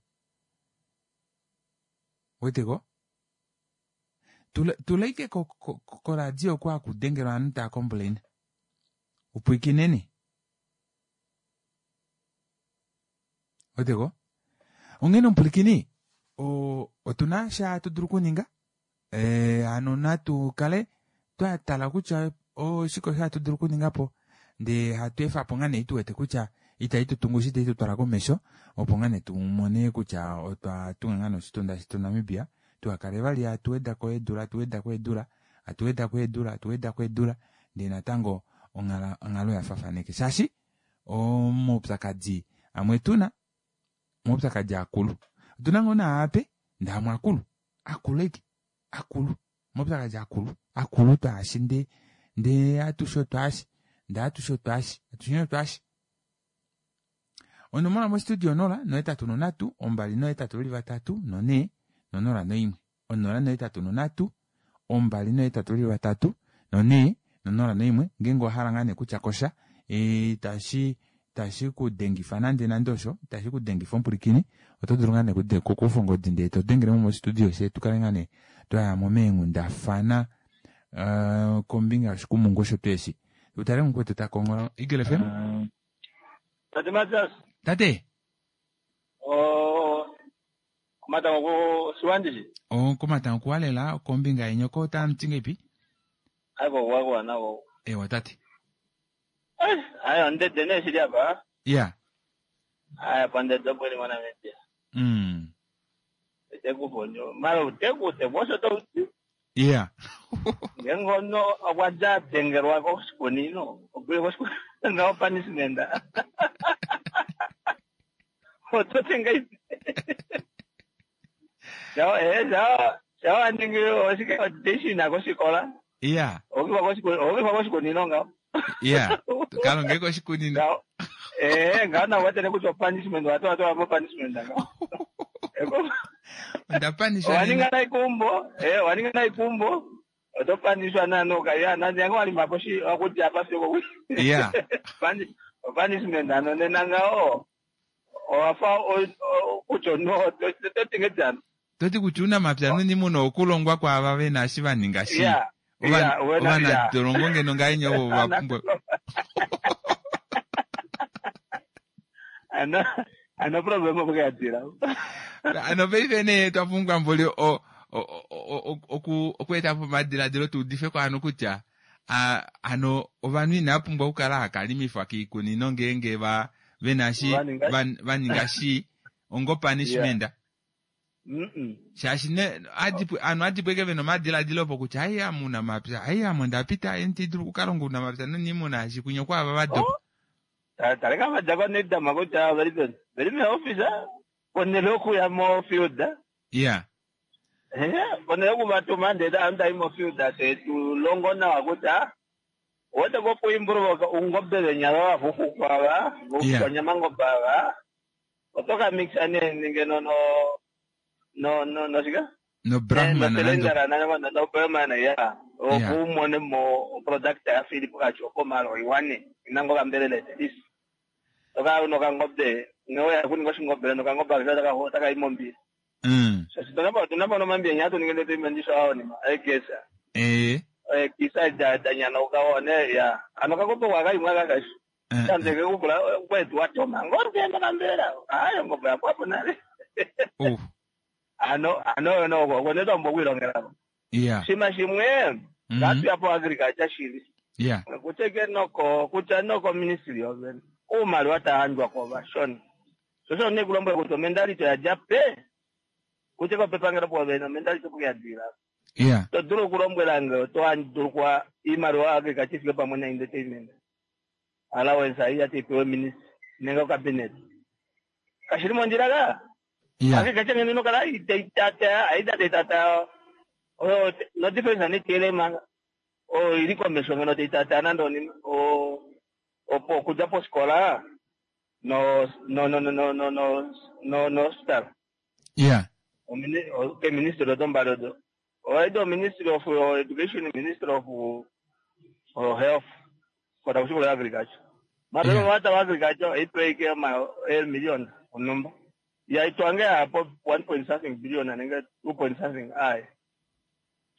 ouweteko tula ashike koradio oko hakudengelwa ovanhu tava complain upwikineni ouweteko onghene omupwilikini otuna osho hatu dulu okuninga hano natu kale twatala kutya oshike osho hatu dulu okuningapo ndee hatu efapo ngaa nee ei tuwete kutya ita itutungu shoo ita itutwala komesho opo ngaa nee tumone kutya otwa tunga ngaa nee oshitunda shetu Namibia tuhakale vali hatu wedako eedula hatu wedako eedula hatu wedako eedula hatu wedako eedula ndee natango onghalo oyafaafana ashike shaashi omaupyakadi amwe tuna omaupyakadi akulu otuna ngoo naa ape ndee amwe akulu akulu ashike akulu omaupyakadi akulu akulu twaashi ndee ndee atushe otwaashi ndee atushe otwaashi atusheni otwaashi onomola mostudio onola nohetatu nonhatu ombali nohetatu veli vatatu nonhee nonola noimwe onola nohetatu nonhatu ombali nohetatu veli vatatu nonhee nonola noimwe ngeenge owahala ngoo nee kutya kosha itashi itashi kudengifa nande nande osho itashi kudengifa omupwilikini oto dulu ngoo nee okukufa ongodi ndee todengelemo mostudio fyee tukale ngoo nee twayamo meenghundafana kombinga yoshikumungu osho tuu eshi utale mukwetu takongola Eagle F M Tate Matias. Tate. Oh, komatango ko siwandishi. Oh, komatango kuwalela kombinga yenyoko otamuti ngeipi? Aiko kuwakuwa nako. Ewa tate. Ayo ondede nee shili apa. Yeah. Aya pandede opo ili moNamibia. Mm. Tekufonyo. Mara tekute osho touti. Yeah. Ngeenge omunhu okwa dja adengelwa koshikunino, okuli koshikunino ngaho punishment. Ototi ngaipi? Shao eh shao shao aningi oshike audition kosikola. Yeah. Okifa koshikunino, okifa koshikunino ngaho. Yeah. Kalonge koshikunino. Eh, ngaho na watene kutya punishment watu watu wa punishment ngaho. Onda panishwa. Waninga na ikumbo, eh waninga na ikumbo. Otopanishwa nanoka ya nandi yango walima poshi wakuti apa siko. Yeah. Punishment ano nena ngaho. Owafa kutya no totingejana. Toti kutya uunamapya nuuniimuna okulongwa kwaava vena eshi vaninga shi. Yeah. Yeah, wena ovanadolongo ngeno ngahenya ovo vapumbwa. Ano ano problem okuyadira. Ano paife nee twapumbwa mboli o okweeta po omadiladilo tuudife kovanhu kutya hano ovanhu inava pumbwa okukala hakalimifwa kiikunino ngeenge va vena shi vaninga shi ongo punishment. Shaashi ne ovanhu adipo ashike vena omadiladilo opo kutya ai ame ounamapya ai ame ondapita indi dulu okukalonga ounamapya noniimuna shaashi kwinya okwaava vadopa. Taleka vadja konedama kutya veli peni veli meoffice ponele okuya mofield. Yeah. Ponele okuvatuma ndee ovanhu tai mofield te tulongo nawa kutya owete kopuimprove ungobe venya vavafuxukwa ava voukwanyamangobe ava oto ka mixa nee ngeno no no no noshike no brahman no brahman ya Opo umone mo product ya Philip kachoko malo iwane inango kambelele this. Toka uno kangombe ngoya kuninga shingombe no kangombe taka taka imombi. Mm. Sasa tunapa tunapa no mambi nyato ningende tuimandisha hao ni ekesa. Eh. Eh kisa da da nyana ukaone ya. Ano kangombe wakaimwa kakashi. Tandeke kukula kwetu watoma ngombe ndakambela. Ayo ngombe yapo nale. Oh. Ano ano no ko neta mbokwilongela. Yeah. Shima shimwe ngatu yapo agriculture shili. Yeah. Kuteke noko kutya noko ministry of umali watahandwa ko bashona. Sosho ne kulomba kuti mentality ya jape. Kuteka pepangera po bena mentality kuyadira. Yeah. To duro kulombwela ngo to anduru kwa imali wa agriculture fike pamwe na entertainment. Allowance ayi atipewe ministry nenga cabinet. Kashiri mondira ka? Yeah. Agriculture ngeno kala itata aida tata. Oh, no difference ni tele manga. Oh, ili kwa mesho ngeno tata nando ni o opo kuja po skola. No no no no no no no no no star. Yeah. O mini o ke ministry do mbalo do. O do ministry of education, ministry of of health. Kwa kushukuru agriculture. Mara yeah. Wata agriculture ipe ke ma el million onumba. Ya itwange hapo one point something billion anenge two point something ai.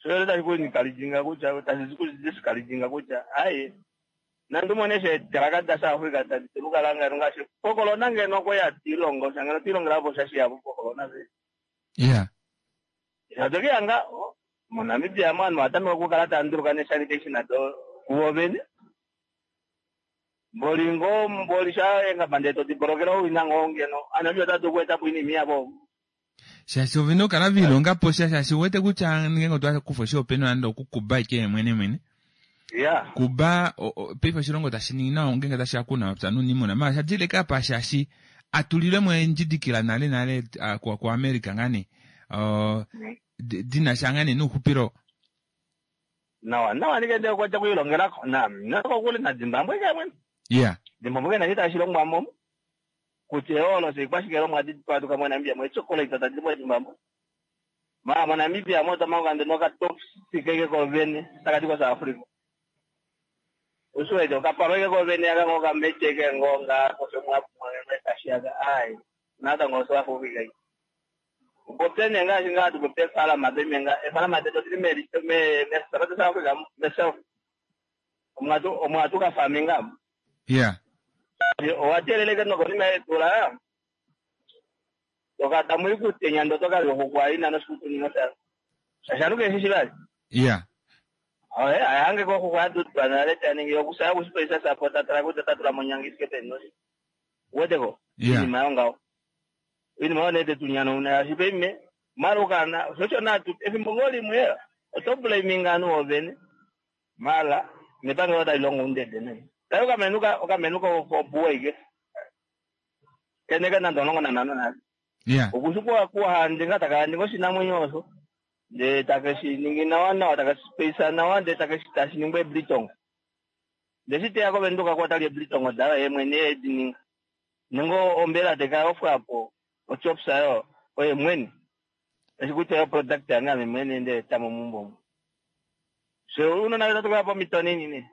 So leta kuikalijinga kucha tazizikuziskalijinga kucha ai. Nandumoneshe taraka da South Africa tatilukalanga rungashe pokolona ngeno koya tilongo sangano tilongo lapo shashi yapo pokolona ve. Yeah. Yadokiyanga moNamibia mwana watamika kukala tanduruka ne sanitation ato kuobene. Mbolingo mbolisha enga bandeto tiborokera uinango ngeno anabyo tatu kweta kuini miabo. Shashi ovino kala vilonga po shashi wete kucha ngengo twa kufo shopeno ando kukuba ike mwene mwene. Yeah. Kuba peifa shilongo tashiningi nawo ngenga tashakuna psanu nimona ma shadile kapa shashi atulile mwe njidikila nale nale uh, kwa kwa America ngani uh, dina shangani nuhupiro nawa nawa nigende kwa chakuilongera na nako kule na Zimbabwe kamwe. Yeah. Zimbabwe na chita shilongwa momo kuti olo sikwashikero mwadi patu kamwe Namibia mwe chocolate tati mwe Zimbabwe. Ma ma Namibia mo tamanga ndinoka top sikeke ko vene takati kwa South Africa. Usuwede okaparweke kovene akangoka mecheke ngonga kosomwa mwe kashiaga ai nata ngoso afufika. Popene nga shinga tu popene fala mabe menga fala mabe to me me me South Africa myself. Omwatu omwatu ka farminga. Yeah. Owateleleke noko ni metula. Toka tamu ikutenya ndo toka lokwa ina no sikutu ni nota. Shashanuke shishibali. Yeah. Oye, ayange ko kwa tu analeta ningi yokusaya kusipesa support atara tatula monyangi sikete no. Weteko. Yeah. Ni mayonga. Ini maone te tunyana una shipeme marukana socho na tu efimbongoli mwe otoblaminga no obene. Mala mipango yota ilongo ndede ne. Tayo kamenuka okamenuka ko buwe Keneka na ndonongo na nana na. Yeah. Okushukwa kwa handi ngata kandi ngoshina mwenyoso. De takashi ningina wana takasipesa na wande takashi tashiningwe blitongo. Desite yako venduka kwa tali blitongo dala yemwene edininga. Ningo ombela teka ofwapo ochopsa yo oye mweni. Eshikuta yo product yanga mwene nde tamo mumbo. So uno na tatu kwa mitoni nini.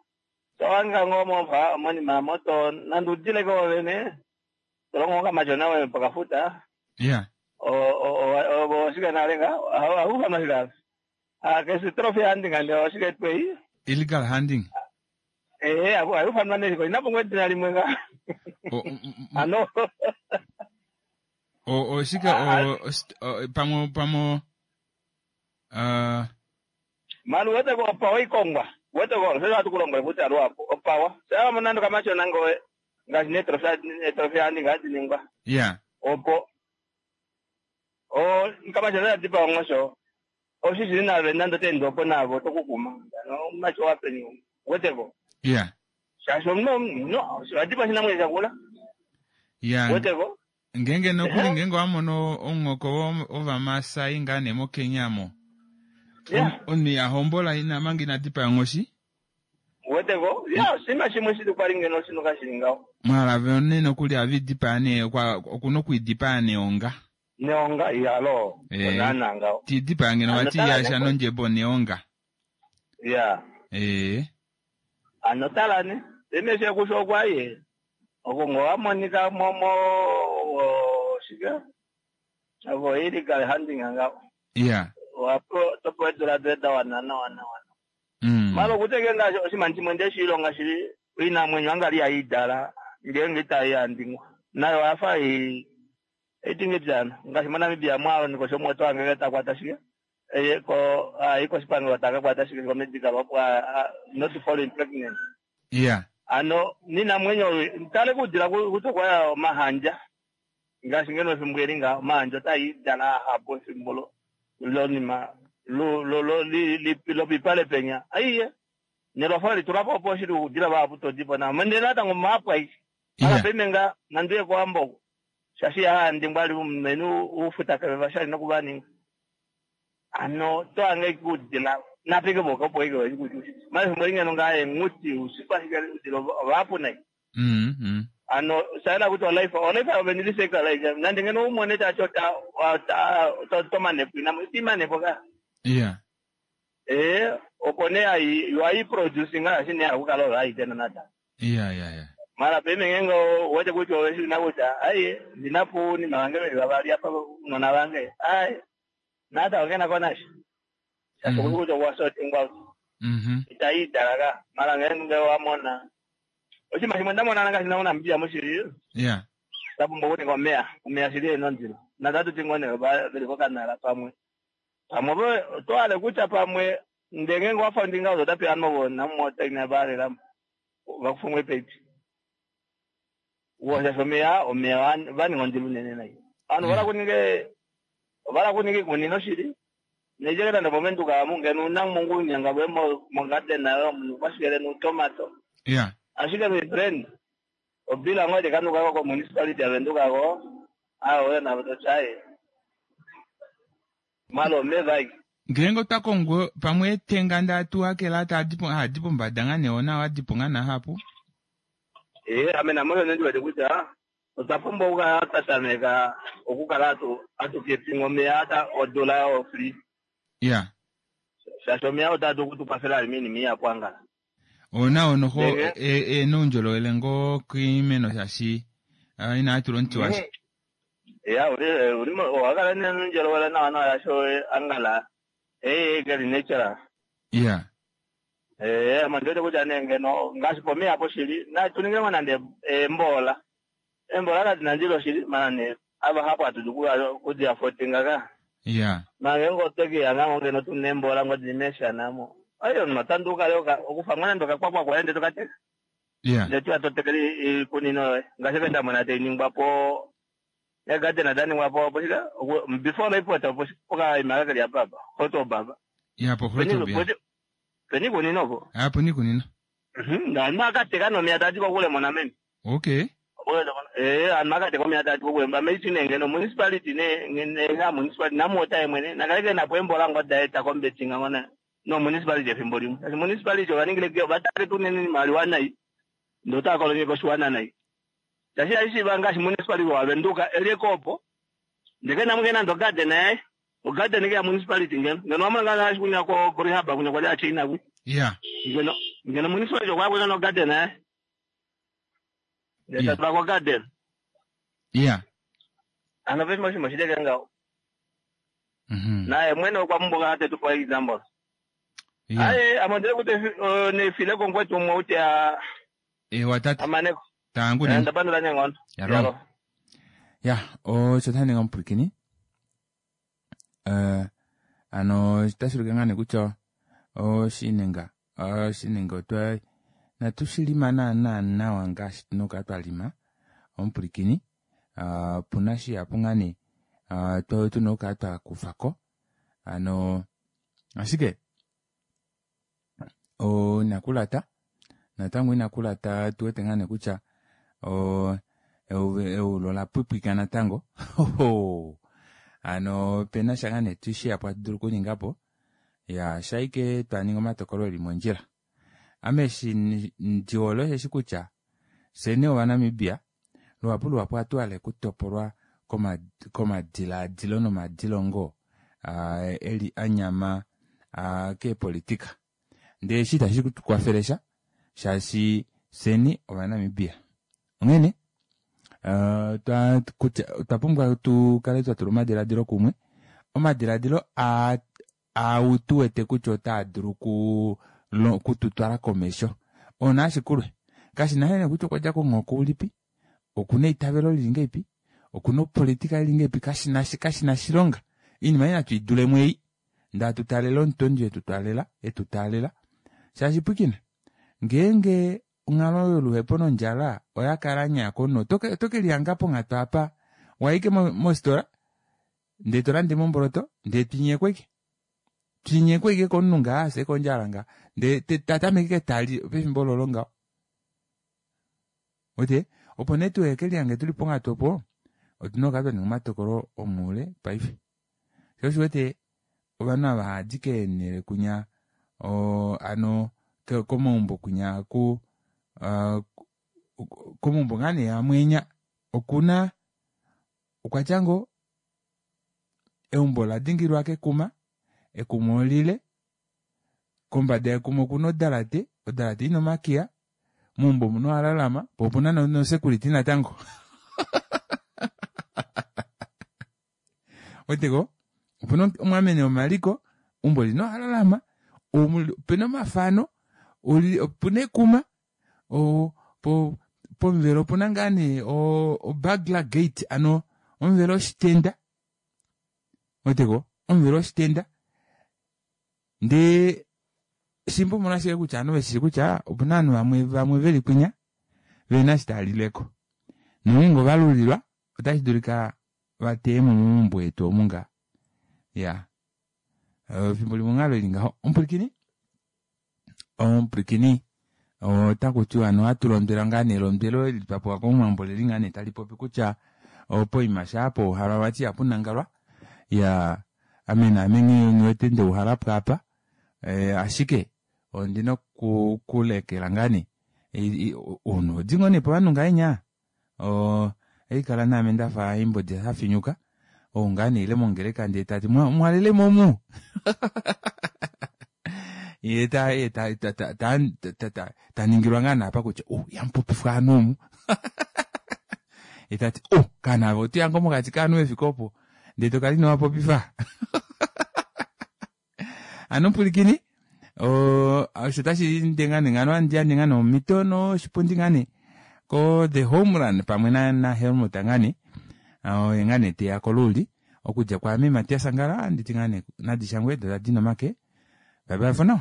So anga ngomo va moni mamoto nandudile ko vene. Tolongo kama jona we mpaka futa. Yeah. O o o o shika nalenga au kama shika. Ah kesi trophy handing and o shika twei. Illegal handing. Eh abu ayu fanwa ne ko inapo ngwe na limwenga. Ano. O o shika o pamo pamo uh Malu wete ko pawa ikongwa. Wete ko sasa atukulongwa kuti aruapo opawa. Sasa munando kama chona ngowe ngashi ne trophy ne trophy handing handingwa. Yeah. Opo O kama chona tipa ngosho. Osisi na nando tendo po nabo tokukuma. No macho wapeni. Weteko. Yeah. Shasho no no atipa sina mweza kula. Yeah. Weteko. Ngenge nokuli ngenge wamono ongoko ova Masai ngane mo Kenya mo. Yeah. Oni ya hombola ina mangi na tipa ngoshi. Weteko. Yeah, sima shimwe situ kwalinge no sinu kashilinga. Mara vone nokuli avidipa ne kwa okuno kuidipa ne onga. Neonga yalo. Eh. Onana ngao. Tidipa ngeno wati yasha nonjebo neonga. Ya. Ee. Ano tala ne emeshe kusho kwaye oko ngowamonika momo shike avo illegal hunting nga Yeah. wapo topo edula dweda wana na wana wana. Mm. Malo kuteke nga oshimanti chimwe ndeshilonga shili inamwenyo angali ayidala ngenge itayandingwa nayo afa i itingijana ngaashi moNamibia mwalo niko shomweto ange takwata shike eye ko ayi koshipangelo takakwata shike ko medical opo not falling pregnant. Yeah. Ano ninamwenyo tale kudila kuti kwaya omahandja ngaashi ngeno efimbo eli nga omahandja otayidala ahapo efimbo lo lonima lo lo lo li li lopipale penya aiye nelwafa litulapo opo shili kudila vahapu todipo na mende natango mapwa ichi ala pemenga nanduye kuamboko shashi yahandingwa ali mumenu ufuta vashali nokuvaninga ano toange kudila napike boka opo ike kuti mali lingeno ngaye nguti usipa shike udila vahapu nai. Mm. Mm. Ano saela kuti olife olife aveniliseka like nande ngeno umone tacho ta ta tomanepo inamo imanepo ka. Yeah. Eh opo ne ai you are producing nga shine akukala right nata. Yeah, yeah, yeah. Mara peme ngengo wote kuti oweshina kuti ai ndinapo ni mawange vavali apa unona vange ai nata wakena konashi sasa mm kuti wasotingwa Mhm. itaidalaka mara ngenge wamona ochima chimwe ndamona ngasi naona mbia mushiri Yeah. tapumbo kuti ngomea omea shiri enonzilo natatu tingone veli kokanala pamwe pamwe po toale kucha pamwe ndenge wafa ndinga uzotapi anovona mota inabalera vakufumwe pepi wosha omeya omeya vaninga ondilo unene nayi anu vala kuninge vala kuninge ikunino shili nejeketa ndopomenduka mungeno una mungunyanga bwe mongarden ayo munhu kwashikele nutomato. Yeah. Ashike my friend obila ngoje kanukako ko municipality avendukako awo na tochaye malo mevai ngeenge otwa kongo pamwe etenga ndatu akela tadipo hadipo mbada nga neona wadipo nga nahapu. Eh ame namwe nendiwete kuti ah otwa pumbwa okukala twa okukala atu atukeepinga omeya ata odula ofree. Yeah. Shaashi omeya otatu okutukwathela ali miinima iyapu angala. Ona onoho enuundjolowele ngoo kiimeno shaashi inatula omuti washa. Ya uli uli owakala nenuundjolowele nawa nawa yasho angala ee keli natural. Yeah. Eh ame ndiwete kutya nee ngeno ngaashi pomeya apo shili natuningilemo nande embola embola kadina ndilo shili mana ne ava hapo atudu kudi afotinga ka. Yeah. Mange ngotekiya ngango ngeno tune embola ngodimesha namo ayo matanduka leo okufa mwana ndoka kwakwa kwaende tokateka. Yeah. Ndetu atotekeli ikunino yoye ngaashi kenda mona teiningwapo egarden adaningwapo po shika before naipota po pokaima kakeli apapa hoto baba. Yeah, po hoto bia. Peni kunino po. Ah, peni kunino. Mhm, na makateka nomia tati kokule mona meni. Okay. Eh amakateka omia tati kokule mba meiti nengeno municipality ne ne nga municipality namota emwene nakaleke napo embola ngodaeta kombetinga ngona no municipality efimbo limwe. Asi municipality ovaningile ke vatake tunene mali wanai ndotakolonye koshiwana nai. Tashi aishiva ngaashi municipality wavenduka eliekopo ndeke namukena ndo garden yaye ogarden ke ya municipality ngeno ngeno wamona ngana ashi kunya ko kurihaba kunya kwa China ku. Yeah. Ngeno ngeno municipality kwakwe no garden yaye. Ndeta yeah. Ko garden. Yeah. Ano vema shimo shideke ngao. Mhm. Naye mwene kwa mboga hate tu kwa example. Yeah. Aye amandele kuti uh, ne file kongwetu umwe uti a Eh watata. amaneko. Tangu ni. Ndapandula nyengono. Yaro. Ya, osho taninga omupulakeni. Eh ano otashi ulike ngaa nee kutya oshinenga oshinenga otwa natu shilima naana nawa ngaashi tuna okukala twa lima omupulakeni. Uh, puna shihapu ngaa nee uh, tuna okukala twa kufako ano ashike o inakulata natango inakulata tuwete ngaa nee kutya o eulo la pwipwika natango ano pena sha ngaa nee tushihapu hatu dulu okuningapo ya shaike twaninga omatokolo eli mondjila. Ame eshi ndihole osheshi kutya fyeni ovanamibia luhapu luhapu ohatu hale okutopolwa komadilaadilo nomadilongo uh, eli anyama uh, keepolitika. Ndee eshi itashi tu kwafele sha shaashi fyeni Ovanamibia. Onghene uh, twa, kutya, otwa pumbwa tu kale twa tula omadiladilo kumwe. Omadiladilo a au tu wete kutya otaa dulu ku kututwala komesho. Ona ashikulwe. Kashi na nee kutya okwa dja komuhoko ulipi, okuna eitavelo lili ngeipi, okuna opolitika ili ngeipi, kashi na kashi na shilonga. Iinima ei natu i dulemo ei. Ndaa tu taalela omutondi etu twaalela, etu taalela. Shaashi pwikina, ngeenge onghalo yoluhepo nondjala oya kala nyaa komunhu, oto ke oto ke lihanga ponghatu apa waike mositola ndee to lande mo omboloto ndee twinyekwa ike. Twinyekwa ike komunhu ngaa afye kondjala nga ndee ta tameke ike tali pefimbo lolo ngaho. Wete opo nee tuheke lihange tuli ponghatu opo otuna okukala twa ninga omatokolo omoule paife. Sho osho wete ovanhu ava haadi keenhele kunya o, ano komaumbo kunya ku uh, komaumbo ngaa nee amwe okuna okwa tya ngoo eumbo ola dingililwa kekuma, ekuma olile, kombada yekuma okuna odalate, odalate ina omakiya, meumbo omuna oalalama, po opuna no security natango. Weteko? Opuna omwameni womaliko, eumbo olina oalalama, opena omafano, opuna ekuma, o, po pomuvelo opuna ngaa nee o burglar gate, ano omuvelo woshitenda. Weteko? Omuvelo woshitenda. Ndee shimba omolwashike kutya ovanhu veshi kutya opuna ovanhu vamwe vamwe veli kwinya vena eshi tava lileko. Nongeenge ova lulilwa otashi dulika va teye mo momaumbo etu omu nga. Ya. Efimbo limwe onghalo ili ngaho. Omupwilikini? Omupwilikini otaku tiwa ano ohatu londwelwa ngaa nee elondwelo eli twa pewa komuwambo oleli ngaa nee tali popi kutya poima shaa pouhalwa vati ihapu nangalwa. Ya, ame naame nghiwete ndeuhala po apa. E, ashike ondina oku kulekela ngaa nee ounhu odi ngoo nee povanhu ngahenya o haikala naame ndafa haimbodi hafinyuka ou ngaa nee ile mongeleka ndee tati mwalelemo omu ye ta ta ta ta ta ta ta ningilwa ngaa naapa kutya oh yamupopifwa ovanhu omu ye tati oh kana ave otoya ngoo mokati kaanhu vefike opo ndee tokala ino vapopifa. Ano pwilikini osho tashi ende ngaa nee ngano handi yandje ngaa nee omhito noshipundi ngaa nee ko the home run pamwe na, na Helmut ngaa nee oye ngaa nee teya koluuli okudja kwaame Matias Angala anditi ngaa nee nadishangwe do tadi nomake. Bye bye for now.